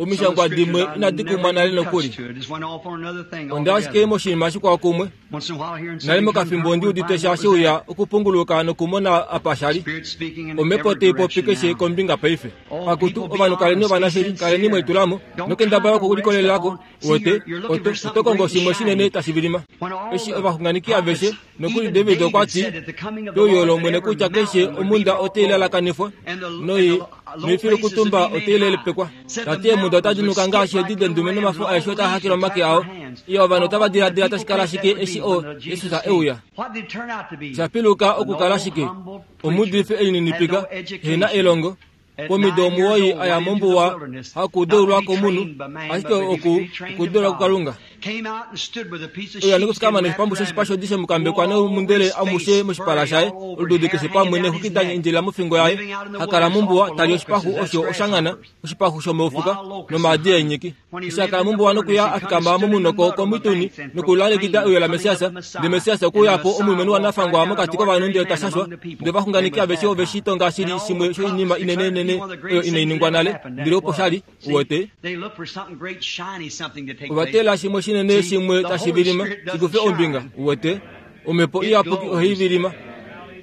Speaker 2: Some of the
Speaker 1: Omishangwa
Speaker 2: scriptures
Speaker 1: dimwe
Speaker 2: I
Speaker 1: inadi
Speaker 2: never
Speaker 1: kumwa nale
Speaker 2: even
Speaker 1: nokuli.
Speaker 2: touched to. It just went off on another thing
Speaker 1: Onda ashike
Speaker 2: altogether.
Speaker 1: moshinima shikwao kumwe.
Speaker 2: Once in a while hearing
Speaker 1: Nale
Speaker 2: something come
Speaker 1: mokafimbo
Speaker 2: down,
Speaker 1: ndi
Speaker 2: we'd
Speaker 1: udite
Speaker 2: find
Speaker 1: sha
Speaker 2: what
Speaker 1: shi
Speaker 2: was
Speaker 1: uya
Speaker 2: that.
Speaker 1: okupunguluka nokumona apa shali.
Speaker 2: Spirit speaking in
Speaker 1: Omhepo
Speaker 2: every
Speaker 1: tai popi
Speaker 2: direction
Speaker 1: keshe
Speaker 2: now.
Speaker 1: kombinga paife.
Speaker 2: Oh,
Speaker 1: Akutu
Speaker 2: people, be
Speaker 1: ovanhu kaleni
Speaker 2: honest, be
Speaker 1: ovanashili kaleni
Speaker 2: sincere.
Speaker 1: mwelitulamo
Speaker 2: Don't
Speaker 1: nokendabala
Speaker 2: try to rest
Speaker 1: okulikolelako
Speaker 2: upon. See,
Speaker 1: uwete
Speaker 2: you're looking
Speaker 1: oto
Speaker 2: for something
Speaker 1: oto kongo
Speaker 2: great and
Speaker 1: shimwe shinene
Speaker 2: shiny.
Speaker 1: tashi vilima.
Speaker 2: When all
Speaker 1: Eshi
Speaker 2: the
Speaker 1: ovaxunganeki
Speaker 2: prophets,
Speaker 1: aveshe nokuli
Speaker 2: even
Speaker 1: David
Speaker 2: David
Speaker 1: okwa ti
Speaker 2: said at the coming of the
Speaker 1: peuyo
Speaker 2: Lord that
Speaker 1: lOmwene
Speaker 2: every
Speaker 1: kutya keshe
Speaker 2: mountain would be
Speaker 1: omunda
Speaker 2: brought
Speaker 1: otai
Speaker 2: low,
Speaker 1: lalakanifwa
Speaker 2: and the, and
Speaker 1: noi
Speaker 2: the low places would
Speaker 1: noifilukutumba
Speaker 2: be
Speaker 1: otai
Speaker 2: made high.
Speaker 1: lelepekwa.
Speaker 2: Said the
Speaker 1: Tati eemunda otadi
Speaker 2: mountains would
Speaker 1: nuka
Speaker 2: skip
Speaker 1: ngaashi
Speaker 2: like
Speaker 1: edi
Speaker 2: little
Speaker 1: dendume
Speaker 2: rams, and
Speaker 1: nomafo
Speaker 2: all
Speaker 1: aeshe
Speaker 2: the
Speaker 1: otaa
Speaker 2: leaves
Speaker 1: hakele
Speaker 2: would
Speaker 1: omake
Speaker 2: clap
Speaker 1: ao.
Speaker 2: their hands.
Speaker 1: Iyo ovanhu
Speaker 2: Now,
Speaker 1: otava
Speaker 2: what did the
Speaker 1: diladila
Speaker 2: people
Speaker 1: tashi kala
Speaker 2: think that
Speaker 1: shike
Speaker 2: would
Speaker 1: eshi
Speaker 2: be
Speaker 1: o
Speaker 2: when the
Speaker 1: Jesus
Speaker 2: Jesus
Speaker 1: e uya?
Speaker 2: came? What did it turn out to be?
Speaker 1: Shapiluka
Speaker 2: An
Speaker 1: okukala
Speaker 2: old
Speaker 1: shike
Speaker 2: humble preacher
Speaker 1: omuudifi
Speaker 2: had
Speaker 1: elininipika
Speaker 2: no
Speaker 1: hena
Speaker 2: education.
Speaker 1: elongo
Speaker 2: At
Speaker 1: pomido
Speaker 2: 9 years
Speaker 1: omuwoi
Speaker 2: old,
Speaker 1: aya
Speaker 2: went into the
Speaker 1: mombuwa
Speaker 2: wilderness, not to
Speaker 1: hakudeulwa
Speaker 2: be
Speaker 1: komunhu
Speaker 2: trained by man, but
Speaker 1: ashike
Speaker 2: to be
Speaker 1: oku
Speaker 2: trained of
Speaker 1: okudeulwa
Speaker 2: God.
Speaker 1: kuKalunga.
Speaker 2: Came out and stood with a piece of
Speaker 1: Oyo
Speaker 2: sheepskin
Speaker 1: nikusikama
Speaker 2: wrapped
Speaker 1: neshipambu
Speaker 2: around
Speaker 1: shoshipa
Speaker 2: him,
Speaker 1: shodishe mukambekwa
Speaker 2: wore all over
Speaker 1: nomundele
Speaker 2: his
Speaker 1: amushe
Speaker 2: face,
Speaker 1: moshipala
Speaker 2: furry
Speaker 1: shaye
Speaker 2: all over,
Speaker 1: olududi
Speaker 2: hair
Speaker 1: keshe
Speaker 2: hanging
Speaker 1: pamwe
Speaker 2: down his
Speaker 1: nexuki da
Speaker 2: neck,
Speaker 1: endjelela mofingo yaye
Speaker 2: living out in the
Speaker 1: hakala
Speaker 2: wilderness
Speaker 1: mombuwa
Speaker 2: off of
Speaker 1: tali
Speaker 2: locusts,
Speaker 1: oshipaxu
Speaker 2: that's
Speaker 1: osho oshangana
Speaker 2: grasshoppers.
Speaker 1: oshipaxu shomoufuka
Speaker 2: Wild locusts and
Speaker 1: nomaadi
Speaker 2: honey.
Speaker 1: eenyiki.
Speaker 2: When he
Speaker 1: Eshi
Speaker 2: lived
Speaker 1: akala
Speaker 2: in the
Speaker 1: mombuwa
Speaker 2: wilderness,
Speaker 1: nokuya
Speaker 2: he come and
Speaker 1: afikama
Speaker 2: stood in the
Speaker 1: momunoko
Speaker 2: mud on the
Speaker 1: komituni
Speaker 2: banks and
Speaker 1: nokulalekida
Speaker 2: proclaimed
Speaker 1: euyo
Speaker 2: the
Speaker 1: la
Speaker 2: coming of
Speaker 1: Mesiasa
Speaker 2: the
Speaker 1: ndele
Speaker 2: Messiah.
Speaker 1: Mesiasa
Speaker 2: And the
Speaker 1: okuuya po
Speaker 2: Messiah
Speaker 1: omulumenhu
Speaker 2: walked right
Speaker 1: wanafangwa
Speaker 2: down an
Speaker 1: mokati kovanhu
Speaker 2: ordinary
Speaker 1: ndele
Speaker 2: man
Speaker 1: tashashwa
Speaker 2: among the people
Speaker 1: ndele
Speaker 2: and
Speaker 1: ovaxunganeki
Speaker 2: was
Speaker 1: aveshe ove shi
Speaker 2: baptized.
Speaker 1: tonga shili
Speaker 2: And all
Speaker 1: shimwe
Speaker 2: the
Speaker 1: shoinima
Speaker 2: prophets declared to be
Speaker 1: inenenene
Speaker 2: one of the
Speaker 1: oyo
Speaker 2: greatest
Speaker 1: inai
Speaker 2: things that
Speaker 1: ningwa
Speaker 2: ever
Speaker 1: nale
Speaker 2: happened. That
Speaker 1: ndele
Speaker 2: it
Speaker 1: opo
Speaker 2: was.
Speaker 1: shali
Speaker 2: See,
Speaker 1: uwete
Speaker 2: they look for something great, shiny, something to take place.
Speaker 1: ovatela shimwe shinene
Speaker 2: See,
Speaker 1: shimwe
Speaker 2: the
Speaker 1: tashi
Speaker 2: Holy
Speaker 1: vilima
Speaker 2: Spirit doesn't
Speaker 1: shikufe ombinga
Speaker 2: shine.
Speaker 1: uwete omhepo
Speaker 2: It
Speaker 1: iyapuki ohai
Speaker 2: glows.
Speaker 1: vilima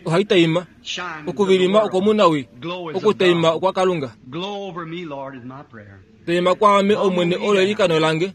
Speaker 1: ohai taima
Speaker 2: Shine to the
Speaker 1: okuvilima
Speaker 2: world.
Speaker 1: okomunawi
Speaker 2: Glow is of
Speaker 1: okutaima
Speaker 2: God.
Speaker 1: okwa Kalunga.
Speaker 2: Glow over me, Lord, is my prayer.
Speaker 1: Taima kwaame
Speaker 2: Humble
Speaker 1: Omwene
Speaker 2: me
Speaker 1: olo
Speaker 2: down.
Speaker 1: eilikano lange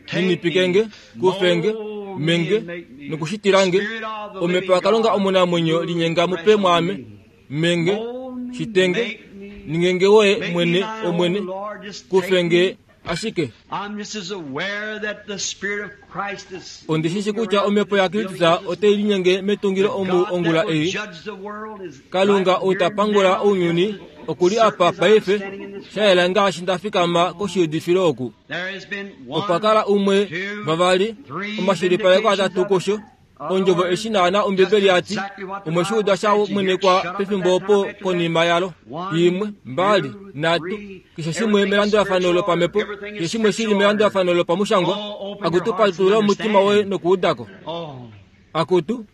Speaker 2: Take
Speaker 1: ninipikenge
Speaker 2: me,
Speaker 1: kufenge
Speaker 2: mold me,
Speaker 1: menge
Speaker 2: and make me.
Speaker 1: nokushitilange
Speaker 2: Spirit of the
Speaker 1: omhepo
Speaker 2: living
Speaker 1: yaKalunga
Speaker 2: God,
Speaker 1: omunamwenyo
Speaker 2: move
Speaker 1: linyenga mupe
Speaker 2: fresh on
Speaker 1: mwaame
Speaker 2: me.
Speaker 1: menge
Speaker 2: Mold me,
Speaker 1: shitenge
Speaker 2: make me,
Speaker 1: ningenge woye
Speaker 2: make me
Speaker 1: mwene
Speaker 2: thine own,
Speaker 1: Omwene
Speaker 2: Lord. Just take
Speaker 1: kufenge
Speaker 2: me.
Speaker 1: ashike.
Speaker 2: I'm just as aware that the Spirit of Christ is
Speaker 1: Ondishishi
Speaker 2: moving
Speaker 1: kutya
Speaker 2: around
Speaker 1: omhepo
Speaker 2: this
Speaker 1: yaKristus
Speaker 2: building this
Speaker 1: otai linyenge metungilo
Speaker 2: The
Speaker 1: omu
Speaker 2: God that
Speaker 1: ongula
Speaker 2: will
Speaker 1: ei.
Speaker 2: judge the world is
Speaker 1: Kalunga
Speaker 2: right
Speaker 1: ou ta
Speaker 2: here
Speaker 1: pangula
Speaker 2: now,
Speaker 1: ounyuni
Speaker 2: just as
Speaker 1: okuli
Speaker 2: certain
Speaker 1: apa
Speaker 2: as I'm
Speaker 1: paife
Speaker 2: standing in this
Speaker 1: sha yela ngaashi nda fikama koshiudifilo oku.
Speaker 2: There has been
Speaker 1: Opa
Speaker 2: one,
Speaker 1: kala umwe
Speaker 2: two,
Speaker 1: vavali
Speaker 2: three
Speaker 1: omashilipaleko
Speaker 2: vindications
Speaker 1: atatu
Speaker 2: of it.
Speaker 1: kusho
Speaker 2: Other
Speaker 1: ondjovo
Speaker 2: words,
Speaker 1: eshi naana
Speaker 2: just
Speaker 1: Ombibeli yati
Speaker 2: exactly what the
Speaker 1: omwe shi
Speaker 2: Bible
Speaker 1: uda sha
Speaker 2: said. You hear it
Speaker 1: mwenekwa
Speaker 2: shut up at
Speaker 1: pefimbo
Speaker 2: that
Speaker 1: opo
Speaker 2: time after that.
Speaker 1: konima yalo.
Speaker 2: One,
Speaker 1: Imwe, mbali,
Speaker 2: two,
Speaker 1: nhatu,
Speaker 2: three.
Speaker 1: keshe shimwe
Speaker 2: Everything is
Speaker 1: melandulafano
Speaker 2: spiritual order.
Speaker 1: lopamhepo,
Speaker 2: Everything
Speaker 1: keshe
Speaker 2: is
Speaker 1: shimwe shili
Speaker 2: scriptural order.
Speaker 1: melandulafano lopamushangwa.
Speaker 2: Oh, open your
Speaker 1: Akutu
Speaker 2: hearts and
Speaker 1: patulula omutima woye
Speaker 2: understand.
Speaker 1: nokuudako.
Speaker 2: Oh,
Speaker 1: Akutu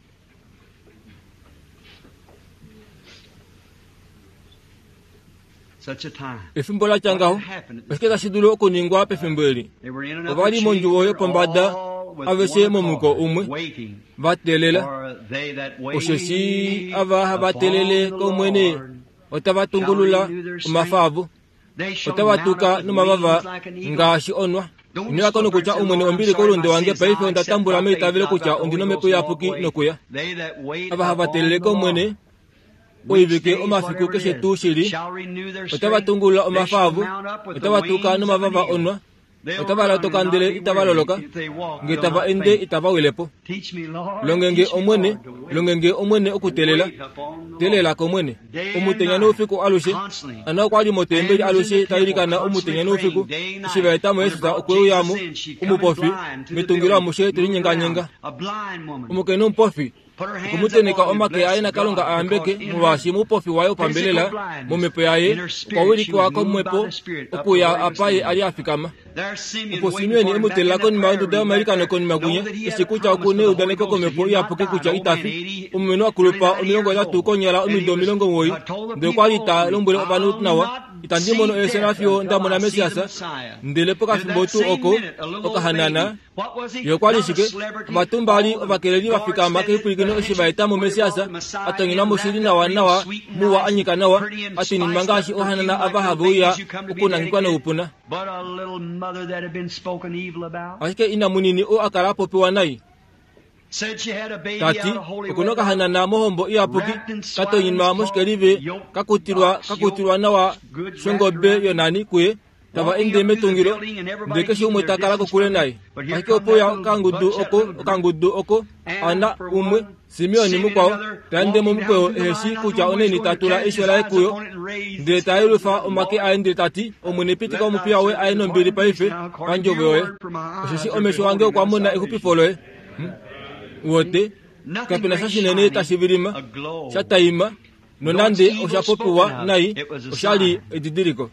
Speaker 2: such a time.
Speaker 1: efimbo la tya
Speaker 2: What
Speaker 1: ngaho
Speaker 2: had happened at this
Speaker 1: oshike tashi dulu okuningwa pefimbo eli?
Speaker 2: They were in an
Speaker 1: Ova
Speaker 2: upper
Speaker 1: li mondjuwo
Speaker 2: chamber,
Speaker 1: yopombada
Speaker 2: all with
Speaker 1: aveshe
Speaker 2: one
Speaker 1: momuko
Speaker 2: accord,
Speaker 1: umwe
Speaker 2: waiting
Speaker 1: va teelela
Speaker 2: for they that
Speaker 1: osheshi
Speaker 2: wait
Speaker 1: ava hava
Speaker 2: upon
Speaker 1: teelele
Speaker 2: the
Speaker 1: kOmwene
Speaker 2: Lord
Speaker 1: otava
Speaker 2: shall
Speaker 1: tungulula
Speaker 2: renew their
Speaker 1: omafa
Speaker 2: strength.
Speaker 1: avo
Speaker 2: They shall
Speaker 1: otava
Speaker 2: mount
Speaker 1: tuka
Speaker 2: up with
Speaker 1: nomavava
Speaker 2: wings like an eagle.
Speaker 1: ngaashi onwa.
Speaker 2: Don't
Speaker 1: Inilako
Speaker 2: stop there and
Speaker 1: nokutya
Speaker 2: say,
Speaker 1: Omwene
Speaker 2: Lord, I'm
Speaker 1: ombili
Speaker 2: sorry
Speaker 1: kolunde
Speaker 2: my
Speaker 1: wange
Speaker 2: sins.
Speaker 1: paife
Speaker 2: I
Speaker 1: onda
Speaker 2: accept
Speaker 1: tambula
Speaker 2: by faith.
Speaker 1: meitavelo
Speaker 2: I've
Speaker 1: kutya
Speaker 2: got the
Speaker 1: ondina
Speaker 2: Holy
Speaker 1: omhepo
Speaker 2: Ghost and walk
Speaker 1: iyapuki
Speaker 2: away.
Speaker 1: nokuya.
Speaker 2: They that wait
Speaker 1: Ava hava
Speaker 2: upon
Speaker 1: teelele
Speaker 2: the
Speaker 1: kOmwene
Speaker 2: Lord, weeks,
Speaker 1: oivike
Speaker 2: days,
Speaker 1: omafiku
Speaker 2: whatever it
Speaker 1: keshe
Speaker 2: is,
Speaker 1: tuu shili
Speaker 2: shall renew their
Speaker 1: otava
Speaker 2: strength.
Speaker 1: tungulula
Speaker 2: They
Speaker 1: omafa
Speaker 2: shall
Speaker 1: avo
Speaker 2: mount up with the
Speaker 1: otava tuka
Speaker 2: wings of an
Speaker 1: nomavava
Speaker 2: eagle.
Speaker 1: onwa. Otava latoka ndele itava loloka, nge tava ende itava wile po. Longe nge Omwene, longe nge Omwene okuteelela, teelela kOmwene. Omutenya noufiku alushe. Anna okwa li motembeli alushe ta ilikana omutenya noufiku. Eshi va eta mo Jesus okwe uya mo, omupofi, metungilo amushe te linyenganyenga. Omukainhu omupofi okwe mu tenheka omake aye naKalunga a yambeke, molwaashi moupofi waye wopambelela, momhepo yaye, okwa wilikwa komhepo okuya apa ye a li a fikama. Opo Simeon e mu teelela konima yonduda yomailikano konima kwinya, eshi kutya oku neudaneko komhepo iyapuki kutya ita fi. Omulumenhu a kulupa 30 konyala omido 90, ndele okwa li ta lombwele ovanhu nawa, Itandi mono efyo fiyo nda mona Messias. Ndele pokafimbo tuu oko, okahanana, Ye okwa li shike? Ovatumbali ovakeleli va fikama keipwilikino eshi va eta mo Messias, a tonyenwa moshili nawanawa, muwa a nyika nawa, a twininwa ngaashi ohanana ava have uya okunangekwa noupuna. Ashike ina munini oo a kala a popiwa nai, ta ti, Oku na okahanana mohombo iyapuki, ka tonyinwa moshikelive, ka kutilwa, ka kutilwa nawa shongobe yonani kuye, tava ende metungilo, ndele keshe umwe ta kala kokule naye. Ashike ope uya okangudu oko, okangudu oko, Anna umwe, Simeon mukwao, ta ende momukweyo ehe shii kutya onaini ta tula eisho laye kuyo, ndele ta yelufa omake aye ndele ta ti, Omwene pitika omupiya woye aye nombili paife, pandjovo yoye, osheshi omesho ange okwa mona exupifo loye. Hmm? Wote, kape na sha shinene tashi vilima, sha taima, nonande osha popiwa nai, osha li edidiliko.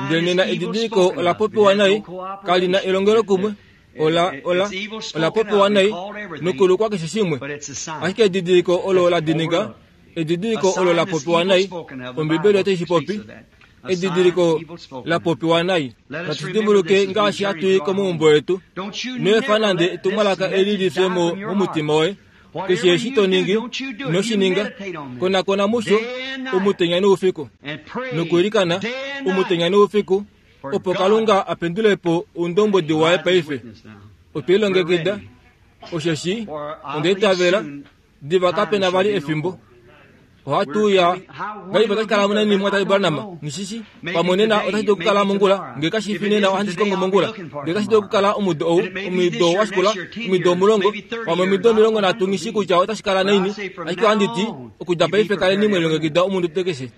Speaker 1: Ndele nena edidiliko ola popiwa nai, kali na elongelokumwe, ola, ola, ola popiwa nai nokulukwa keshe shimwe. Ashike edidiliko olo la dinika, edidiliko olo la popiwa nai, Ombibeli otai shi popi, edidiliko la popiwa nai. Natu shi dimbuluke ngaashi hatu i komaumbo etu. Ino efa nande etumwalaka eli li fye mo momutima woye. Keshe eshi to ningi, ino shi ninga. Konakona musho omutenya noufiku, nokwiilikana omutenya noufiku, opo Kalunga a pendule po oundombwedi waye paife. Otwe lilongekida, osheshi onda itavela diva kape na vali efimbo. Ohatu uya ngahelipi otashi kala naini mumwatate Branham? Nghi Pamwe nena otashi dulu okukala mongula, nge kashi fi nena ohandi shi kongo mongula. Nge otashi dulu okukala omudo ou, omudo wa shikula, omido 10, pamwe omido 30, nghi shii kutya otashi kala naini, ashike ohandi ti, okudja paife kaleni mwe lilongekida omunute keshe.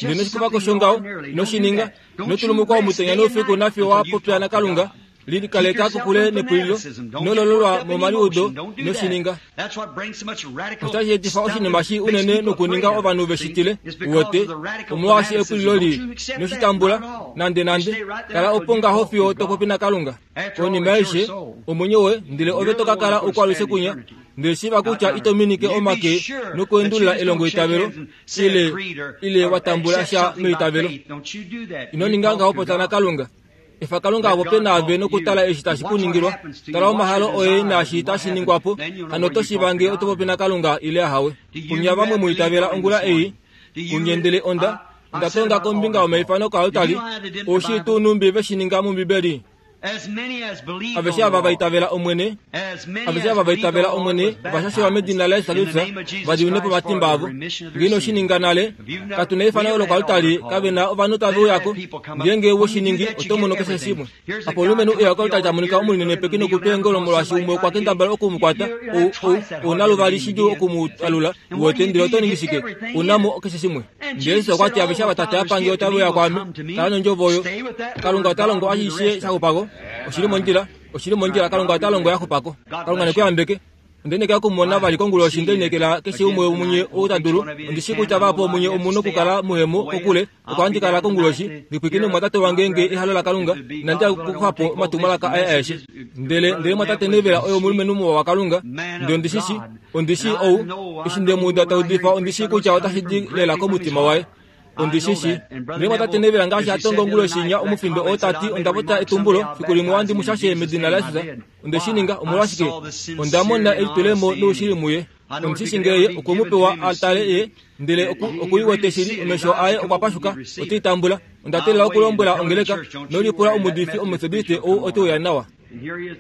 Speaker 1: Ndele ino shi kufa ko shongaho, ino shi ninga. Ino tulumukwa omutenya noufiku nafiyo wa popya naKalunga. Likaleka kokule nepulilo, ino lololwa momaliudo, ino shi ninga. Otashi etifa oshinima shii unene nokuninga ovanhu ve shi tile, Uwete, omolwaashi epulilo lii. Ino shi tambula, nandenande. Kala opo ngaho fiyo to popi naKalunga. Konima yaishe, omwenyo woye, ndele ove to ka kala okwalushe kunya. Ndele shiiva kutya ito minike omake nokuendulula elongoitavelo, ile, ile wa tambula sha meitavelo. Ino ninga ngaho popya naKalunga. Efa Kalunga a popye naave nokutala eshi tashi ku ningilwa. Tala omahalo oye naashi tashi ningwa po, hano oto shiiva ngee oto popi naKalunga ile ahawe. Kunye vamwe mu itavela ongula ei, kunye ndele onda, onda tonga kombinga yomaifano koaltari, ou shii tuu nhumbi ve shi ninga mOmbibeli? Aveshe ava va itavela Omwene, aveshe ava va itavela Omwene va shashelwa medina laJesus Kristus va diminwe po omatimba avo. Nge ino shi ninga nale, katu na efano lokoaltari, kave na ovanhu tave uya ko. Ngeenge we shi ningi, oto mono keshe shimwe. Apo omulumenhu e uya koaltari ta monika omulinenepeki nokutwa eengolo molwaashi umwe okwa kendabala oku mu kwata, ou, ou, ou na luvali shidjuu oku mu alula, uwete, ndele oto ningi shike? U na mo keshe shimwe. Ndele Jesus okwa ti, Aveshe ava Tate a pa nge otave uya kwaame. Kala nondjovo oyo. Kalunga ota longo ashishe sha xupa ko. Oshi li mondjila. Oshi li mondjila. Kalunga ota longo ya xupa ko. Kalunga ne ku yambeke. Onde lineekela oku mu mona vali konguloshi. Nde lineekela keshe umwe womunye ou ta dulu. Ondi shii kutya vahapu vomunye omu nokukala muhemo kokule. Oko handi kala konguloshi, ndi pwilikine omumwatate wange nge ehalo laKalunga, inandi ya okukufa po omatumwalaka aye aeshe. Ndele, ndele mumwatate Neville oye omulumenhu muwa waKalunga. Ndele ondi shi shii, ondi shii ou, eshi nde mu uda ta udifa, ondi shii kutya otashi di lela komutima waye. Ondi shi shii. Ndele mumwatate Neville ngaashi a tonga onguloshi inya omufindo oo ta ti onda popya etumbulo, fiku limwe ohandi mu shashe medina laJesus. Onde shi ninga, omolwashike? Onda mona elitulemo noushili muye. Ondi shi shii ngee ye okwe mu pewa a tale ye Ndele oku, oku i wete shili, omesho aye okwa pashuka, ote i tambula. Onda teelela okulombwela ongeleka, nolipula omuudifi Omumetodiste ou ote uya nawa.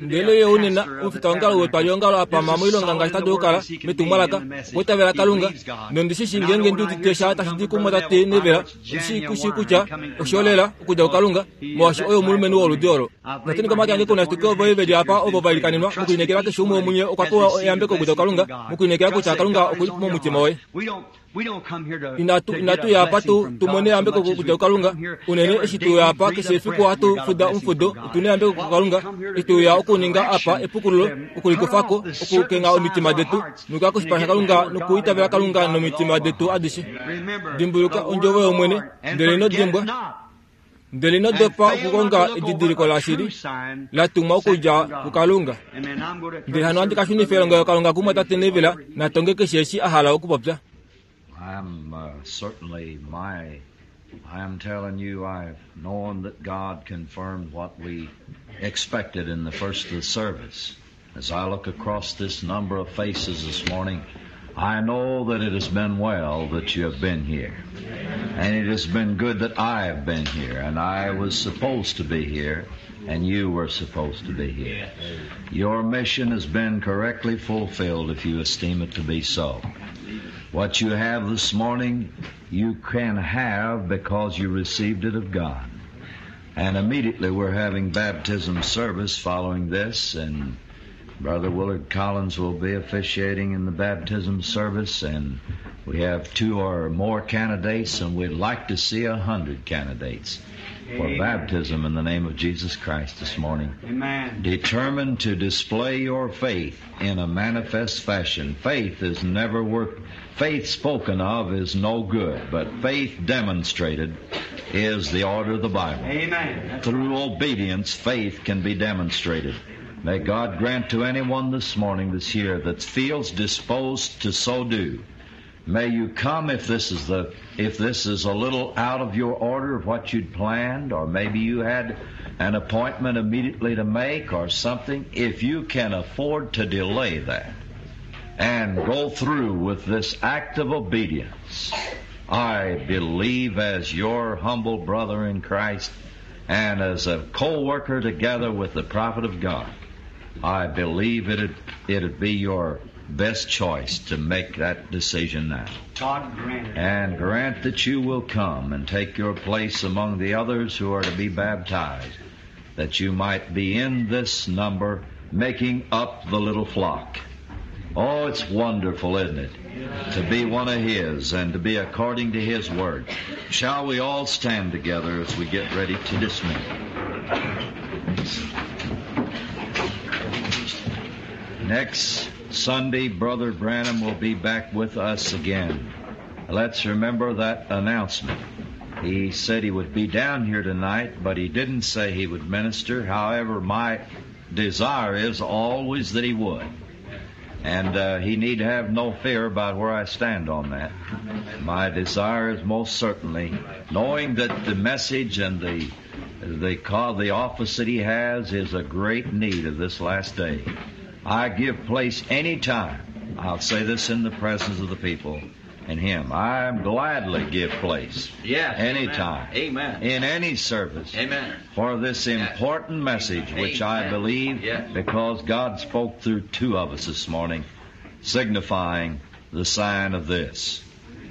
Speaker 1: Ndele ye unena omufitaongalo wetwaliongalo a pama moilonga ngaashi ta dulu okukala metumwalaka, okwa itavela Kalunga. Nondi shi shii ngeenge ndi udite sha tashi di kumwatate Neville, ondi shi shii kutya osho lela okudja kuKalunga, molwaashi oye omulumenhu woludi olo. Nda komake ange kunashituke ovo ve li apa ovo va ilikanenwa, mokulineekela keshe umwe womunye okwa pewa eyambeko okudja kuKalunga, mokulineekela kutya Kalunga oku li momutima woye. Inatu, inatu ya apa tu, tu mone eyambeko okudja kuKalunga. Unene eshi tu ya apa keshe efiku ohatu fuda omufudo, otu na eyambeko kuKalunga. Eshi tu ya okuninga apa epukululo, okulikufa ko, okukengha omitima detu, nokuya koshipala shaKalunga nokuitavela Kalunga nomitima detu adishe. Dimbuluka ondjovo yOmwene, ndele ino dimbwa. Ndele ino dopa okukonga edidiliko lashili la tumwa okudja kuKalunga. Ndele hano ohandi ka shunifa elongelokalunga kumwatate Neville na tonge keshe eshi a hala okupopya.
Speaker 2: I'm uh, certainly my I am telling you I've known that God confirmed what we expected in the first of the service. As I look across this number of faces this morning, I know that it has been well that you have been here. And it has been good that I have been here, and I was supposed to be here, and you were supposed to be here. Your mission has been correctly fulfilled if you esteem it to be so. What you have this morning, you can have because you received it of God. And immediately we're having baptism service following this, and Brother Willard Collins will be officiating in the baptism service, and we have two or more candidates, and we'd like to see 100 candidates for baptism in the name of Jesus Christ this morning.
Speaker 4: Amen.
Speaker 2: Determined to display your faith in a manifest fashion. Faith is never worth, faith spoken of is no good, but faith demonstrated is the order of the Bible.
Speaker 4: Amen.
Speaker 2: Through obedience, faith can be demonstrated. May God grant to anyone this morning this year that feels disposed to so do. May you come if this is the if this is a little out of your order of what you'd planned, or maybe you had an appointment immediately to make or something. If you can afford to delay that and go through with this act of obedience, I believe as your humble brother in Christ and as a co-worker together with the prophet of God, I believe it'd, it'd be your best choice to make that decision now.
Speaker 4: God grant it.
Speaker 2: And grant that you will come and take your place among the others who are to be baptized, that you might be in this number making up the little flock. Oh, it's wonderful, isn't it? To be one of His and to be according to His Word. Shall we all stand together as we get ready to dismiss? Next Sunday, Brother Branham will be back with us again. Let's remember that announcement. He said he would be down here tonight, but he didn't say he would minister. However, my desire is always that he would. And uh, he need have no fear about where I stand on that. My desire is most certainly knowing that the message and the the call, the office that he has is a great need of this last day. I give place any time. I'll say this in the presence of the people and him. I gladly give place.
Speaker 3: Yes.
Speaker 2: Anytime.
Speaker 3: Amen.
Speaker 2: In any service.
Speaker 3: Amen.
Speaker 2: For this important message, which I
Speaker 3: Amen.
Speaker 2: believe,
Speaker 3: Yes.
Speaker 2: because God spoke through two of us this morning, signifying the sign of this.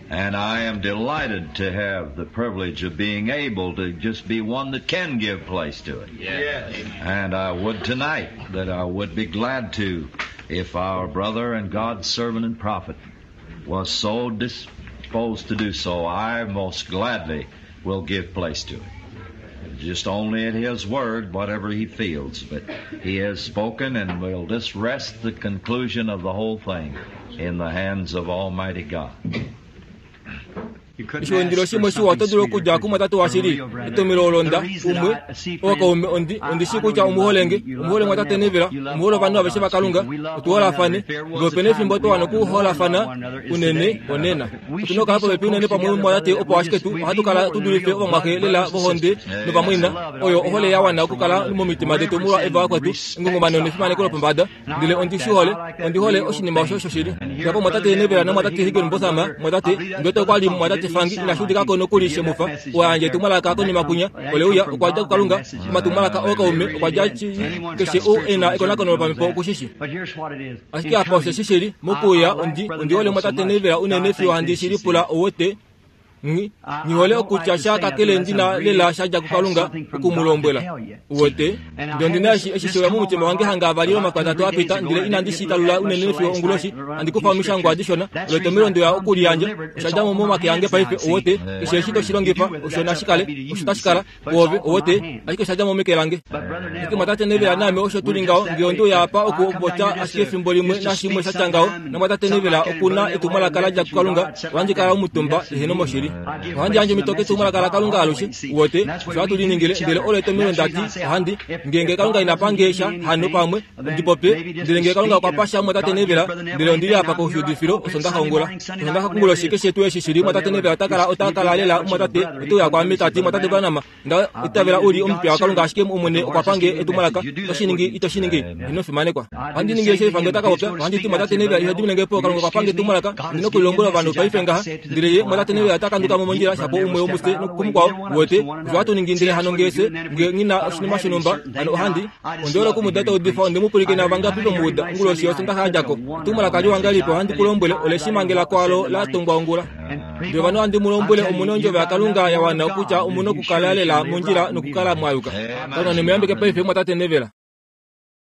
Speaker 2: And I am delighted to have the privilege of being able to just be one that can give place to it.
Speaker 3: Yes.
Speaker 2: And I would tonight that I would be glad to if our brother and God's servant and prophet was so disposed to do so, I most gladly will give place to it. Just only at his word, whatever he feels. But he has spoken and will just rest the conclusion of the whole thing in the hands of Almighty God.
Speaker 1: Oshiwindilo shimwe shiwa oto dulu okudja kumwatate washili etomelo olonda umwe ookaume ondi ondi shii kutya omuholenge omuhole mwatate Neville omuhole ovanhu aveshe vakalunga otuholafane ngee opena efimbo twa wana okuholafana unene onena otuna okukala popepi unene pamwe mwatate opo ashike tu ohatu kala tudulife ovamwaxe lela vohonde novamwaina oyo ohole ya wana okukala momitima detu molwa eva vakwetu engongomano nefimaneko lopombada ndele ondi shi hole ondi hole oshinima osho shoshili japo mwatate Neville namwatate Higginbotham mwatate ndwete okwali mwatate Mwatate Frank inashi udika ko nokuli she mu fa, oo a yandja etumwalaka konima kwinya, ole uya, okwa dja kuKalunga, omatumwalaka ookaume, okwa dja keshe ou e na ekonakono lopamhepo oku shi shi. Ashike apa osheshi shili, mokuuya, ondi, ondi hole Mwatate Neville unene fiyo handi shi lipula owote, Nghi, nghi hole okutya sha kakele ndi na lela sha dja kuKalunga oku mu lombwela. Uwete? Ndele ondi na eshi, eshi sheuya momutima wange hanga avali lwomakwatatu a pita, ndele inandi shi talula unene fiyo onguloshi, handi kufa omishangwa dishona, olo etomhelo nde uya oku li yandja. Osha dja mo momake ange paife, uwete. Keshe eshi to shi longifa, osho nashi kale, osho tashi kala, kuove, uwete, ashike osha dja mo meke lange. Ashike Mwatate Neville naame osho tu li ngaho, nge onde uya apa oku popya ashike efimbo limwe nashimwe sha tya ngaho, naMwatate Neville oku na etumwalaka la dja kuKalunga, ohandi kala omutumba, eheno moshili. Ohandi yandje omhito ketumwalaka laKalunga alushe, uwete, osho hatu li ningile, ndele olo etomhelo nda ti, ohandi, ngeenge Kalunga ina pa nge sha, hano pamwe, ndi popye, ndele nge Kalunga okwa pa sha Mwatate Neville, ndele ondi li apa koshuudifilo Osondaxa ongula. Osondaxa konguloshi keshe tuu eshi shi li, Mwatate Neville ota kala, ota kala lela, Mwatate, ote uya kwaame ta ti, Mwatate Branham, Nda itavela u li omupiya waKalunga ashike Omwene okwa pa nge etumwalaka. Oto shi ningi, ito shi ningi? Ino fimanekwa. Ohandi ningi eshi efange ta ka popya. Ohandi ti, Mwatate Neville, iho dimine nge po. Kalunga okwa pa nge etumwalaka. Ondi na oku li lombwela ovanhu paife ngaha. Ndele ye, Mwatate Neville, ota kanduka mo mondjila, shapo umwe womufye kumukwao. Uwete? Osho hatu ningi. Ndele hano nge fye, nge nghi na oshinima shonhumba, hano ohandi. Ondi hole oku mu uda ta udifa. Onde mu pwilikina vangapi ve mu uda onguloshi yOsondaxa ya dja ko? Etumwalaka liwa ngahelipi, ohandi ku lombwele, ole shi mangela kwaalo la tongwa ongula. Ndele ovanhu ohandi mu lombwele, omu na ondjovo yaKalunga ya wana okutya omu na okukala lela mondjila nokukala mwa yuka. Kalunga ne mu yambeke paife, mumwatate Neville.